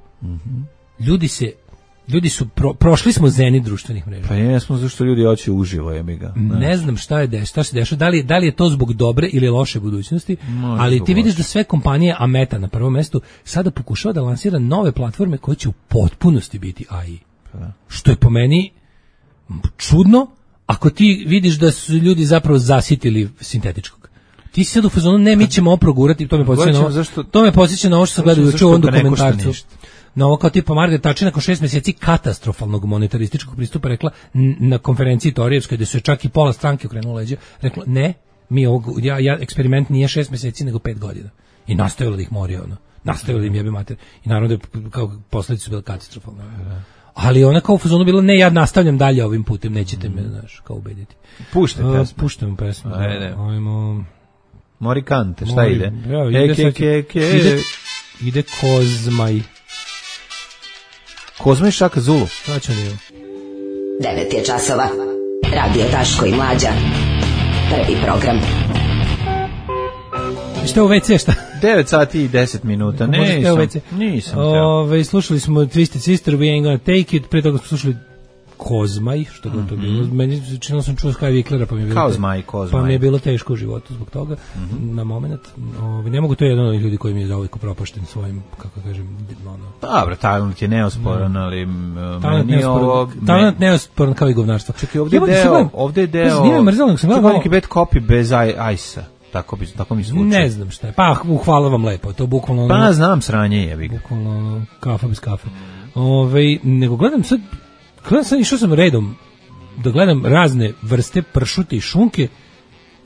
Ljudi su prošli smo zenit društvenih mreža. Pa jesmo, zašto ljudi hoće uživo, jebi ga. Ne znam šta se dešava, da li je to zbog dobre ili loše budućnosti, ali ti vidiš da sve kompanije, a Meta na prvom mestu, sada pokušava da lansira nove platforme koje će u potpunosti biti AI. Što je po meni čudno, ako ti vidiš da su ljudi zapravo zasitili sintetičkog. Ti si sad u fazonu, ne, mi ćemo oprogurati, to me podsjeća na ovo što sam gledao juče u ovom dokumentarcu. Na ovo kao tipa Margaret Thatcher nakon 6 mjeseci katastrofalnog monetarističkog pristupa rekla na konferenciji Torijevskoj, gde su je čak i pola stranke okrenulo leđa, rekla ne, mi eksperiment nije 6 mjeseci nego 5 godina. I nastavila da ih mori, nastavila da im jebe mater. I naravno da kao posledice su bile katastrofalne. Ali ona kao u fazonu bila, ne, ja nastavljam dalje ovim putem, nećete me, znaš, kao ubediti. Puštam pesmu. Ajmo. Morikante, šta ide? Ide Kozmaj. Kozma i Šaka Zulu. 9 je časova. Radio Daško i Mlađa. Prvi program. Šta u WC, šta? 9 sati i 10 minuta. Nisam teo. Slušali smo Twisted Sister, We Ain't Gonna Take It. Pre toga smo slušali Kozmaj, što god to bilo. Meni činilo sam čuo Sky Viklera, pa mi je bilo teško u životu zbog toga, na moment. Ne mogu, to je jedan od ljudi koji mi je zauvijek propašten svojim, kako kažem, dobro, talent je neosporan, ali talent neosporan kao i govnarstvo. Čekaj, ovdje je deo neki bad copy bez ajsa. Tako mi zvuči. Ne znam šta je. Pa, hvala vam lepo. To bukvalno... Pa, znam, sranje je. Bukvalno kafa bez kafe. Nego gledam sad, išao sam redom da gledam razne vrste pršute i šunke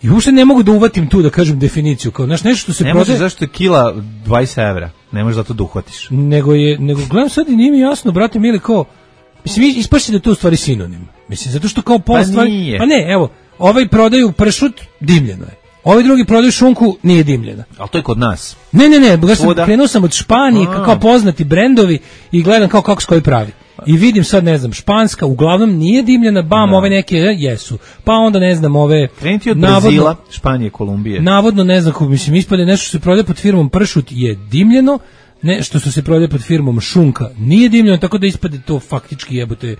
i uopšte ne mogu da uvatim tu, da kažem definiciju. Kao, znaš, nešto što se prodaje... Ne možeš, zašto je kila 20 evra. Ne možeš da to da uhvatiš. Nego gledam sad i nije mi jasno, brate mili, kao... Mislim, ispašće da je to u stvari sinonim. Mislim, zato što kao pol stvari... Nije. Pa ne, evo, ovaj prodaju pršut, dimljeno je. Ovi drugi prodaju šunku, nije dimljena. Ali to je kod nas. Ne, krenuo sam od Španije, kao poznati brendovi i gledam kako se koji pravi. I vidim sad, ne znam, španska, uglavnom nije dimljena, ove neke jesu. Pa onda, ne znam, ove... Krenuti od Brazila, Španije, Kolumbije. Navodno, ne znam, mislim, ispade nešto što se prodaje pod firmom pršut je dimljeno, nešto što se prodaje pod firmom šunka nije dimljeno, tako da ispade to faktički jebote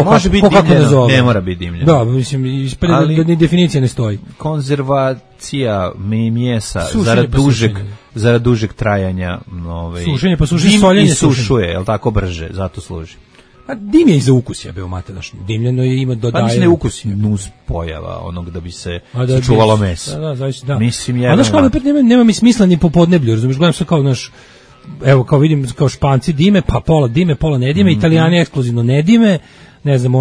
može biti dimljeno, ne mora biti dimljeno. Da, mislim, ispade da ni definicija ne stoji. Konzervacija mjesa zarad dužeg trajanja, sušenje pa sušenje, soljenje i sušuje, je li tako, brže, zato služi. A dim je i za ukus, jebeo materaš. Dimljeno je, ima dodaje. Pa ne ukus, nus pojava onog da bi se sačuvalo meso. Da, zaista, da. Mislim, a znaš kao, opet nema mi smisla ni po podneblju, razumiješ, gledam se kao naš, evo, kao vidim, kao Španci dime, pa pola dime, pola ne dime, Italijani ekskluzivno ne dime, ne znam,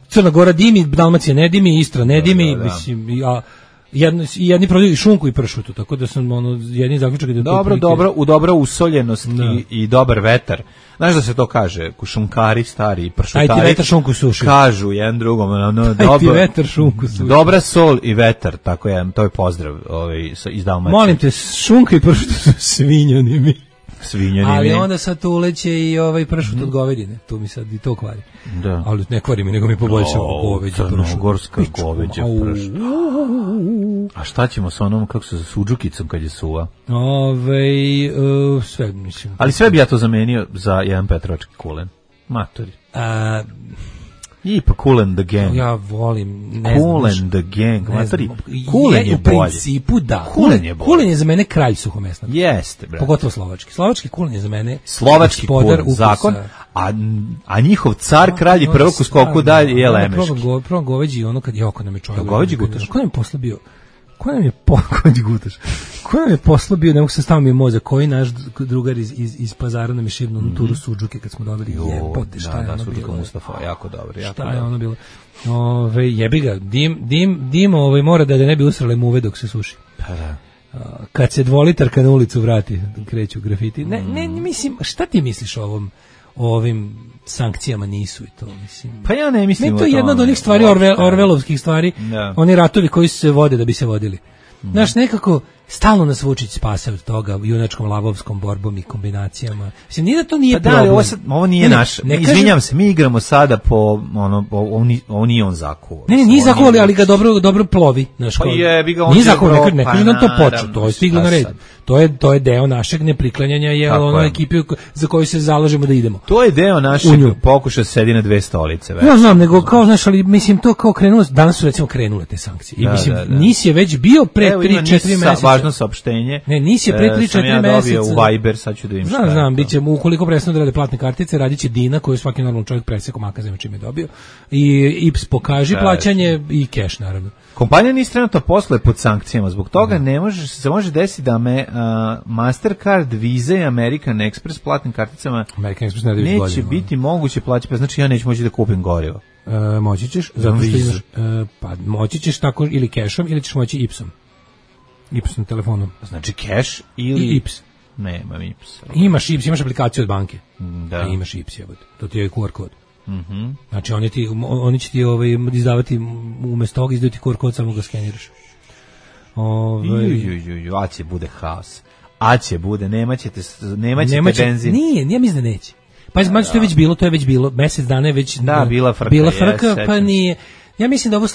Crna Gora dimi, Dalmacija ne dimi, Istra ne dimi, mislim, jedni prodaju i šunku i pršutu, tako da sam jedni zaključak da u dobra usoljenost i dobar vetar. Znaš da se to kaže, šunkari stari, pršutari. Aj ti vetar šunku suši. Kažu jedan drugom, aj ti vetar šunku suši. Dobra sol i vetar, tako je, to je pozdrav iz Dalmacije. Molim te, šunka i pršut su svinjonimi. Ali mi. onda sad tu uleće i pršut od govedine, tu mi sad i to kvari. Da. Ali ne kvari mi, nego mi poboljšava goveđe pršut. Crnogorska goveđe pršut. A šta ćemo sa onom, kako se, suđukicom kad je suva? Sve, mislim. Ali sve bi ja to zamenio za jedan petrovački kulen. Matori. Ipak Kool and the Gang. Ja volim, ne Kool znam. and the Gang. Ne znam, Kulen je u bolje. principu da. Kulen je bolje. Kulen je za mene kralj suhomesnata. Jeste, bre. Pogotovo slovački. Slovački kulen je za mene Slovački gospodar kulen, zakon, ukusa. a njihov car, kralj i prvog u skoku dalje je Lemeški. Probam goveđi ono kad je oko nam je čovjek. Goveđi gutaš? Ko nam je poslao Ko nam je goveđi gutaš? Ko nam je poslao bio, ne mogu se staviti mi je mozak, koji naš drugar iz Pazara nam je šibno na turu Suđuke kad smo dobili jebote, šta je ono bilo? Mustafa, jako dobro. Šta je ono bilo? Jebi ga, dim mora da ne bi usrale muve dok se suši. Pa da. Kad se dvolitarka na ulicu vrati, kreću grafiti. Ne, mislim, šta ti misliš o ovim sankcijama nisu i to, mislim. Pa ja ne mislim o to je tome. jedna od onih stvari, Orvelovskih stvari, oni ratovi koji se vode da bi se vodili. Znaš, nekako stalno nas Vučić spase od toga junačkom lavovskom borbom i kombinacijama. Mislim, nije da to nije problem. Ovo nije naš. Izvinjam se, mi igramo sada po ovo nije on zakuo. Ne, nije zakuo, ali ga dobro plovi. Pa jebi ga on. Nije zakuo, ne kaže nam to počeo, to je stiglo na red. To je deo našeg nepriklanjanja je ono ekipi za koju se zalažemo da idemo. To je deo našeg pokušaja sedi na dve stolice. Ja znam, nego kao, znaš, ali mislim to kao krenulo, danas su recimo krenule te sankcije. I mislim, NIS je već bio pre 3-4 meseca. Važno saopštenje. Ne, NIS je pre 3-4 meseca. U Viber, sad ću da im šta. Znam, biće, ukoliko prestanu da rade platne kartice, radiće Dina, koju svaki normalan čovjek presekao makazima čim je dobio. I IPS pokaži plaćanje i keš, naravno. Kompanija NIS trenutno posluje pod sankcijama, zbog toga se može desiti da Mastercard, Visa i American Express platnim karticama neće biti moguće plaćati, pa znači ja neću moći da kupim gorivo. Moći ćeš, zato što imaš, moći ćeš tako ili kešom ili ćeš moći IPS-om. IPS na telefonu. Znači keš ili IPS. Nemam IPS. Imaš IPS, imaš aplikaciju od banke. Da. A imaš IPS, to ti je QR kod. Znači oni će ti izdavati umjesto toga izdaju ti QR kod, samo ga skeniraš. Aće bude haos. Aće bude, nemaćete benzin. Nije mislim da neće. Pa to je već bilo, mjesec dana je već bila frka, pa nije. Ja mislim da ovo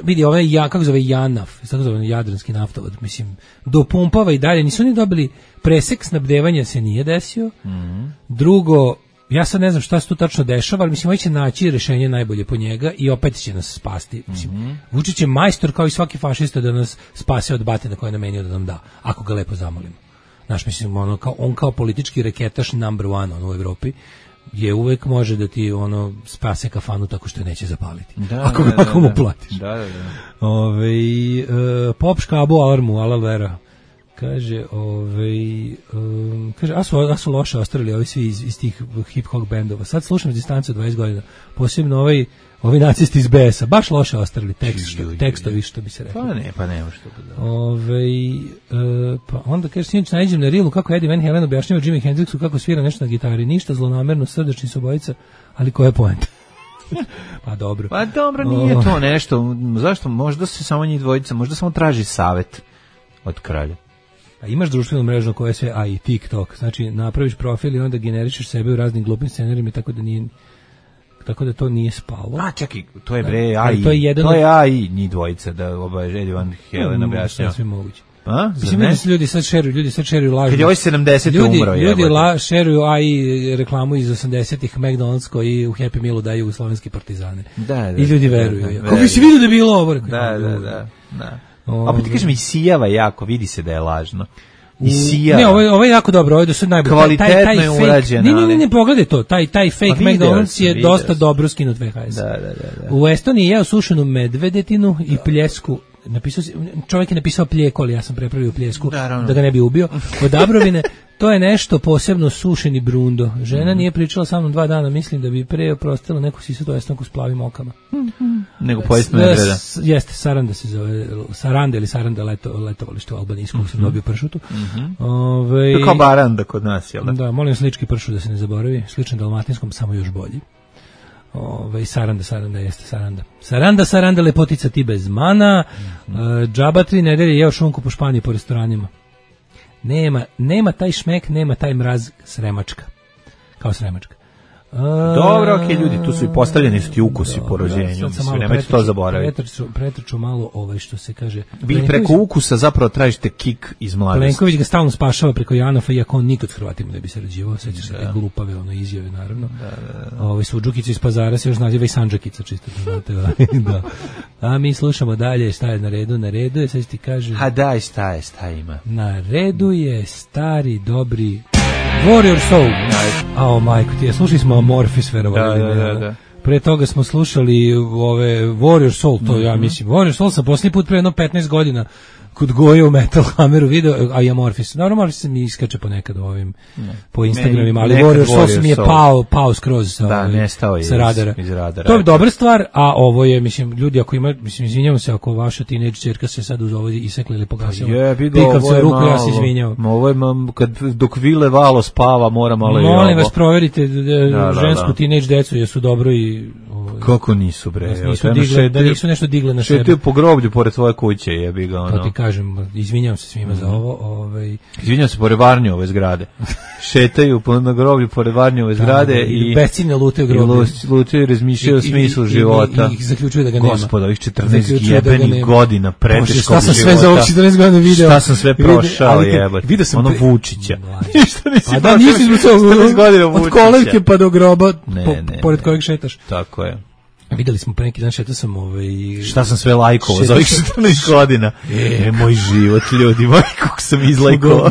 vidi, ovaj kako zove JANAF, tako zove Jadranski naftovod, mislim, dopumpava i dalje, nisu ni dobili presek snabdevanja, se nije desio. Drugo, ja sad ne znam šta se tu tačno dešava, ali mislim, ovaj će naći rješenje najbolje po njega i opet će nas spasti. Mislim, Vučić je majstor kao i svaki fašista da nas spase od batina koje je namenio da nam da, ako ga lepo zamolimo. Znaš, mislim, on kao politički reketaš number one u Evropi, je uvek može da ti spase kafanu tako što je neće zapaliti. Ako mu platiš. Pop škabo alarmu, ala vera. Kaže, a su loše ostavili ovi svi iz tih hip-hop bendova. Sad slušam distancu 20 godina. Posebno ovi nacisti iz BS-a. Baš loše ostavili tekstovi, što bi se rekao. Pa nema što bi da. Pa onda kaže, sinoć nađem na Reelu kako Eddie Van Halen objašnjava Jimi Hendrixu kako svira nešto na gitari. Ništa zlonamerno, srdačni su obojica, ali koja je poenta? Pa dobro, nije to nešto. Zašto? Možda se samo njih dvojica, možda samo traži savet od kralja. A imaš društvenu mrežu koja je sve AI, TikTok, znači napraviš profil i onda generišeš sebe u raznim glupim scenarijima, tako da to nije spalo. A čekaj, to je bre AI, to je AI njih dvojica, da Eddie Van Halen objašnjava. Sve moguće. A? Mislim da se ljudi sad šeruju lažno. Kad je ovaj 70 umro je. Ljudi šeruju AI reklamu iz 80-ih McDonald's koji u Happy Mealu daju slovenski partizane. I ljudi veruju. Kako bi si vidio da je bilo ovo? Da. A pa ti kažem, isijava jako, vidi se da je lažno. Isijava. Ne, ovo je jako dobro, ovo je do sad najbolje. Kvalitetno je urađeno. Ne, pogledaj to, taj fake McDonald's je dosta dobro skinut VHS. Da. U Estoniji je jeo sušenu medvedetinu i pljesku. Čovjek je napisao pljeko, ali ja sam prepravio pljesku da ga ne bi ubio. Od Dabrovine, to je nešto posebno sušeni brundo. Žena nije pričala sa mnom 2 dana, mislim da bi pre oprostila neku sisatu estanku s plavim okama. Nego pojest medveda. Jeste, Saranda se zove, Saranda letovalište u Albaniji, skog sam dobio pršutu. To kao baranda kod nas, jel da? Da, molim slički pršut da se ne zaboravi, sličan dalmatinskom, samo još bolji. Saranda jeste Saranda. Saranda, lepotica ti bez mana. Džaba 3 nedelje jeo šunku po Španiji po restoranima. Nema taj šmek, nema taj mraz sremačka. Kao sremačka. Dobro, okej, ljudi, tu su i postavljeni su ti ukusi po rođenju, nemojte to zaboraviti. Pretrču malo što se kaže. Vi preko ukusa zapravo tražite kik iz mladosti. Plenković ga stalno spašava preko Janafa, iako on nikad s Hrvatima ne bi se rađivao, sećaš se te glupave izjave, naravno. Suđukica iz Pazara se još naziva i Sandžakica, čisto da znate. Da. A mi slušamo dalje, šta je na redu? Na redu je, sad ti kaže... A daj, šta ima? Na redu je stari, dobri... Warrior Soul. Majko ti, slušali smo Amorphis, verovali. Da. Pre toga smo slušali ove Warrior Soul, to ja mislim. Warrior Soul sam posljednji put pre 15 godina kod Goje u Metal Hammeru video, a i Amorphis. Naravno, Amorphis se mi iskače ponekad po Instagramima, ali Warrior Soul se mi je pao skroz sa radara. Iz radara. To je dobra stvar, a ovo je, mislim, ljudi, ako ima, mislim, izvinjavam se ako vaša teenage ćerka se sad uz ovo isekla ili pogasila. Pikavca ruku, ja se izvinjavam. Ovo je, dok Vile Valo spava, mora malo i ovo. Molim vas, proverite žensku teenage decu, jesu dobro i... Kako nisu, bre? Da nisu nešto digle na sebe. Šetaju po groblju pored svoje kuće, jebi ga, ono. To ti kažem, izvinjavam se svima za ovo. Izvinjavam se pored Varnjove zgrade. Šetaju na groblju pored Varnjove zgrade i besciljno lutaju groblje. Lutaju i razmišljaju o smislu života. I zaključuju da ga nema. Gospod, ovih 14 jebenih godina preteškog života. Šta sam sve za ovih 14 godina video? Šta sam sve prošao, jebate. Ono Vučića. Ništa nisi prošao. Da, nisi od kolevke pa do groba pored kojeg šetaš. Tako je. Videli smo pre neki dan, šetao sam šta sam sve lajkovao za ovih 14 godina. Moj život, ljudi, kako sam izlajkovao.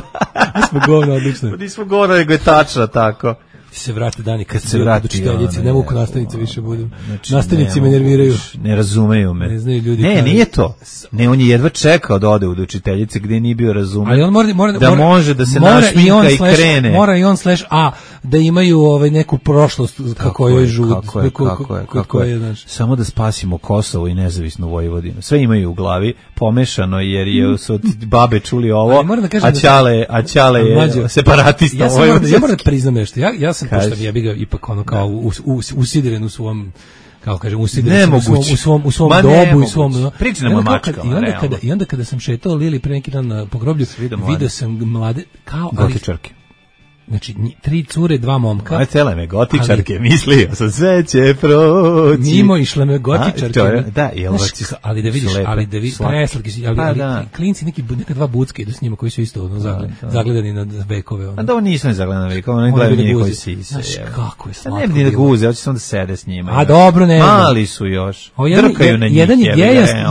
Nismo govno, odlično. Nismo govno, nego je tačno tako. Se vrate dani kad se vrati učiteljice, ne mogu nastavnice više budem. Nastavnici me nerviraju. Ne razumeju me. Ne znaju ljudi. Ne, nije to. Ne, on je jedva čekao da ode u učiteljice gdje nije bio razumen. Ali on da može da se našminka i krene. Mora i on /a da imaju neku prošlost kako joj žud. Kako je. Samo da spasimo Kosovo i nezavisnu Vojvodinu. Sve imaju u glavi, pomešano jer su od babe čuli ovo, a Ćale je separatista Vojvodine. Ja moram da priznam nešto. Ja sam pošto je ga ipak kao usidren u svom, kako kažem, usidren u svom dobu i svom. Pričamo mačkama. I onda kada sam šetao Lili pre neki dan po groblju, video sam mlade kao gotičarke. Znači, 3 cure, 2 momka. Aj, cele me gotičarke, mislio sam sve će proći. Mimo išle me gotičarke. Da, ali da vidiš, preslatki si, ali klinci, neka 2 bucke idu s njima koji su isto zagledani na vekove. A da ovo nisu ne zagledani na vekove, oni gledaju njih koji sise. Znaš, kako je slatko. Ne bi ni da guze, hoće samo da sede s njima. A dobro, ne. Mali su još. Drkaju na njih.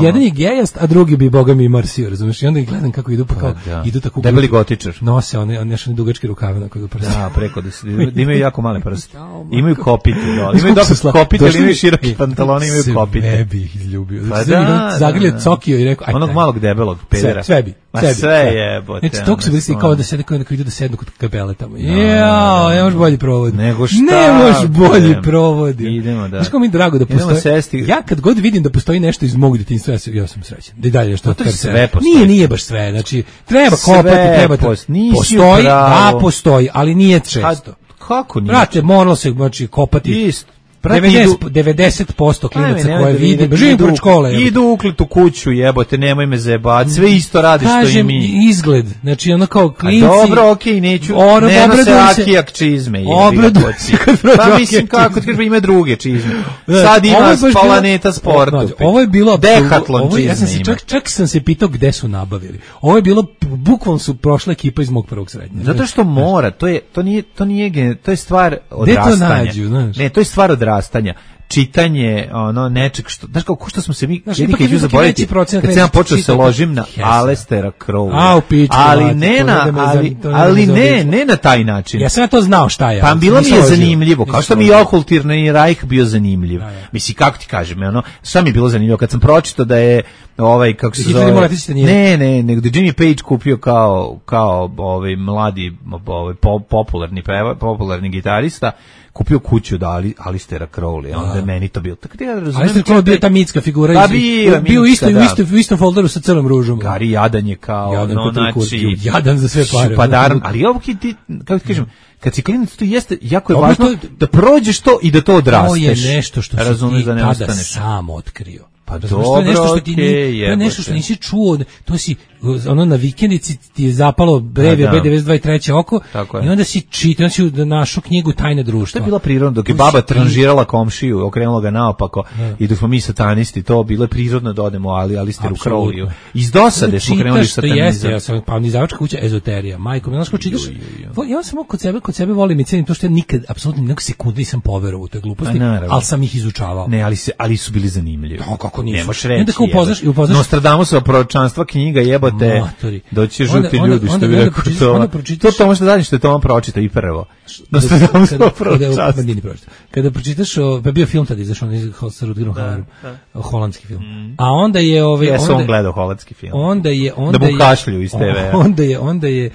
Jedan je gejast, a drugi bi, boga mi, marsio, razumiješ? I onda ih gledam kako idu, pa kao idu tako. Debeli gotičar. Nose one dugačke rukave na koje da, preko da imaju jako male prste. Imaju kopite, imaju dosta kopite, ali imaju široki pantaloni, imaju kopite. Sve bi ih izljubio. Zagrlio cokio i rekao, onog malog debelog pedera. Sve bi. Sve jebote. Znači, tog su bili kao da sede kao da idu da sednu kod kapele tamo. Jao, ne možeš bolji provod. Nego šta? Ne možeš bolji provod. Idemo, da. Znaš kao mi je drago da postoji. Ja kad god vidim da postoji nešto iz mog detinjstva, ja sam srećan. Da i dalje što sve postoji. Nije baš sve. Znači, treba kopati, treba postoji, postoji, ali nije često. Kako nije? Brate, moralo se kopati. Isto. 90% klinaca koje vidim, živim pored škole. Idu uklet u kuću, jebote, nemoj me zajebati, sve isto radi što i mi. Kažem, izgled, znači ono kao klinci. A dobro, okej, neću, ne nose akijak čizme, jebi ga poci. Pa mislim, kako ti kažem, ima druge čizme. Sad ima Planeta sportu. Ovo je bilo, Dekatlon čizme ima. Čak sam se pitao gde su nabavili. Ovo je bilo, bukvalno su prošla ekipa iz mog prvog srednje. Zato što mora, to je stvar odrastanja. Ne, to je stvar odrastanja. Čitanje nečeg što, znaš kao, ko što smo se mi jedni kad ću zaboraviti, kad sam ja počeo se ložim na Alestera Crowleya, ali ne na taj način. Ja sam ja to znao šta je. Pa bilo mi je zanimljivo, kao što mi je Okultirni Reich bio zanimljiv. Mislim, kako ti kažem, šta mi je bilo zanimljivo, kad sam pročitao da je kako se zove, nego da Jimmy Page kupio kao mladi popularni gitarista, kupio kuću da Alistera Crowley, onda je meni to bilo. Alister Crowley bio ta mitska figura, bio u istom folderu sa Crnom ružom. Gari Jadan je kao, Jadan za sve pare. Ali ovo kako ti kažem, kad si klinac, to jeste, jako je važno da prođeš to i da to odrasteš. To je nešto što si ti tada sam otkrio. Pa Razumeš, to je nešto što ti okej, to je nešto što nisi čuo, to si ono na vikendici ti je zapalo brevi B92 i treće oko i onda si čitao, si našu knjigu Tajne društva. To je bila prirodno, dok je baba tranžirala komšiju, okrenula ga naopako i dok smo mi satanisti, to bilo je prirodno da odemo ali ste u Crowliju. Iz dosade smo krenuli satanizam. Ja sam pa nizdavačka kuća ezoterija. Majko, znaš kako čitaš? Ja samo kod sebe volim i cenim to što ja nikad apsolutno ni sekunde nisam poverovao u te gluposti, ali sam ih izučavao. Ne, ali su bili zanimljivi. Kako nisu? Nemaš reći. Upoznaš Nostradamusova proročanstva knjiga jebote. Doći žuti ljudi što bi rekao to. To možda dalje što je Toma pročita i prvo. Nostradamusova proročanstva. Kada pročitaš, pa bio film tad izašao sa Rutgerom Hauerom, holandski film. A onda je ja sam gledao holandski film. Da mu kašlju iz TV-a. Onda je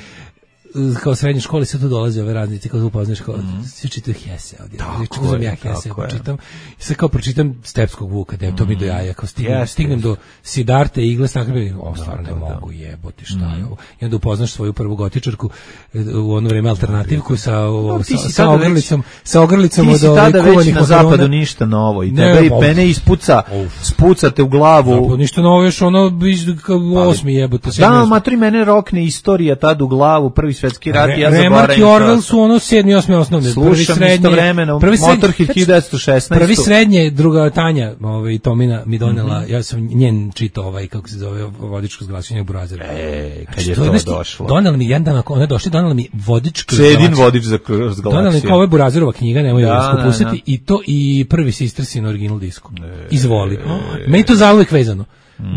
kao srednje škole sve tu dolaze ove raznice, kao upoznaš kao sve čitaju Hesse ovdje. Čitam ja Hesse, pročitam. I sad kao pročitam Stepskog Vuka, da je to mi do jaja, kao stignem do Sidarte i Igle Stakle, stvarno ne mogu jebote, šta je ovo. I onda upoznaš svoju prvu gotičarku u ono vreme alternativku sa ogrlicom od kuvanih makarona. Ti si tada već na zapadu ništa novo i tebe i pene spucate u glavu. Ništa novo, još ono 8. jebote. Da, maturi mene rokne istorija tad u glavu, Prvi svetski rat, ja zaboravim. Remark i Orwell su ono 7. i 8. osnovne. Slušam istovremeno Motorhead 1916. Prvi srednje, druga Tanja Tomina mi donela, ja sam njen čitao kako se zove, vodičko zglašenje Burazira. Kad je to došlo. Donela mi jedan dan, ona je došla, donela mi vodičko Čedin vodič za zglašenje. Donela mi kao ovo je Burazirova knjiga, nemoj da skupustiti, i to i prvi Sistersin original disku. Izvoli. Meni to zauvek vezano.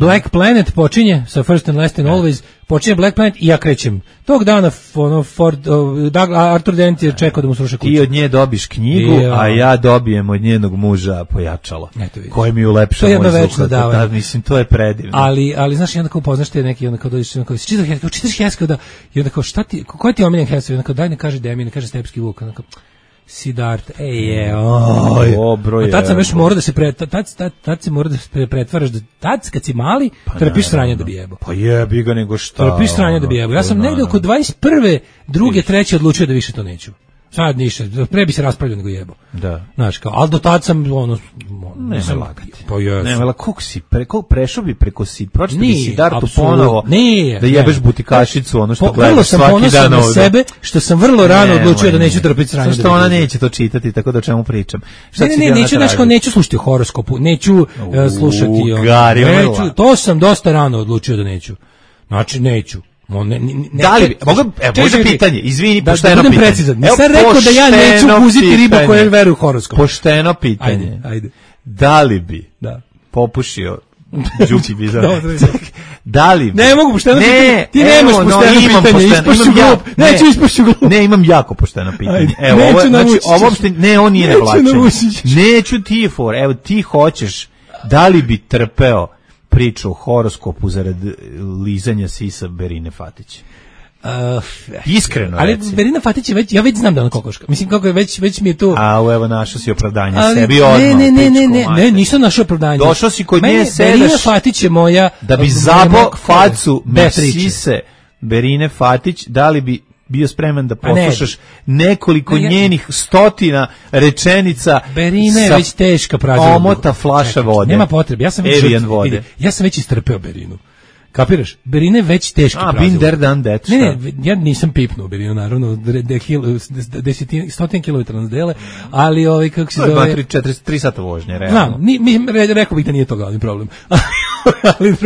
Black Planet počinje sa First and Last and Always, počinje Black Planet i ja krećem. Tog dana Arthur Dent je čekao da mu sruše kuću. Ti od nje dobiš knjigu, a ja dobijem od njenog muža pojačalo. Koje mi ulepša moj zvuk. Da, mislim, to je predivno. Ali znaš, i onda kao upoznaš te neki, onda kao dođeš, onda kao čitaš Heskeo, i onda kao šta ti, koji ti omiljen Heskeo? Onda kao daj ne kaže Demi, ne kaže Stepski Vuk, onda kao Sidart, tad sam već morao da se tad se mora da se pretvaraš, tad kad si mali, trpiš sranje da bi jebo. Pa jebi ga nego šta. Trpiš sranje da bi jebo. Ja sam negde oko 21. druge, treće odlučio da više to neću. Sad ništa, pre bi se raspravljao nego jebo. Da. Znaš, kao, ali do tad sam, ne lagati. Pa jesam. Ne, vela, prešao bi preko pročito bi Sidartu ponovo, da jebeš butikašicu, ono što gledaš svaki dan ovde. Vrlo sam ponosan na sebe, što sam vrlo rano odlučio da neću trpiti sranje. Što ona neće to čitati, tako da o čemu pričam. Neću slušati horoskopu, neću slušati, to sam dosta rano odlučio da neću. Znači, neću. Da li može pitanje, izvini, pošteno pitanje. Nisam rekao da ja neću uzeti ribu koja veruje u horoskop. Pošteno pitanje. Ajde. Da li bi popušio Đuki Bizar? Da li bi? Ne mogu pošteno pitanje. Ti nemaš pošteno pitanje, ispašću glup. Neću ispašću glup. Ne, imam jako pošteno pitanje. Evo, ne, on nije nevlačenje. Neću ti evo ti hoćeš, da li bi trpeo priču o horoskopu zarad lizanja sisa Berine Fatić? Iskreno ali reci. Berina Fatić je već, ja već znam da ona kokoška. Mislim kako je već mi je to. Evo našao si opravdanje sebi odmah. Ne, nisam našao opravdanje. Došao si kod nje, sedaš. Berina Fatić je moja da bi zabo facu sise Berine Fatić, da li bi bio spreman da poslušaš nekoliko njenih stotina rečenica. Berina je već teška prazna. Omota flaša vode. Nema potrebe. Ja sam već istrpeo Berinu. Kapiraš? Berina je već teški prazna. Been there, done that. Ne, ja nisam pipnuo Berinu, naravno, 100 kilometara nas dele, ali kako se zove... 3 sata vožnje, realno. Rekao bih da nije to glavni problem. Ali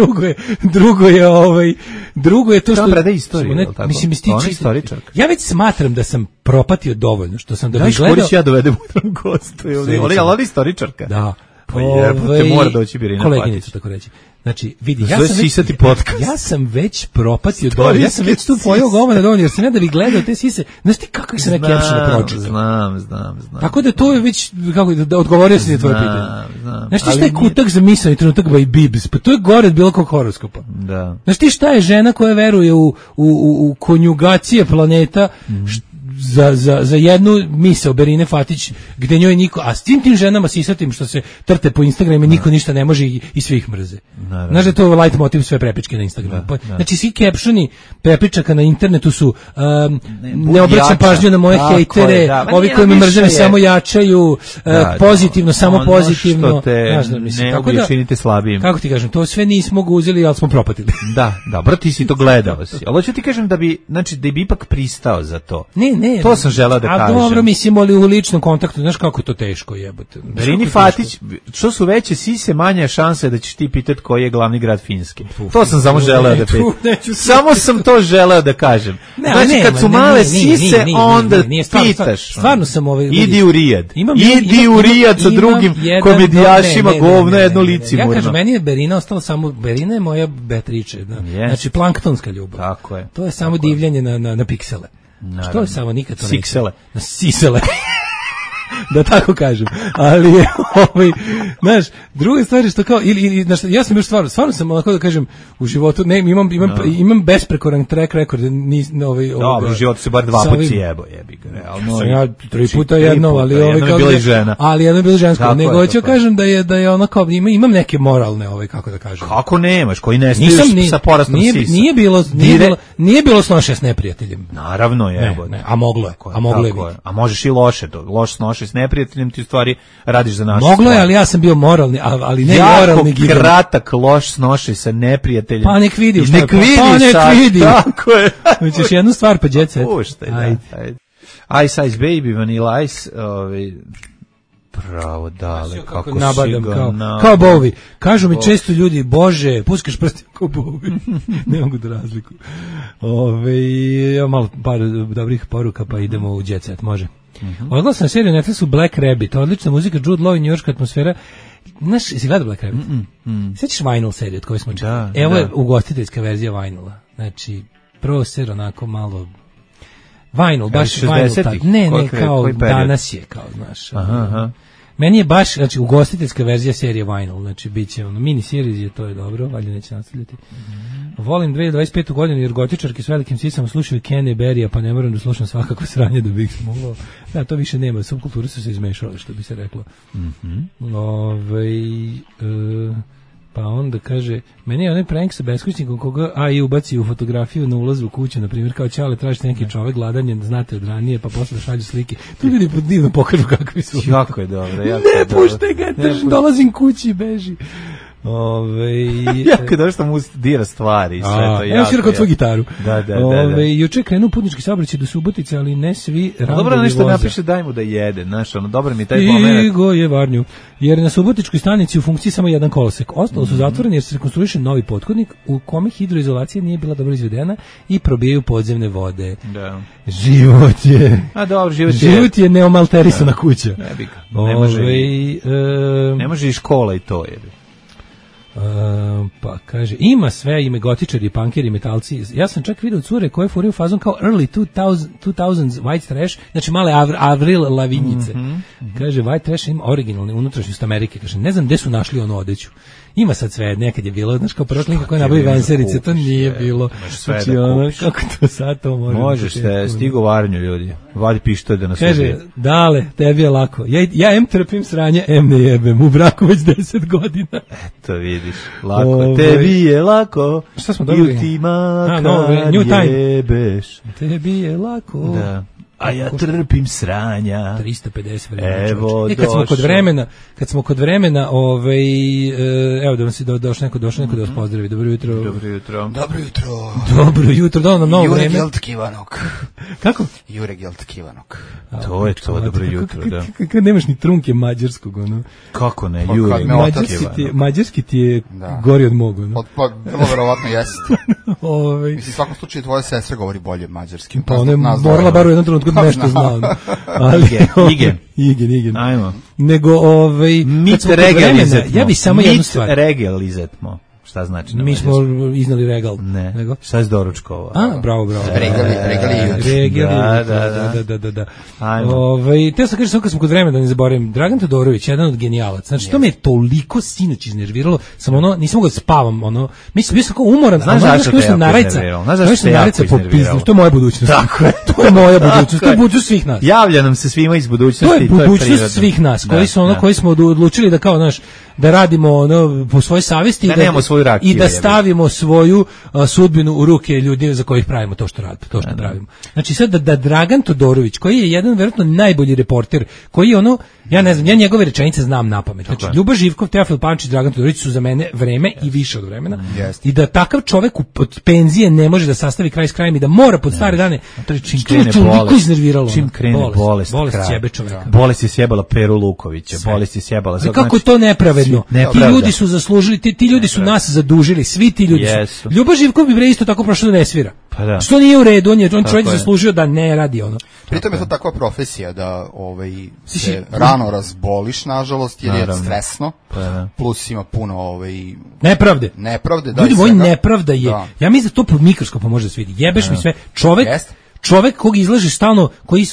drugo je to što... preda istoriju, tako? Mislim, ona istoričarka. Ja već smatram da sam propatio dovoljno, što sam da bih gledao... Znaš, ja dovedem u gostu, ali ona istoričarka. Da. Pa jebote, mora doći Berina Fatić. Koleginica, tako reći. Znači, vidi, ja sam već propatio dovoljno, ja sam već tu pojao govana dovoljno, jer sam ja da bih gledao te sise, znaš ti kako se neki epšina pročitao? Znam. Tako da to je već, da odgovorio sam je tvoje pitanje. Znaš ti šta je kutak za misao i trenutak by Bibs, pa to je gore od bilo kog horoskopa. Da. Znaš ti šta je žena koja veruje u konjugacije planeta, za jednu misao Berine Fatić, gde njoj niko, a s tim ženama sisatim što se trte po Instagramu, niko ništa ne može i svi ih mrze. Znaš da je to light motiv sve prepičke na Instagramu. Znači svi captioni prepičaka na internetu su ne obraćam pažnju na moje hejtere, ovi koji me mrze samo jačaju, pozitivno, samo pozitivno. Što te ne činite slabijim. Kako ti kažem, to sve nismo ga uzeli, ali smo propatili. Da, dobro, ti si to gledao si. Ali hoću ti kažem da bi ipak pristao za to. Ne. To sam želeo da kažem. A dobro, mislim, ali u ličnom kontaktu, znaš kako je to teško jebote. Berini Fatić, što su veće sise, manje šanse da ćeš ti pitati koji je glavni grad Finske. To sam samo želeo da pitam. Samo sam to želeo da kažem. Znači, kad su male sise, onda pitaš. Stvarno sam idi u Rijad. Idi u Rijad sa drugim komedijašima, govno jedno licimurno. Ja kažem, meni je Berina ostala samo, Berina je moja Beatrice. Znači, planktonska ljubav. Tako je. To je samo divljanje na piksele. Što je samo nikad to neće. Siksele. Na sisele. Da tako kažem. Ali je znaš, druga stvar je što kao ja sam još stvarno sam onako da kažem u životu imam besprekoran track record dobro, u životu se bar 2 puta jebi ga realno. Ja 3 puta jedno, ali jedno je bila i žena. Ali jedno je bila žensko. Nego hoću kažem da je ono kao imam neke moralne kako da kažem. Kako nemaš, koji ne stižeš sa porastom sisa. Nije bilo snoše s neprijateljem. Naravno je. A moglo je. A možeš i loše s neprijateljem, ti u stvari radiš za našu Moglo je, ali ja sam bio moralni, ali ne moralni gigan. Jako kratak loš snošaj sa neprijateljem. Pa nek vidi. Nek vidi. Tako je. Hoćeš jednu stvar pa jet set. Puštaj, da. Ice Ice Baby, Vanilla Ice, pravo dale, kako nabadam, kao Bowie. Kažu mi često ljudi, Bože, puskaš prsti kao Bowie. Ne mogu da razliku. Malo par dobrih poruka, pa idemo u jet set, može. Odgledao sam seriju na Netflixu Black Rabbit, odlična muzika, Jude Law i njujorška atmosfera. Znaš, si gledao Black Rabbit? Sjećaš Vinyl seriju od koje smo čuli? Evo je ugostiteljska verzija Vinyl'a. Znači, prvo ser onako malo Vinyl, baš Vinyl. Ne, kao danas je, kao, znaš. Meni je baš, znači, ugostiteljska verzija serije Vinyl, znači, bit će mini series je, to je dobro, valjda neće nastavljati. Volim 2025. godinu jer gotičarki s velikim sisama slušaju Kenny Berrya, pa ne moram da slušam svakako sranje da bih mogao. Da, to više nema, subkulture su se izmešale, što bi se reklo. Pa onda kaže, meni je onaj prank sa beskućnikom koga i ubaci u fotografiju na ulazu u kuću, na primjer, kao Ćale, tražite neki čovek gladan je, znate od ranije, pa posle šalju slike. Tu ljudi divno pokažu kakvi su. Jako je dobro. Ne puštaj ga, dolazim kući i beži. Jako dobro što mu dira stvari. Evo si rekao tvoju gitaru. Da. Juče krenuo putnički saobraćaj do Subotice, ali ne svi randovi dobro nešto voza. Napiše daj mu da jede, znaš, dobro mi taj moment. Stigo je Varnju, jer na Subotičkoj stanici u funkciji samo jedan kolosek. Ostalo su zatvoreni jer se rekonstruiše novi pothodnik u kome hidroizolacija nije bila dobro izvedena i probijaju podzemne vode. Da. Život je... Život je neomalterisana kuća. Ne može i škola i to je. Pa kaže, ima sve, ime gotičari, punkeri, metalci. Ja sam čak vidio cure koje furaju fazon kao early 2000s white trash, znači male Avril Lavinjice. Kaže, white trash ima originalni unutrašnjost Amerike. Kaže, ne znam gde su našli onu odeću. Ima sad sve, nekad je bilo, znaš, kao prva kako je nabavi Venserice, to nije bilo. Znači, kako to sad to može. Možeš te, stigo Varnju, ljudi. Vadi pištolj da nas ubije. Kaže, dale, tebi je lako. Ja trpim sranje, ne jebem, u braku već 10 godina. Eto, vidiš, lako. Tebi je lako. Šta smo dobili? Ili ti makar jebeš. Tebi je lako. Da. A ja trpim sranja. 350 vremena. Evo, kad smo kod vremena, evo da vam se došlo neko da vas pozdravi. Dobro jutro. Da nam novo vreme. Jure Geltkivanok. Kako? Jure Geltkivanok. To je to, dobro jutro, da. Kad nemaš ni trunke mađarskog, ono. Kako ne, Jure. Mađarski ti je gori od mog, ono. Pa, vrlo verovatno jeste. Mislim, u svakom slučaju tvoja sestra govori bolje mađarski. Pa ona je morala bar u jednom trenutku nešto znao. Igen. Ajmo. Nego, mit regalizetmo. Ja bi samo jednu stvar. Mit regalizetmo. Šta znači? Mi smo iznali regal. Ne. Nego? Šta je s doručkova? Bravo. Regali. Da. Te sam kažem samo kad smo kod vremena, da ne zaboravim, Dragan Todorović, jedan od genijalaca. Znači, to me je toliko sinoć iznerviralo, nisam mogao da spavam, mislim, bio sam kao umoran. Znaš zašto te jako iznerviralo? To je moja budućnost. Tako je. To je moja budućnost, to je budućnost svih nas. Javlja nam se svima iz budućnosti. To je budućnost prirodno. svih nas, koji su koji smo odlučili da kao naš da radimo ono po svojoj savesti i da stavimo svoju sudbinu u ruke ljudi za kojih pravimo to što radimo, to što pravimo. Znači sad da Dragan Todorović, koji je jedan verovatno najbolji reporter, koji je ono, ja ne znam, ja njegove rečenice znam napamet. Znači Ljuba Živkov, Teofil Pančić, Dragan Todorović su za mene vreme i više od vremena. I da takav čovek od penzije ne može da sastavi kraj s krajem i da mora pod stare dane. Čim krene bolest, čim krene bolest sjebe čoveka. Bolest je sjebala Peru Lukovića, bolest je sjebala. Kako to nepravedno? Ti ljudi su zaslužili, ti ljudi su nas zadužili, svi ti ljudi su. Ljuba Živkov bi bre isto tako prošao da ne svira. Pa da. Što nije u redu, on čovjek zaslužio da ne radi ono. Pritom je to takva profesija da se rano razboliš, nažalost, jer je stresno, plus ima puno nepravde, da. Ljudi, moj nepravda je, ja mislim da to pod mikroskopom može da se vidi. Jebeš mi sve, čovek kog izlaže stalno, koji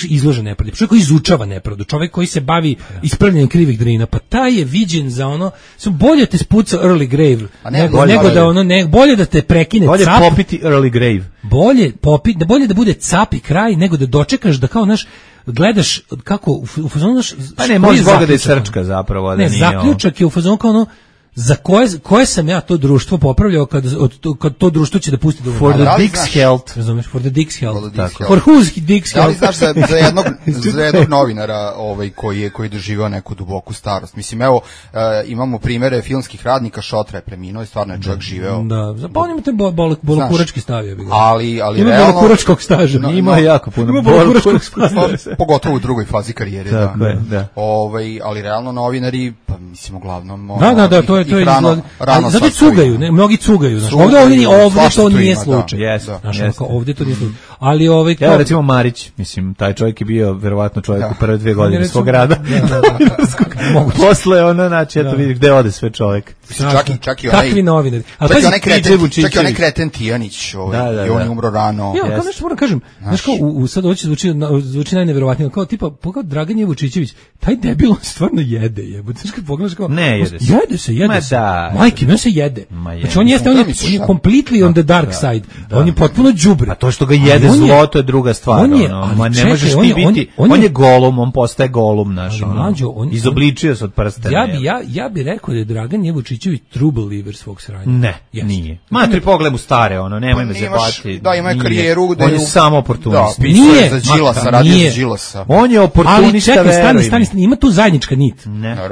izlaže nepravdu, čovjek koji izučava nepravdu, čovjek koji se bavi ispravljanjem krivih drina, pa taj je viđen za ono, bolje te spuca early grave, nego da ono, bolje da te prekine bolje cap. Bolje popiti early grave. Bolje da bude cap i kraj, nego da dočekaš da kao naš gledaš kako u fazonu naš. Pa ne, može Boga da je srčka zapravo, da nije. Ne, zaključak je u fazonu kao ono, za koje sam ja to društvo popravljao kad to društvo će da pusti da for the dick's health, razumeš, for the dick's health, for whose dick's health. Da li znaš za jednog novinara koji je doživao neku duboku starost? Mislim, evo, imamo primere filmskih radnika, Šotra je preminuo i stvarno je čovjek živeo. Da, zaponim te bolokurački stavio bi ga. Ali ima realno bolokuračkog staža. Ima jako puno bolokuračkog staža. Pogotovo u drugoj fazi karijere, da. Ali realno novinari, pa mislim uglavnom da, to je zato cugaju, mnogi cugaju, znači ovdje to nije slučaj. Ovdje to nije slučaj. Ali evo recimo Marić, mislim, taj čovjek je bio verovatno čovjek u prve 2 godine svog rada. Posle ono, znači, eto vidi gde ode sve čovjek. Čak i onaj kreten Tijanić, i on je umro rano. Ja, kao nešto moram kažem, znaš kao, sad ovo će zvuči najneverovatnije, kao tipa, Dragan Jevučićević, taj debil stvarno jede, jebote, znaš kad pogledaš kao, ne jede se. Jede se. Majke, on se jede. Znači on je completely on the dark side. On je potpuno đubre. A to što ga jede zlo, to je druga stvar. Ne možeš ti biti, on je golum, on postaje golum naš. Izobličio se od prstena. Ja bi rekao da je Dragan Jevučićević true believer svog sranja. Ne, nije. Matri pogledaj mu stare, nemoj me zebati. Da, ima karijeru. On je samo oportunist. Nije za Đilasa, radio za Đilasa. On je oportunista, veruj mi. Ima tu zajednička nit.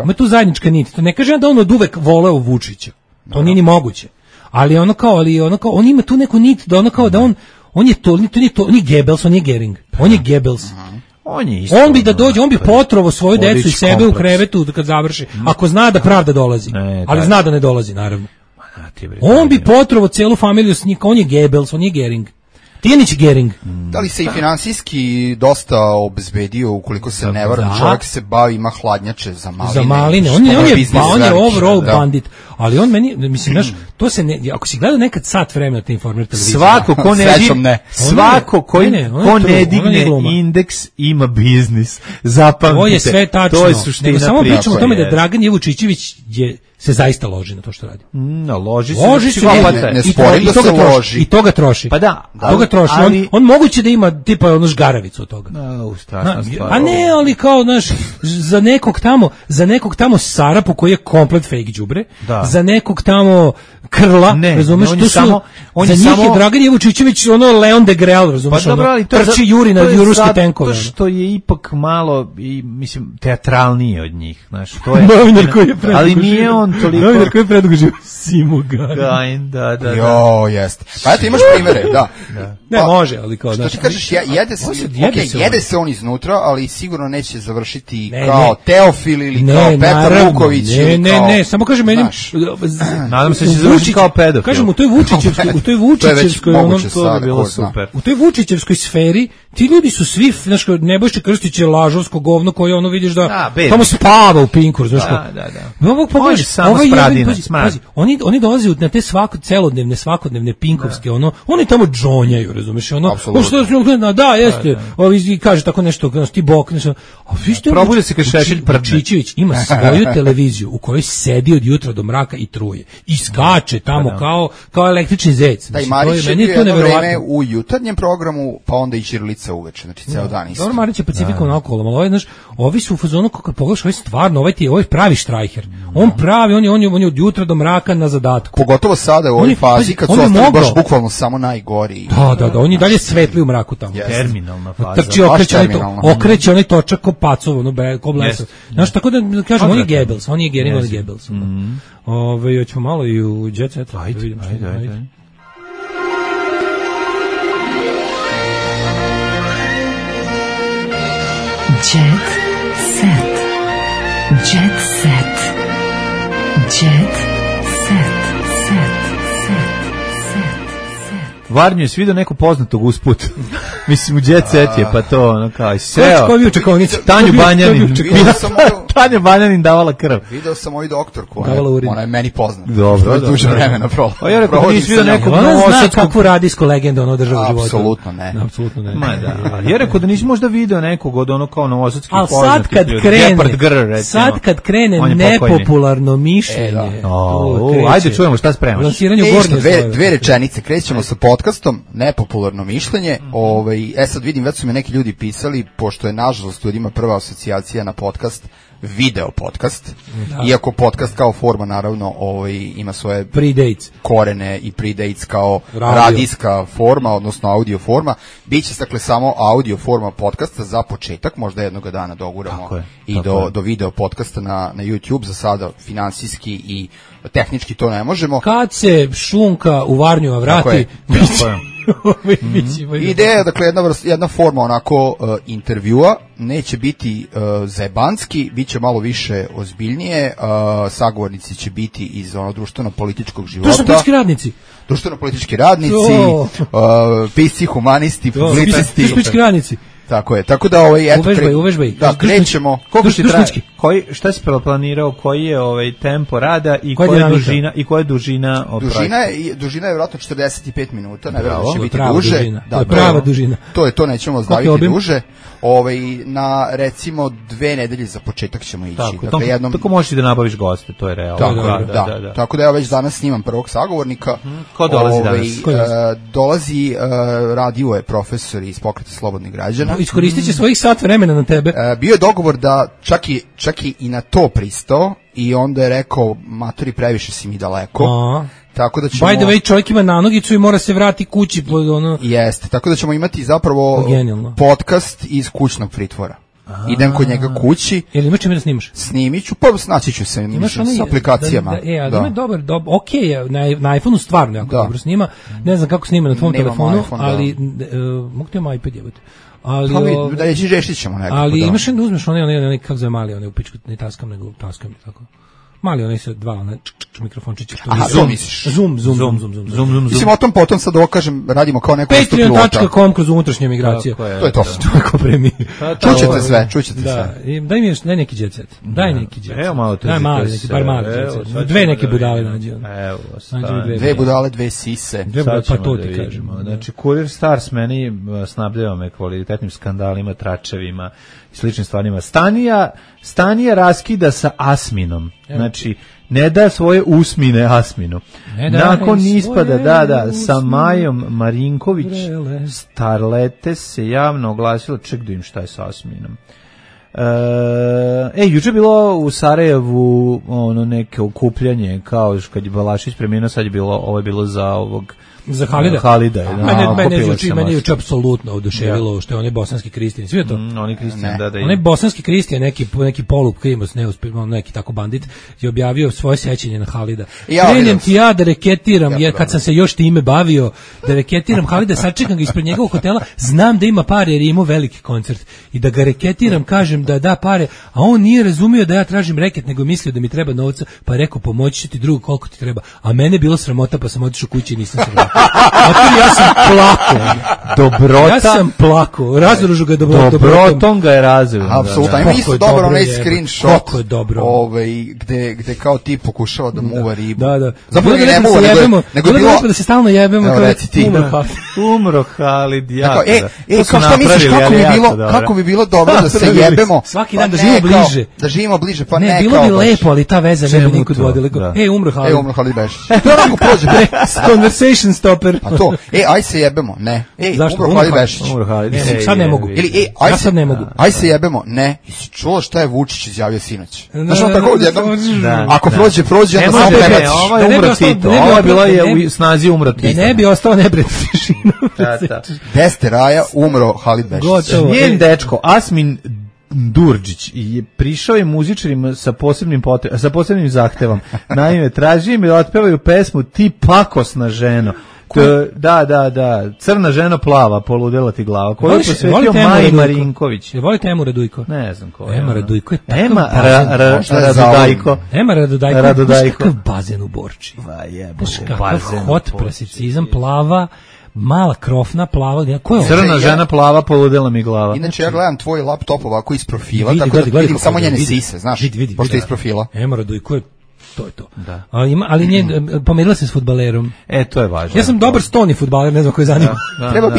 Ima tu zajednička nit. To ne kaže da on od uvek voleo Vučića. To nije ni moguće. Ali ono kao on ima tu neku nit da ono kao da on je to ni Goebbels, on je Gering. On je Goebbels. On bi da dođe, on bi potrovo svoju decu i sebe u krevetu kad završi. Ako zna da pravda dolazi. Ali zna da ne dolazi, naravno. On bi potrovo celu familiju s njih, on je Goebbels, on je Gering. Tijanić Gering. Da li se i finansijski dosta obezbedio, ukoliko se ne varam, čovjek se bavi, ima hladnjače za maline. Za maline, on je overall bandit. Ali on meni, mislim, znaš, to se ne, ako si gledao nekad sat vremena te Informer televizije. Svako ko ne digne indeks ima biznis. Zapamtite. To je sve tačno. To je suština priče. Samo pričamo o tome da Dragan Jevučićević se zaista loži na to što radi. Loži se. Ne sporim da se loži. I to ga troši. Pa da. To ga troši. On moguće da ima tipa ono žgaravicu od toga. Strašna stvar. A ne, ali kao, znaš, za nekog tamo Sarapu koji je komplet fake đubre, za nekog tamo Krla, razumeš, tu su, za njih je Dragan Jevučićević ono Leon de Grel, razumeš, trči juri na ruske tenkove. To što je ipak malo, mislim, teatralnije od njih, znaš, to je... Novinar koji je predugo ali nije on toliko... Novinar koji je predugo živo, Simo Garin. Da. Jo, jest. Pa eto, imaš primere, da. Ne, može, ali kao... Što ti kažeš, jede se on iznutra, ali sigurno neće završiti kao Teofil ili kao Petar Vuković. Ne, samo kažem meni... Nadam se će završiti kao pedofil. Kažem, u toj Vučićevskoj, u toj Vučićevskoj sferi, ti ljudi su svi, znaš, Nebojša Krstić je lažovsko govno koje ono vidiš da tamo spava u Pinku, znaš. On je samo spradina. Pazi, oni dolaze na te svakodnevne pinkovske, oni tamo gonjaju, razumeš, ono, Apsolutno. da, jeste, ovi kaže tako nešto, ti bok, nešto, a vi ste, Probudi se kad Šešelj prdne. Čičević ima svoju televiziju u kojoj sedi od jutra do mraka i truje, i skače tamo kao električni zec. Da, i Marić je bio jedno vreme u jutarnjem programu, pa onda i ćirilica uveče, znači ceo dan isto. Dobro, Marić je Pacifikom naokolo, ali znaš, ovi su u fazonu, kako pogledaš, ovaj stvarno, ovaj je pravi štrajher. On pravi, on je od jutra do mraka na zadatku. Pogotovo sada u ovoj fazi, kad su ostali baš bukvalno samo najgori. Da, on je dalje svetli u mraku tamo. Terminalna faza. Trči, okreće onaj točak ko pacov, ono, ko blesav. Znaš, tako da kažem, on je Goebbels, on je genijalni Goebbels. Hoćemo malo i u Jet Set. Ajde. Jet Set. Jet Set. Jet Set. Varnju je svidio neko poznatog usput. Mislim, u Jet Set je, pa to, ono kao, seo. Ko je bio čekovnicu? Tanju Banjanin. Tanja Banjanin davala krv. Video sam moju doktorku, ona je meni poznata. Dobro, duže vremena prošlo. A ja rekao, nisi vidio nekog Ona zna novosadskog... kakvu radijsku legendu ono država života. Apsolutno ne. Apsolutno ne. Ma da. Ja rekao da nisi možda video nekog od ono kao novosadskih ali poznatih ljudi. sad kad krene nepopularno mišljenje. Ajde čujemo šta spremaš. Lansiranju gornje dve rečenice, krećemo sa podcastom, nepopularno mišljenje. Sad vidim, već su mi neki ljudi pisali, pošto je nažalost ljudima prva asocijacija na podcast video podcast, iako podcast kao forma naravno ima svoje predates korene i predates kao radijska forma, odnosno audio forma. Biće dakle samo audio forma podcasta za početak, možda jednog dana doguramo i do video podcasta na YouTube. Za sada finansijski i tehnički to ne možemo. Kad se šunka u Varnju vrati, ideja je dakle jedna forma onako intervjua, neće biti zajebanski, bit će malo više ozbiljnije, sagovornici će biti iz društveno-političkog života. Društveno-politički radnici, pisci, humanisti, publicisti. radnici. Tako je, tako da uvežbaj. Da, krećemo. Šta si planirao, koji je tempo rada i koja je dužina Dužina je vjerojatno 45 minuta, ne vjerujem da će biti duže. To je prava dužina. To nećemo zdaviti duže. Na recimo 2 nedelje za početak ćemo ići. Tako možeš da nabaviš goste, to je realno. Tako da ja već danas snimam prvog sagovornika. Ko dolazi danas? Dolazi, radio je profesor iz Pokreta slobodnih građana. Iskoristit će svojih sat vremena na tebe. Bio je dogovor da čak i na to pristao i onda je rekao, matori, previše si mi daleko. Tako da ćemo... By the way, čovjek ima nanogicu i mora se vrati kući. Jeste, tako da ćemo imati zapravo podcast iz kućnog pritvora. Idem kod njega kući. Jel imaš čime da snimaš? Snimit ću, pa snaći ću se s aplikacijama. Ali ima dobar, okej je, na iPhone-u stvarno jako dobro snima. Ne znam kako snima na tvom telefonu, ali mogu ti imam iPad jebati. Ali da je žeštit ćemo nekako. Ali imaš da uzmeš onaj kako zove mali, onaj u pičku, ne taskam nego taskam tako. Mali onaj sa dva mikrofončića. Zoom misliš? Zoom. Mislim, o tom potom sad kažem, radimo kao neko isto pilota. Patreon.com kroz unutrašnje migracije. To je to. Tako premije. Čućete sve. Daj mi neki jet set. Evo malo to. Daj mali, bar mali jet set. Dve neke budale nađi. Evo, dve budale, dve sise. Pa to ti kažemo. Znači, Kurir Stars meni snabdeva me kvalitetnim skandalima, tračevima i sličnim stvarima. Stanija raskida sa Asminom. Znači, ne da svoje usmine Asminu. Nakon ispada, sa Majom Marinković, Starlete se javno oglasilo, ček da im šta je sa Asminom. Juče je bilo u Sarajevu neke okupljanje, kao kad je Balašić preminuo, sad je bilo, ovo je bilo za ovog za Halida. Mene juče apsolutno oduševilo što je onaj bosanski Kristijan. Svi je to? Oni Kristijan, da. Onaj bosanski Kristijan, neki polup krimos, neki tako bandit, je objavio svoje sećanje na Halida. Krenem ti ja da reketiram, kad sam se još time bavio, da reketiram Halida, sačekam ga ispred njegovog hotela, znam da ima pare jer je imao veliki koncert. I da ga reketiram, kažem da da pare, a on nije razumio da ja tražim reket, nego mislio da mi treba novca, pa je rekao pomoći ću ti drugo koliko ti treba. A mene je bilo sramota, pa sam otišao kući i nisam se vratio. Ja sam plakao. Dobrota. Ja sam plakao. Razružu ga Dobrotom ga je razveo. Apsolutno. Da. Ima isto Koliko je dobro dobro onaj jebe. screenshot. Koliko je dobro. Gde kao ti pokušava da muva ribu. Da. Zapravo Bilo ne da muva, se jebemo, nego je bilo bilo... lepo da se stalno jebemo. Evo, kao reci ti. Umro Halid, jako. Kao šta misliš, kako bi bilo dobro da se jebemo? Svaki Pa dan da ne, živimo kao, bliže. Da živimo bliže, pa Ne, ne bilo kao bi baš. lepo, ali ta veza ne bi Čemu nikud to? vodila. Da. Umro Halid. Umro Halid Bešić. To onako prođe. Conversation stopper. A to, aj se jebemo, ne. Zašto? Umro Halid Bešić. Umro Halid. Sad ne mogu. Ili, Ja sad ne mogu. Aj se jebemo, ne. Jesi čuo šta je Vučić izjavio sinoć? Znaš on Da, tako odjednom, da. ako prođe, Ne onda samo može, prebaciš. ovo je umro Tito. Ovo je bilo je u snazi umro Tito. Ne bi ostao nebred tišina. Deste Raja, umro Halid Bešić. Gotovo. Njen dečko, Asmin Durđić, je prišao je muzičarima sa posebnim zahtevom. Naime, traži im da otpevaju pesmu Ti pakosna ženo. Da, crna žena plava, poludela ti glava. Koju je posvetio Maji Marinković. Volite Emu Radujko? Ne znam ko je. Ema Radujko je takav Ema bazen. Ema Radujko. Radudajko. Kakav bazen u Borči. Jebote, Kakav bazen hot u Borči. presicizam, plava, mala krofna, plava. Ko je ovo? Crna žena plava, poludela mi glava. Inače, ja gledam tvoj laptop ovako iz profila, Vidi, tako da gledaj vidim kako samo je, njene vidi. sise, znaš, Vidi, pošto je iz da. profila. Ema Radujko je to je to. Da. Ali pomerila se s fudbalerom. To je važno. Ja sam dobar stoni fudbaler, ne znam ko je zanima. Treba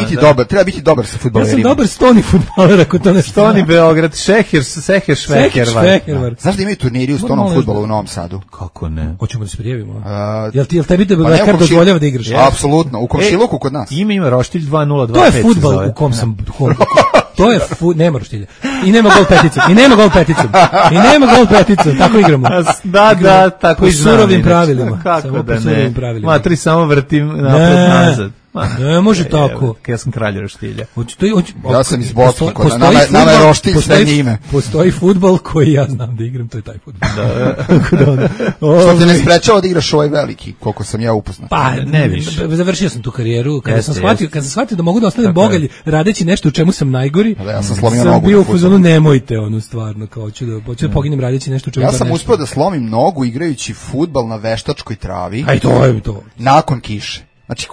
biti dobar sa Ja fudbalerima. sam dobar stoni fudbaler, ako to ne Stoni Beograd, Seher Šveher. Znaš da imaju turniri u stonom fudbalu u Novom Sadu? Kako ne? Hoćemo da se prijavimo. Pa Jel tebi ne, Bekar dozvoljava da igraš? Apsolutno, u komšiluku kod nas. Ima Roštilj 2025. To je fudbal u kom sam... To je nema roštilja. I nema gol peticom. Tako igramo. Da, tako po i znam. surovim pravilima. Kako Samo da po surovim ne? pravilima. Matri, samo vrtim napred nazad. Ne može tako. Ja sam kralj roštilja. Ja sam iz Bosne, nama je roštilj sve njime. Postoji fudbal koji ja znam da igram, to je taj fudbal. Što te ne sprečava da igraš ovaj veliki, koliko sam ja upoznat. Pa, ne više. Završio sam tu karijeru, kada sam shvatio da mogu da ostanem bogalj radeći nešto u čemu sam najgori. Ja sam slomio nogu. Sam bio u fazonu, nemojte stvarno, kao hoću da poginem radeći nešto u čemu ja sam uspeo da slomim nogu igrajući fudbal na veštačkoj travi. Aj, to je to. Nakon kiše. Znači,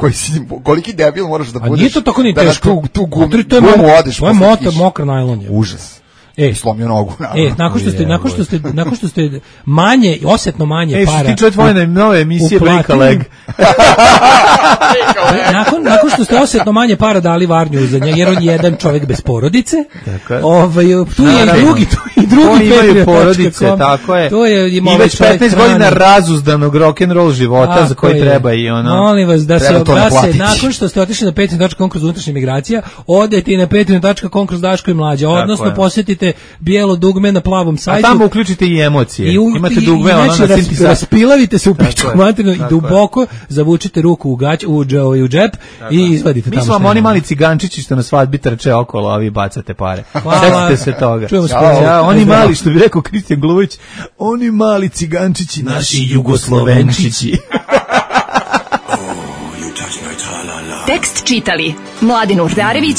koliki debil moraš da budeš. A nije to tako ni teško. Tu gumu odeš. To je mokar najlon. Užas. Slomio nogu. Nakon što ste osetno manje para. Što ti čuje tvoje nove emisije Brika Leg. Nakon što ste osetno manje para dali Varnju za njega, jer on je jedan čovjek bez porodice. Tu je i drugi imaju porodice, tako je. I već 15 godina razuzdanog rock'n'roll života za koji treba i ono. Molim vas da se nakon što ste otišli na patreon.com kroz unutrašnje migracija, odete i na patreon.com kroz Daško i Mlađa, odnosno posjetite bijelo dugme na plavom sajtu. A tamo uključite i emocije. Imate dugme raspilavite se u pičku materinu i duboko zavučite ruku u džep i izvadite tamo. Mi smo vam oni mali cigančići što na svadbi trče okolo, a vi bacate pare. Sjetite se toga. Oni mali, što bi rekao Kristijan Gluvić, oni mali cigančići, naši jugoslovenčići. Tekst čitali Mladin Urdarević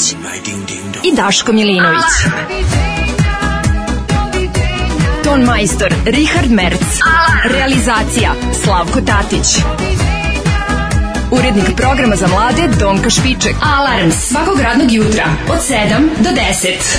i Daško Milinović. Ton majstor Richard Merc. Realizacija Slavko Tatić. Urednik programa za mlade Donka Špiček. Alarms svakog radnog jutra od 7 do 10.